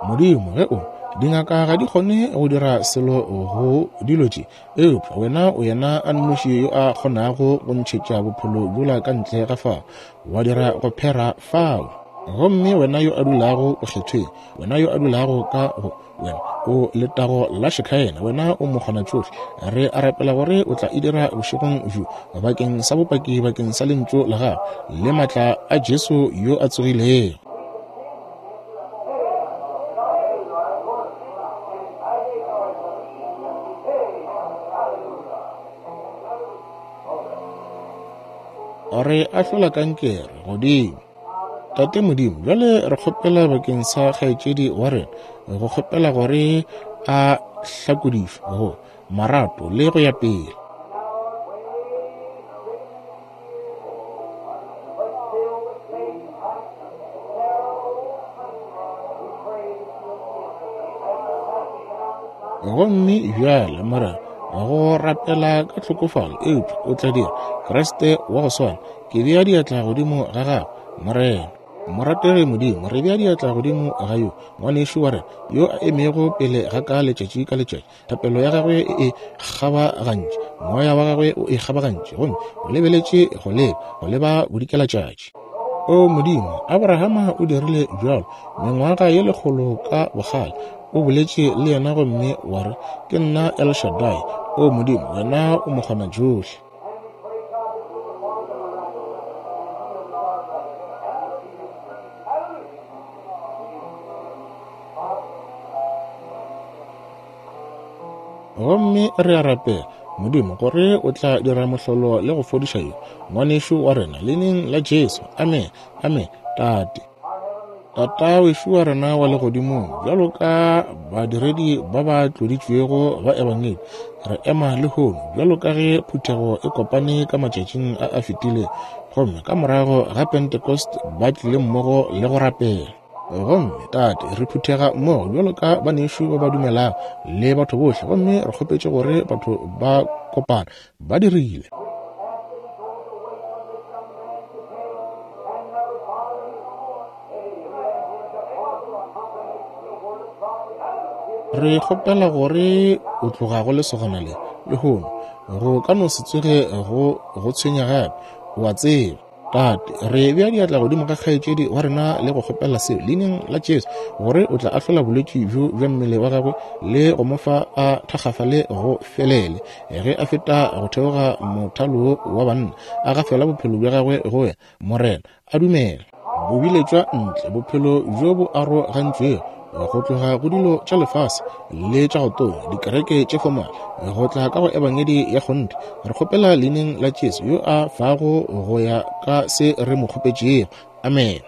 Modimo, ge o, dingaka ga di kgone go dira selo go dilo tše, eupša wena o yena a nnoši yo a kgonago go ntšhetša bophelo bjola ka ntle ga fao, wa dira go phera fao. Gomme wena yo a dulago bokgethweng, wena yo a dulago ka go wena o letago la Shekhaena, wena o mokgonatšohle, re a rapela gore o tla e dira bošegong bjo bakeng sa bopaki bakeng sa lentšu la gago le maatla a Jesu yo a tsogilego. Re ahlola kankere godimo. Tate Modimo, bjale re kgopela bakeng sa kgaetšedi wa rena, go kgopela gore a hlakodišwe go marato le go ya pele. Gomme bjale, Morena, go rapela ka tlhokofalo, eupša o tla dira Kriste wa go swana. Ke bea diatla godimo ga gago, Morena. Morategi Modimo, re bea diatla godimo ga yo ngwanešu wa rena yo a emego pele ga ka letšatši ka letšatši. Thapelo ya gagwe e e kgabagantše, moya wa gagwe o e kgabagantše, gomme o lebeletše go leba, go leba bodikelatšatši. O Modimo, Abrahama o dirile bjalo mengwaga ye lekgolo ka bogale. O boletše le yena gomme wa re, Ke nna El Shaddai. O Modimo, wena o mokgonatšohle. Gomme re a rapela, Modimo, gore o tla dira mohlolo le go fodiša yo ngwanešu wa rena, Leineng la Jesu. Amen. Amen. Tate. Tata wešu wa rena wa Legodimong, bjalo ka badiredi ba ba tloditšwego ba Ebangedi, re ema lehono bjalo ka ge phuthego e kopane ka matšatšing a a fetilego, gomme ka morago ga Pentecost ba tlile mmogo le go rapela. Gomme, Tate, re phuthega mmogo bjalo ka banešu ba ba dumelago le batho bohle, gomme re kgopetše gore batho ba kopana. Ba dirile. Re kgopela gore o tloga go lesogana le lehono go ka no se tsoge go go tshwenya gape, o a tseba. Tate, re bea diatla godimo ga kgaetšedi wa rena le go kgopela seo Leineng la Jesu, gore o tla ahlola bolwetši bjo bja mmele wa gagwe le go mo fa a thakgafale go felele ge a feta go theoga mothalo wa banna, a gafela bophelo bja gagwe go wena, Morena. A dumela. Bo biletšwa ntle, bophelo bjo bo arogantšwego go tloga go dilo tša lefase le tša go tonya, dikereke tše fomale, go tla ka go Ebangedi ya kgonthe. Re kgopela Leineng la Jesu yo a fago go ya ka se re mo kgopetšego. Amene.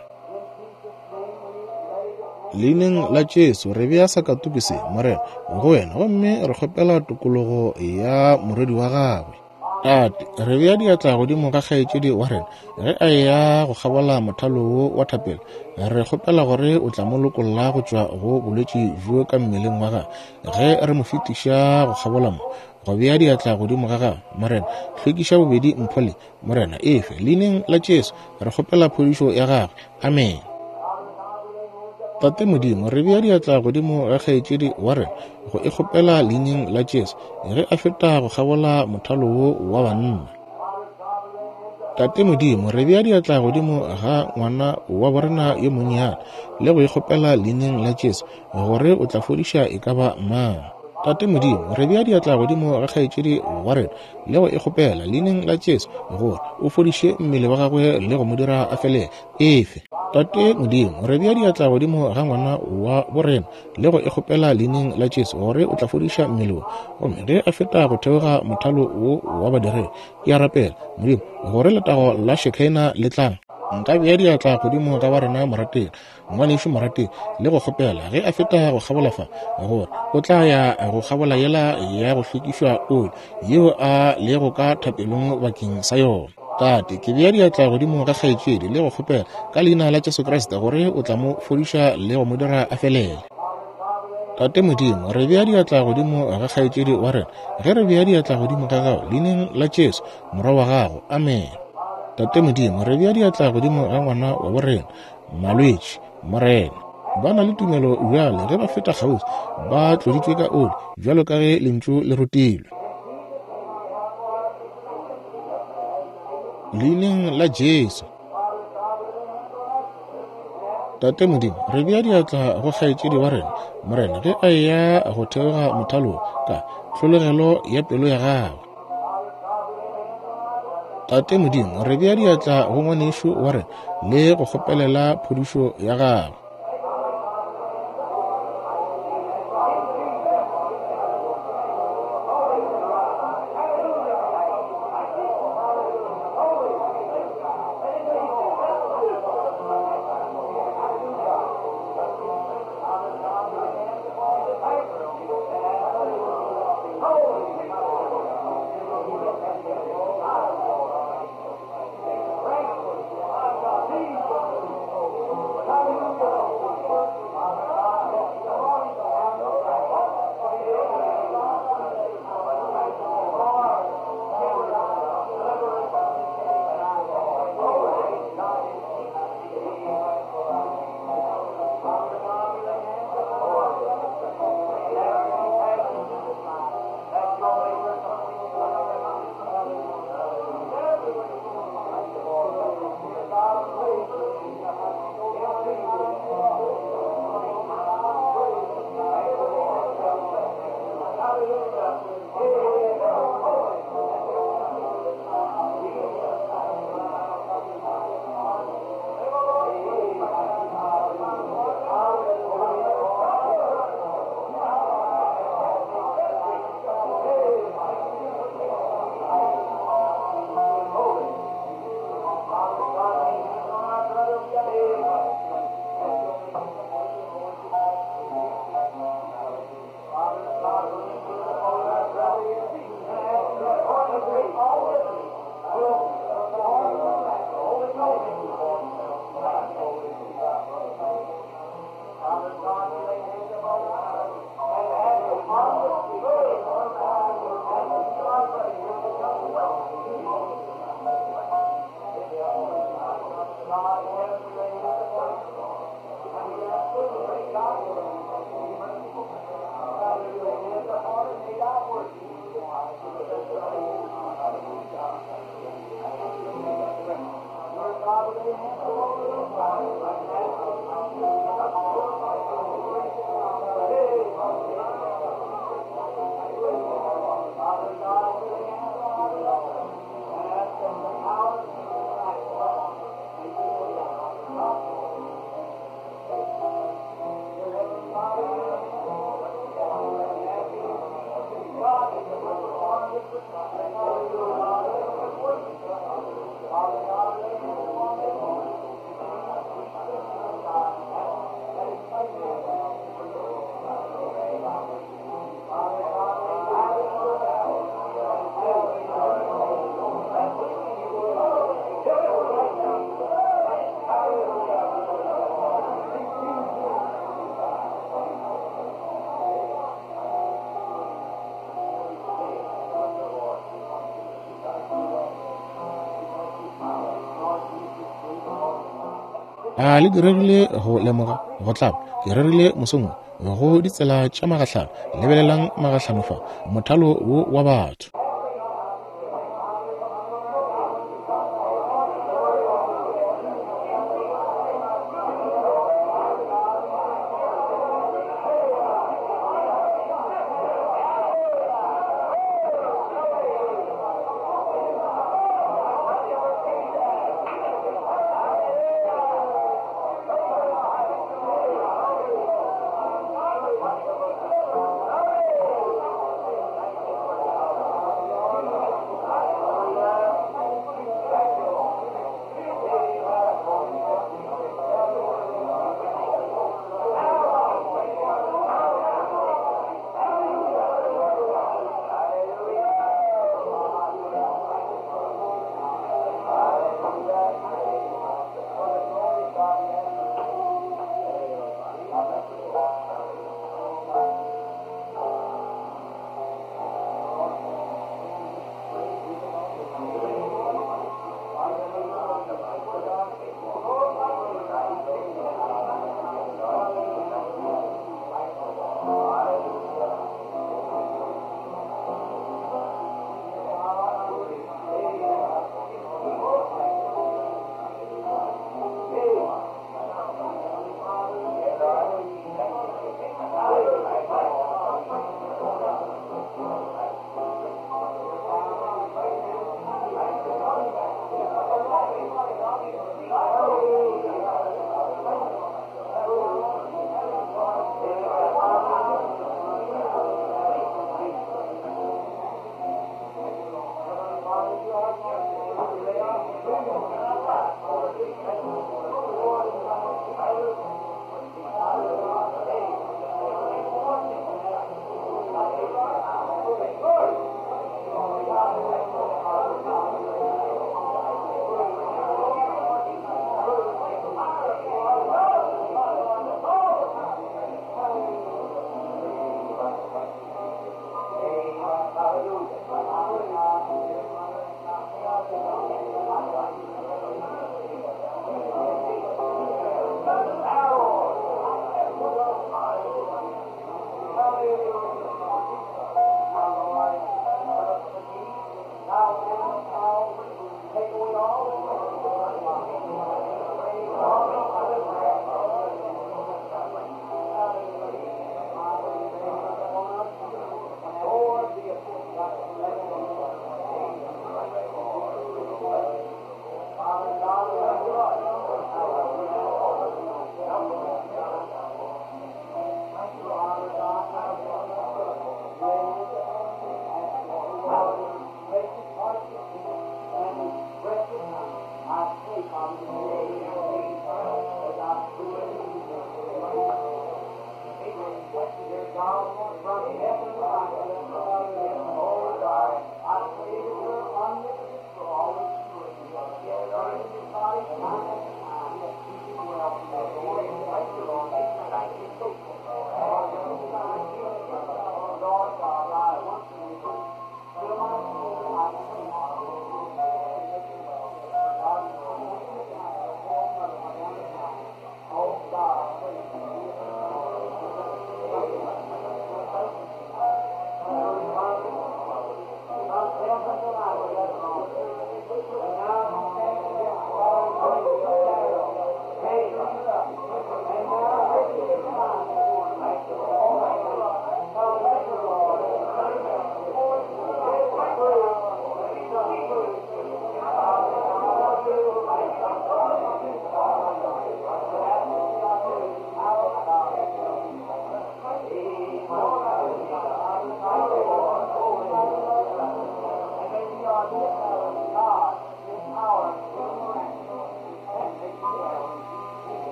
Leineng la Jesu re bea sakatuku se, Morena, go wena, gomme re kgopela tokologo ya morwedi wa gagwe. Tate, re bea diatla godimo ga kgaetšedi wa rena ge a eya go kgabola mothalo wo wa thapelo. Re kgopela gore o tla mo lokolla go tšwa go bolwetši bjo ka mmeleng wa gagwe ge re mo fetiša go kgabola mo, go bea diatla godimo ga gagwe. Morena, hlwekiša bobedi mpho le, Morena, efe, Leineng la Jesu, re kgopela phodišo ya gagwe. Amene. Tate Modimo, re bea diatla godimo ga kgaetšedi wa rena go e kgopela Leineng la Jesu ge a feta go kgabola mothalo wo wa banna. Tate Modimo, re bea diatla godimo ga ngwana wa borena yo monnyane le go ikgopela leineng la Jesu gore o tla fodiša e ka ba mang. Tate Modimo, re bea diatla godimo ga kgaetšedi wa rena le go ikgopela leineng la Jesu gore o fodiše mmele wa gagwe le go mo dira a felele. Efe. Tate Modimo, re bea diatla godimo ga ngwana wa borena le go ikgopela leineng la Jesu gore o tla fodiša mmele wo. Gomme ge a feta go theoga mothalo wo wa badiredi, ke a rapela, Modimo, gore letago la Shekinah le tla. Nka bea diatla godimo ga wa rena morategi, ngwanešu morategi, le go kgopela ge a feta go kgabola fa, gore o tla ya go kgabola yela ya go hlwekišwa oli yeo a lego ka thapelong bakeng sa yona. Tate, ke bea diatla godimo ga kgaetšedi le go kgopela ka leina la Jesu Kriste gore o tla mo fodiša le go mo dira a felele. Tate Modimo, re bea diatla godimo ga kgaetšedi wa rena ge re bea diatla godimo ga gago leineng la Jesu, Morwa wa gago. Amen. Tate Modimo, re bea diatla godimo ga ngwana wa borena, malwetši, Morena. Ba na le tumelo bjale ge ba feta kgauswi, ba tloditšwe ka oli, bjalo ka ge lentšu le rutilwe. Leineng la Jesu. Tate Modimo, re bea diatla go kgaetšedi wa rena, Morena, ge a eya go theoga mothalong ka tlhologelo ya pelo ya gagwe. Tate Modimo, re bea diatla go ngwanešu wa rena le go kgopelela phodišo ya gagwe. A le diregile go lemoga go tlaba? Ke rerile mosong wo go ditsela tša magahlano. Lebelelang magahlano fa, mothalo wo wa batho.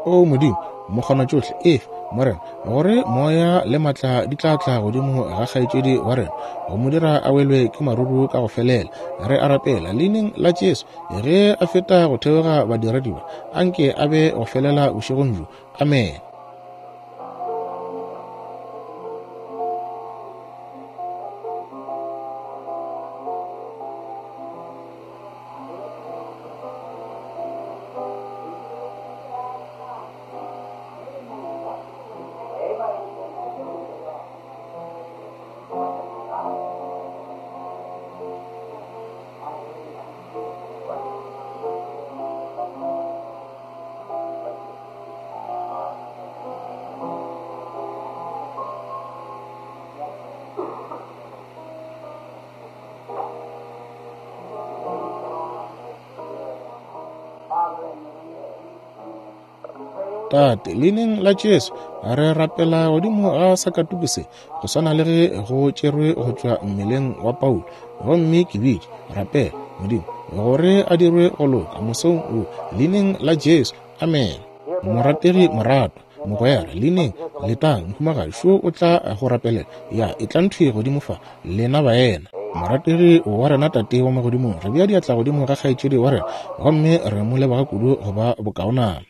O Modimo, mokgonatšohle, efe, Morena, gore moya le matla di tla tla godimo ga kgaetšedi wa rena, go mo dira a welwe ke maruru ka go felela. Re a rapela, leineng la Jesu, ge a feta go theoga badiredi ba, anke a be go felela bošegong bjo. Amene. Tate, leineng la Jesu, re rapela godimo ga sakatuku se, go swana le ge go tšerwe go tšwa mmeleng wa Paulo. Gomme ke bitše, rapela, Modimo, gore a dirwe go loka mosong wo, leineng la Jesu. Amen. Morategi moratwa, mogwera, leineng, letang, mohumagadi, šo o tla go rapelela. Ya, etlang thwi godimo fa, lena baena. Morategi wa rena Tate wa Magodimong, re bea diatla godimo ga kgaetšedi wa rena, gomme re mo leboga kudu go ba bokaonana.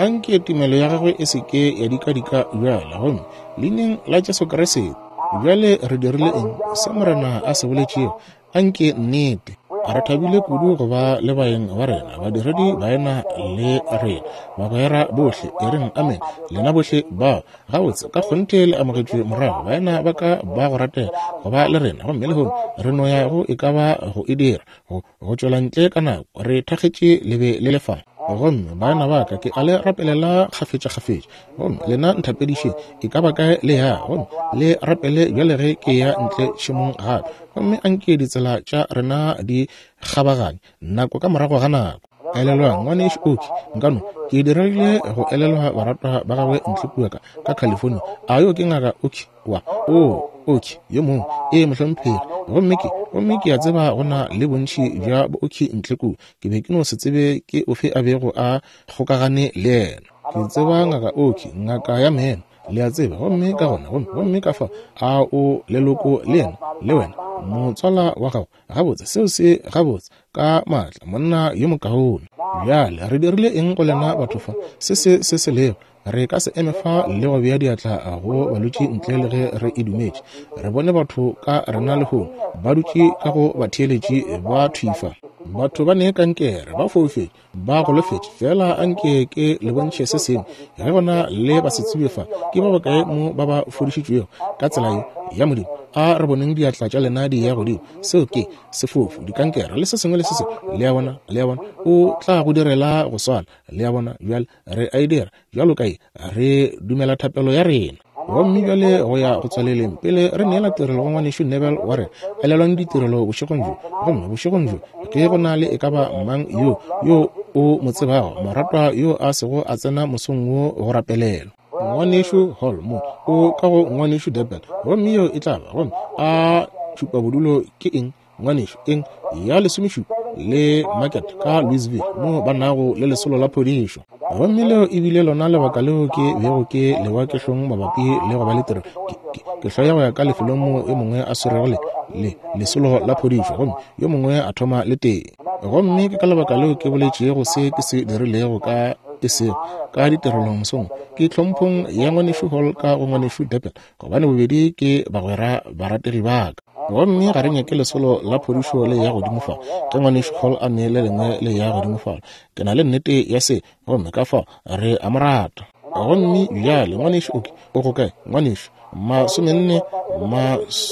Anke tumelo ya gagwe e se ke ya dikadika bjale, gomme leineng la Jesu Kriste. Bjale re dirile eng? Se Morena a se boletšego, anke nnete. Re thabile kudu go ba le baeng ba rena, badiredi baena le rena, bagwera bohle. E reng amen, lena bohle bao. Gabotse, ka kgonthe le amogetšwe morago, baena ba ka ba go ratega go ba le rena. Gomme lehono re no ya go e ka ba go e dira, go tšwela ntle ka nako. Re thakgetše le be le le fa. Gomme baena ba ka, ke a le rapelela kgafetšakgafetša. Gomme lena nthapedišeng, e ka ba kae le ya, gomme le rapele bjale ge ke ya ntle tšhemong gape. Gomme anke ditsela tša rena di kgabaganye, nako ka morago ga nako. Elelwang, Ngwanešu Oki, nka no, ke diregile go elelwa baratwa ba gagwe ntle kua ka, ka California. A yo ke Ngaka Oki wa? Oo, Oki, yo mongwe. Ee, mohlomphegi. Gomme ke, gomme ke a tseba go na le bontši bja bo Oki ntle kua. Ke be ke no se tsebe ke ofe a bego a kgokagane le yena. Ke tseba Ngaka Oki, ngaka ya meno, le a tseba. Gomme ka gona, gomme, gomme ka fao, a o leloko le yena, le wena, motswala wa gago? Gabotse, seo se gabotse ka maatla, monna yo mokaone. Bjale, re dirile eng go lena batho fa? Se se se se lego. Re ka se eme fa le go bea diatla go balwetši ntle le ge re e dumetše. Re bone batho ka rena lehono ba dutše ka go batheeletši ba thwi fa. Batho ba ne kankere, ba foufetše, ba golofetše. Feela anke ke le bontšhe se sengwe. Ge go na le basetsebje fa, ke ba bakae mo ba ba fodišitšwego ka tsela ye ya Modimo? A re boneng diatla tša lena di ya godimo. Seo ke sefofu, dikankere, le se sengwe le se sengwe. Le a bona? Le a bona? O tla go direla go swana. Le a bona? Bjale re a e dira bjalo ka ye, re dumela thapelo ya rena. Gomme bjale go ya go tswaleleng, pele re neela tirelo go Ngwanešu Neville wa rena, elelwang ditirelo bošegong bjo. Gomme bošegong bjo, ge go na le e ka ba mang yo, yo o mo tsebago, moratwa yo a sego a tsena mosong wo go rapelelwa. Ngwanešu Hall mo o ka go Ngwanešu Durban, gomme yeo e tla ba, gomme a tšhupabodulo ke eng? Ngwanešu, eng ya lesomešupa le Market ka Louisville, mo ba nago le lesolo la phodišo. Gomme leo e bile lona lebaka leo ke bego ke lewa ke hlong mabapi le go ba le tirelo. Ke, ke, ke hloya go ya ka lefelong moo yo mongwe a swerego le, le lesolo la phodišo, gomme yo mongwe a thoma le tee. Gomme ke ka lebaka leo ke boletšego se ke se dirilego ka e sego ka ditirelong mosong, ke tlhomphong ya Ngwanešu Hall ka go Ngwanešu Durban, gobane bobedi ke bagwera barategi ba ka. Gomme ga re nyake lesolo la phodišo le ya godimo fa, ge Ngwanešu Hall a ne le lengwe le ya godimo fa. Ke na le nnete ya se, gomme ka fao re a mo rata. Gomme bjale, Ngwanešu Oki, o go kae, ngwanešu? 40,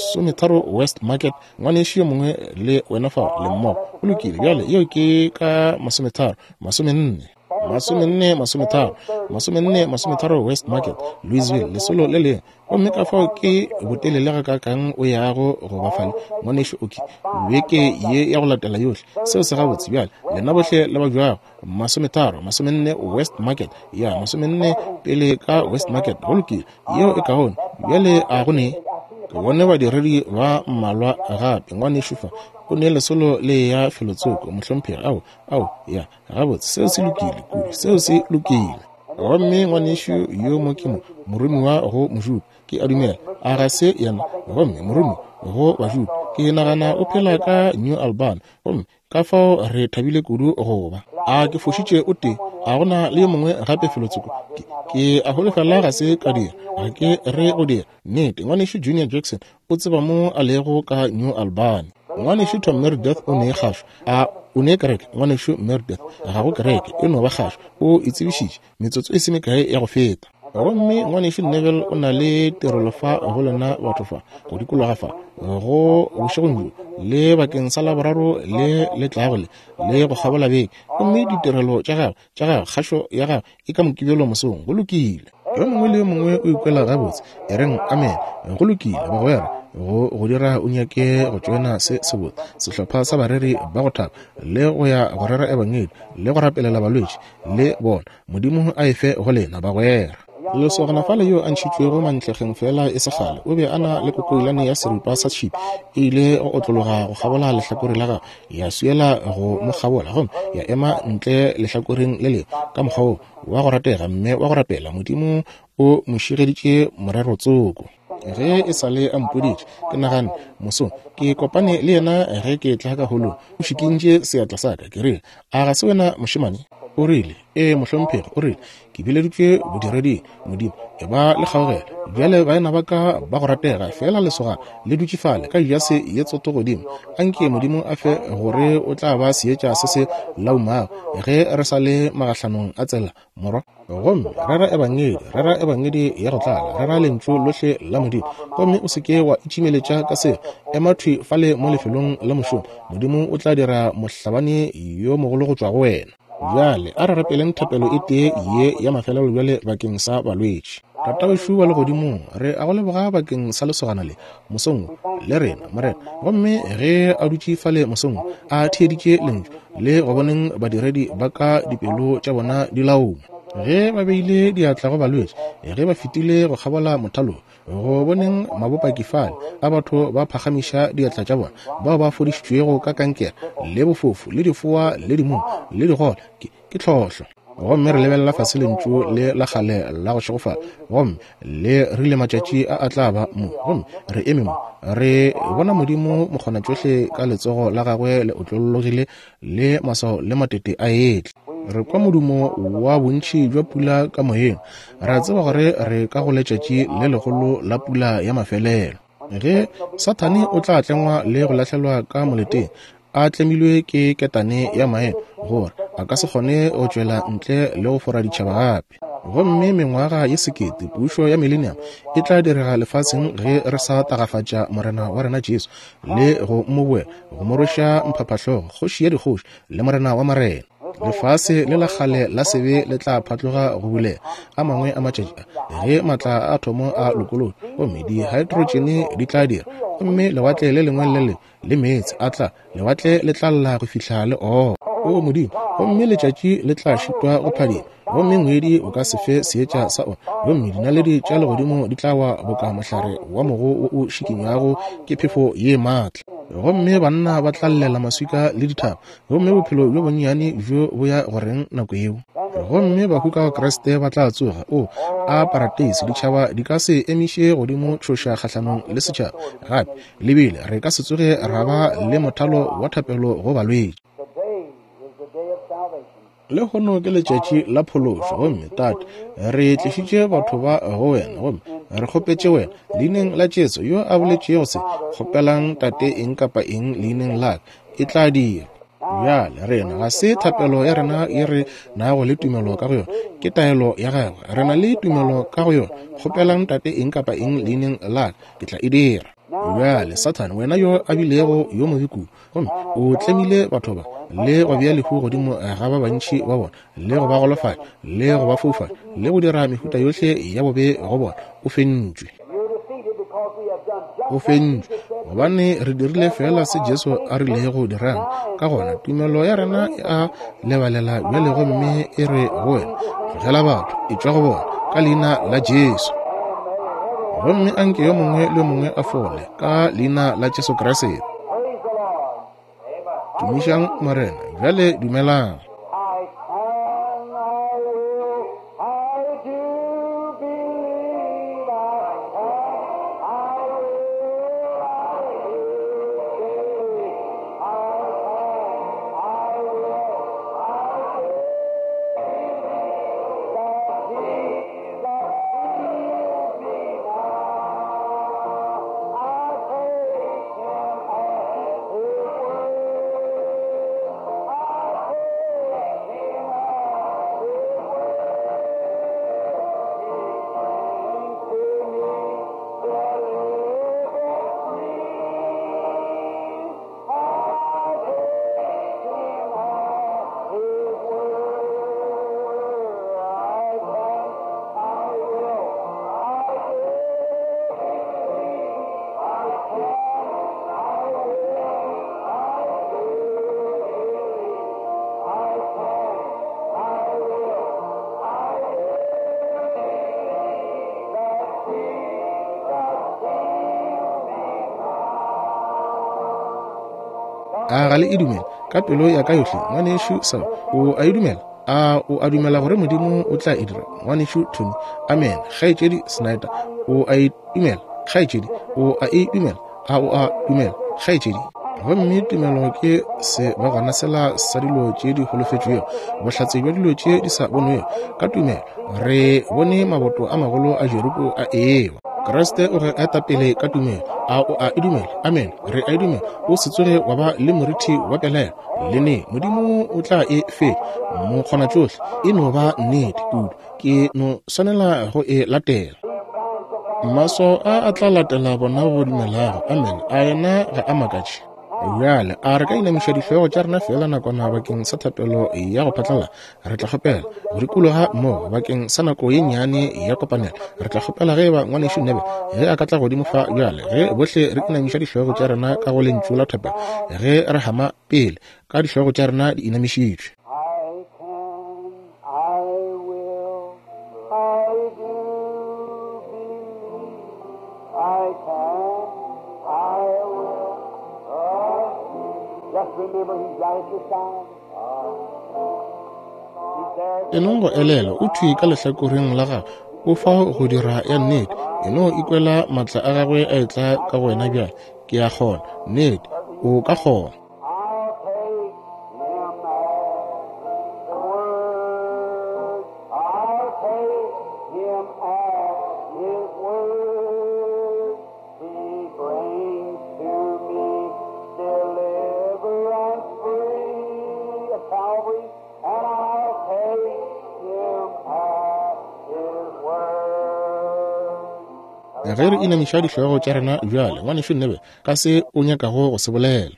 30 West Market, ngwanešu yo mongwe le wena fao, le mmogo. Go lokile, bjale, yeo ke ka 30, 40. 40, 30, 40, 30 West Market, Louisville, lesolo le lengwe. Gomme ka fao ke botelele gakaakang o yago go ba fale, ngwanešu Oki, beke ye ya go latela yohle. Seo se gabotse. Bjale, lena bohle le ba bjago, 30, 40 West Market, ya 40 pele ka West Market. Go lokile, yeo e kaone. Bjale a go ne. Ke bone badiredi ba mmalwa gape, ngwanešu fa, o ne lesolo le ya felotsoko, mohlomphegi. Ao, ao, ya. Gabotse, seo se lokile kudu, seo se lokile. Gomme ngwanešu yo mo ke mo, moromiwa go Mojuda, ke a dumela, a ga se yena? Gomme moromiwa go Bajuda, ke nagana o phela ka New Albany. Gomme ka fao re thabile kudu go ba. A ke fošitše o tee? A go na le yo mongwe gape felotsoko? Ke, ke a holofela ga se ka dira. Ga ke re go dira. Nnete, Ngwanešu Junior Jackson o tseba mo a lego ka New Albany. Ngwanešu Tom Meredith o ne kgašo. A o ne kereke? Ngwanešu Meredith, ga go kereke, e no ba kgašo. O e tsebišitše metsotso e se mekae ya go feta. Gomme Ngwanešu Neville o na le tirelo fa go lena batho fa, go dikologa fa, go bošegong bjo, le bakeng sa Laboraro le le tlago le, le go kgabola beke. Gomme ditirelo tša gagwe, tša gagwe, kgašo ya gagwe e ka Mokibelo mosong. Go lokile. Yo mongwe le yo mongwe o ikwela gabotse, e reng amen. Go lokile, bagwera, go go dira o nyake go tšoena se sebotse sehlopha sa bareri ba go thaba, le go ya go rera ebangedi, le go rapelela balwetši, le bona. Modimo a e fe go lena, bagwera. Lesogana fale yo a ntšhitšwego mantlegeng feela e se kgale, o be a na le kokoilane ya seripa sa tšhipi, e ile go otlologa go kgabola lehlakore la gagwe, ya swiela go mo kgabola, gomme ya ema ntle lehlakoreng le lengwe ka mokgwa wo wa go ratega mme wa go rapela. Modimo o mo šegeditše morero tsoko. Ge e sa le a mpoditše, ke nagane, mosong ke kopane le yena ge ke tla ka holong, o šikintše seatla sa ka. Ke rile, A ga se wena mošemane? O rile, Ee, mohlomphegi. O rile, Ke bileditšwe bodireding. Modimo, e ba le kgaogelo. Bjale, baena ba ka ba go ratega, feela lesogana le dutše fale ka jase ye tsoto godimo. Anke Modimo a fe gore o tla ba seetša se se laumago ge re sa le magahlanong a tsela, morwa. Gomme rera Ebangedi, rera Ebangedi ya go tlala, rera Lentšu lohle la Modimo. Gomme o se ke wa itšimeletša ka seo. Ema thwi fale mo lefelong la mošomo. Modimo o tla dira mohlabani yo mogolo go tšwa go wena. Bjale a re rapeleng thapelo e tee ye ya mafelelo bjale bakeng sa balwetši. Tatawešu wa Legodimong, re a go leboga bakeng sa lesogana le, mosong wo, le rena, Morena. Gomme ge a dutše fale mosong wo, a theeditše Lentšu, le go boneng badiredi ba ka dipelo tša bona di lauma, ge ba beile diatla go balwetši, ge ba fetile go kgabola mothalo, go boneng mabopaki fale a batho ba phagamiša diatla tša bona, bao ba fodišitšwego ka kankere, le bofofu, le difoa, le dimumu, le digole, ke tlhohlo. Gomme re lebelela fase lentšu le la kgale la go šegofala, gomme le rile matšatši a a tla ba mo, gomme re eme mo, re bona Modimo mokgonatšohle ka letsogo la gagwe le otlollogile, le maswao le matete a etla. Re kwa modumo wa bontši bja pula ka moyeng, ra tseba gore re ka go letšatši le legolo la pula ya mafelelo. Ge Sathane o tla tlengwa le go lahlelwa ka moleteng, a tlemilwe ke ketane ya maemo, gore a ka se kgone go tšwela ntle le go fora ditšhaba gape. Gomme mengwaga ye sekete, pušo ya millennium, e tla direga lefaseng ge re sa tagafatša Morena wa rena Jesu le go mo boela, go mo rweša mphaphahlogo, Kgoši ya dikgoši le Morena wa marena. Lefase le la kgale la sebe le tla phatloga go bulega a mangwe a matšatši a, ge matla a athomo a lokolotšwe, gomme dihaetrotšene di tla dira, gomme lewatle le lengwe le le lengwe le meetse a tla, lewatle le tla lla go fihla le oma. O Modimo, gomme letšatši le tla šitwa go phadima, gomme ngwedi o ka se fe seetša sa ona, gomme dinaledi tša legodimo di tla wa boka mohlare wa mogo wo o šikinywago ke phefo ye maatla. Gomme banna ba tla llela maswika le dithaba, gomme bophelo bjo bonnyane bjo bo ya go reng nako yeo? Gomme bahu ka go Kriste ba tla tsoga. O, a parateisi! Ditšhaba di ka se emiše godimo tšhoša kgahlanong le setšhaba gape, le bile re ka se tsoge ra ba le mothalo wa thapelo go balwetši. Lehono ke letšatši la phološo, gomme Tate, re tlišitše batho ba go Wena, gomme re kgopetše Wena, Leineng la Jesu, yo a boletšego se, kgopelang Tate eng kapa eng Leineng la Ka, e tla dirwa. Bjale, rena, ga se thapelo ya rena ye re nago le tumelo ka go yona, ke taelo ya Gagwe. Re na le tumelo ka go yona. Kgopelang Tate eng kapa eng Leineng la Ka, Ke tla e dira. Bjale, Sathane, wena yo a bilego yo mobe kudu, gomme o tlemile batho ba, le go bea lehu godimo ga ba bantši ba bona, le go ba golofatša, le go ba foufatša, le go dira mehuta yohle ya bobe go bona, o fentšwe. O fentšwe, gobane re dirile feela se Jesu a rilego dirang. Ka gona, tumelo ya rena e a lebalela bjale gomme e re go wena, tlogela batho, etšwa go bona, ka leina la Jesu. Gomme anke yo mongwe le yo mongwe a fole, ka leina la Jesu Kriste. Tumišang Morena. Bjale dumelang. A ga le e dumele ka pelo ya ka yohle, ngwanešu Sam? O a e dumela? A o a dumela gore Modimo o tla e dira, ngwanešu Tony? Amen. Kgaetšedi Snyder, o a e dumela? Kgaetšedi, o a e dumela? A o a dumela, kgaetšedi? Gomme tumelo ke se ba gona sela sa dilo tše di holofetšwego, bohlatse bja dilo tše di sa bonwego. Ka tumelo re bone maboto a magolo a Jeriko a ewa. Kriste o re eta pele ka tumelo. A o a e dumela? Amen. Re a e dumela. O se tsoge wa ba le morithi wa pelaelo le neng. Modimo o tla e fetša. Mokgonatšohle. E no ba nnete kudu. Ke no swanela go e latela. Maswao a a tla latela bona ba dumelago. Amen. A yena ga a makatše? Bjale, a re ka inamiša dihlogo tša rena feela nakwana bakeng sa thapelo ya go phatlala? Re tla kgopela go dikologa mo bakeng sa nako ye nnyane ya kopanelo. Re tla kgopela ge eba Ngwanešu Neville ge a ka tla godimo fa bjale, ge bohle re inamiša dihlogo tša rena ka go lentšu la thapelo, ge re hama pele ka dihlogo tša rena di inamišitšwe. I can, I will, I do believe. I can, I will, I do. Just remember he's right at your side. He's there. E nong go elelwa, o thwi ka lehlakoreng la gago. O fao go dira ya nnete. E no ikwela maatla a gagwe a etla ka go wena bjale. Ke a kgona. Nnete, o ka kgona. I'll take him at the word. I'll take him at his word. He brings to me deliverance free of Calvary, and I'll take him at his word. Ge re inamiša dihlogo tša rena bjale, Ngwanešu Neville, ka se o nyakago go se bolela.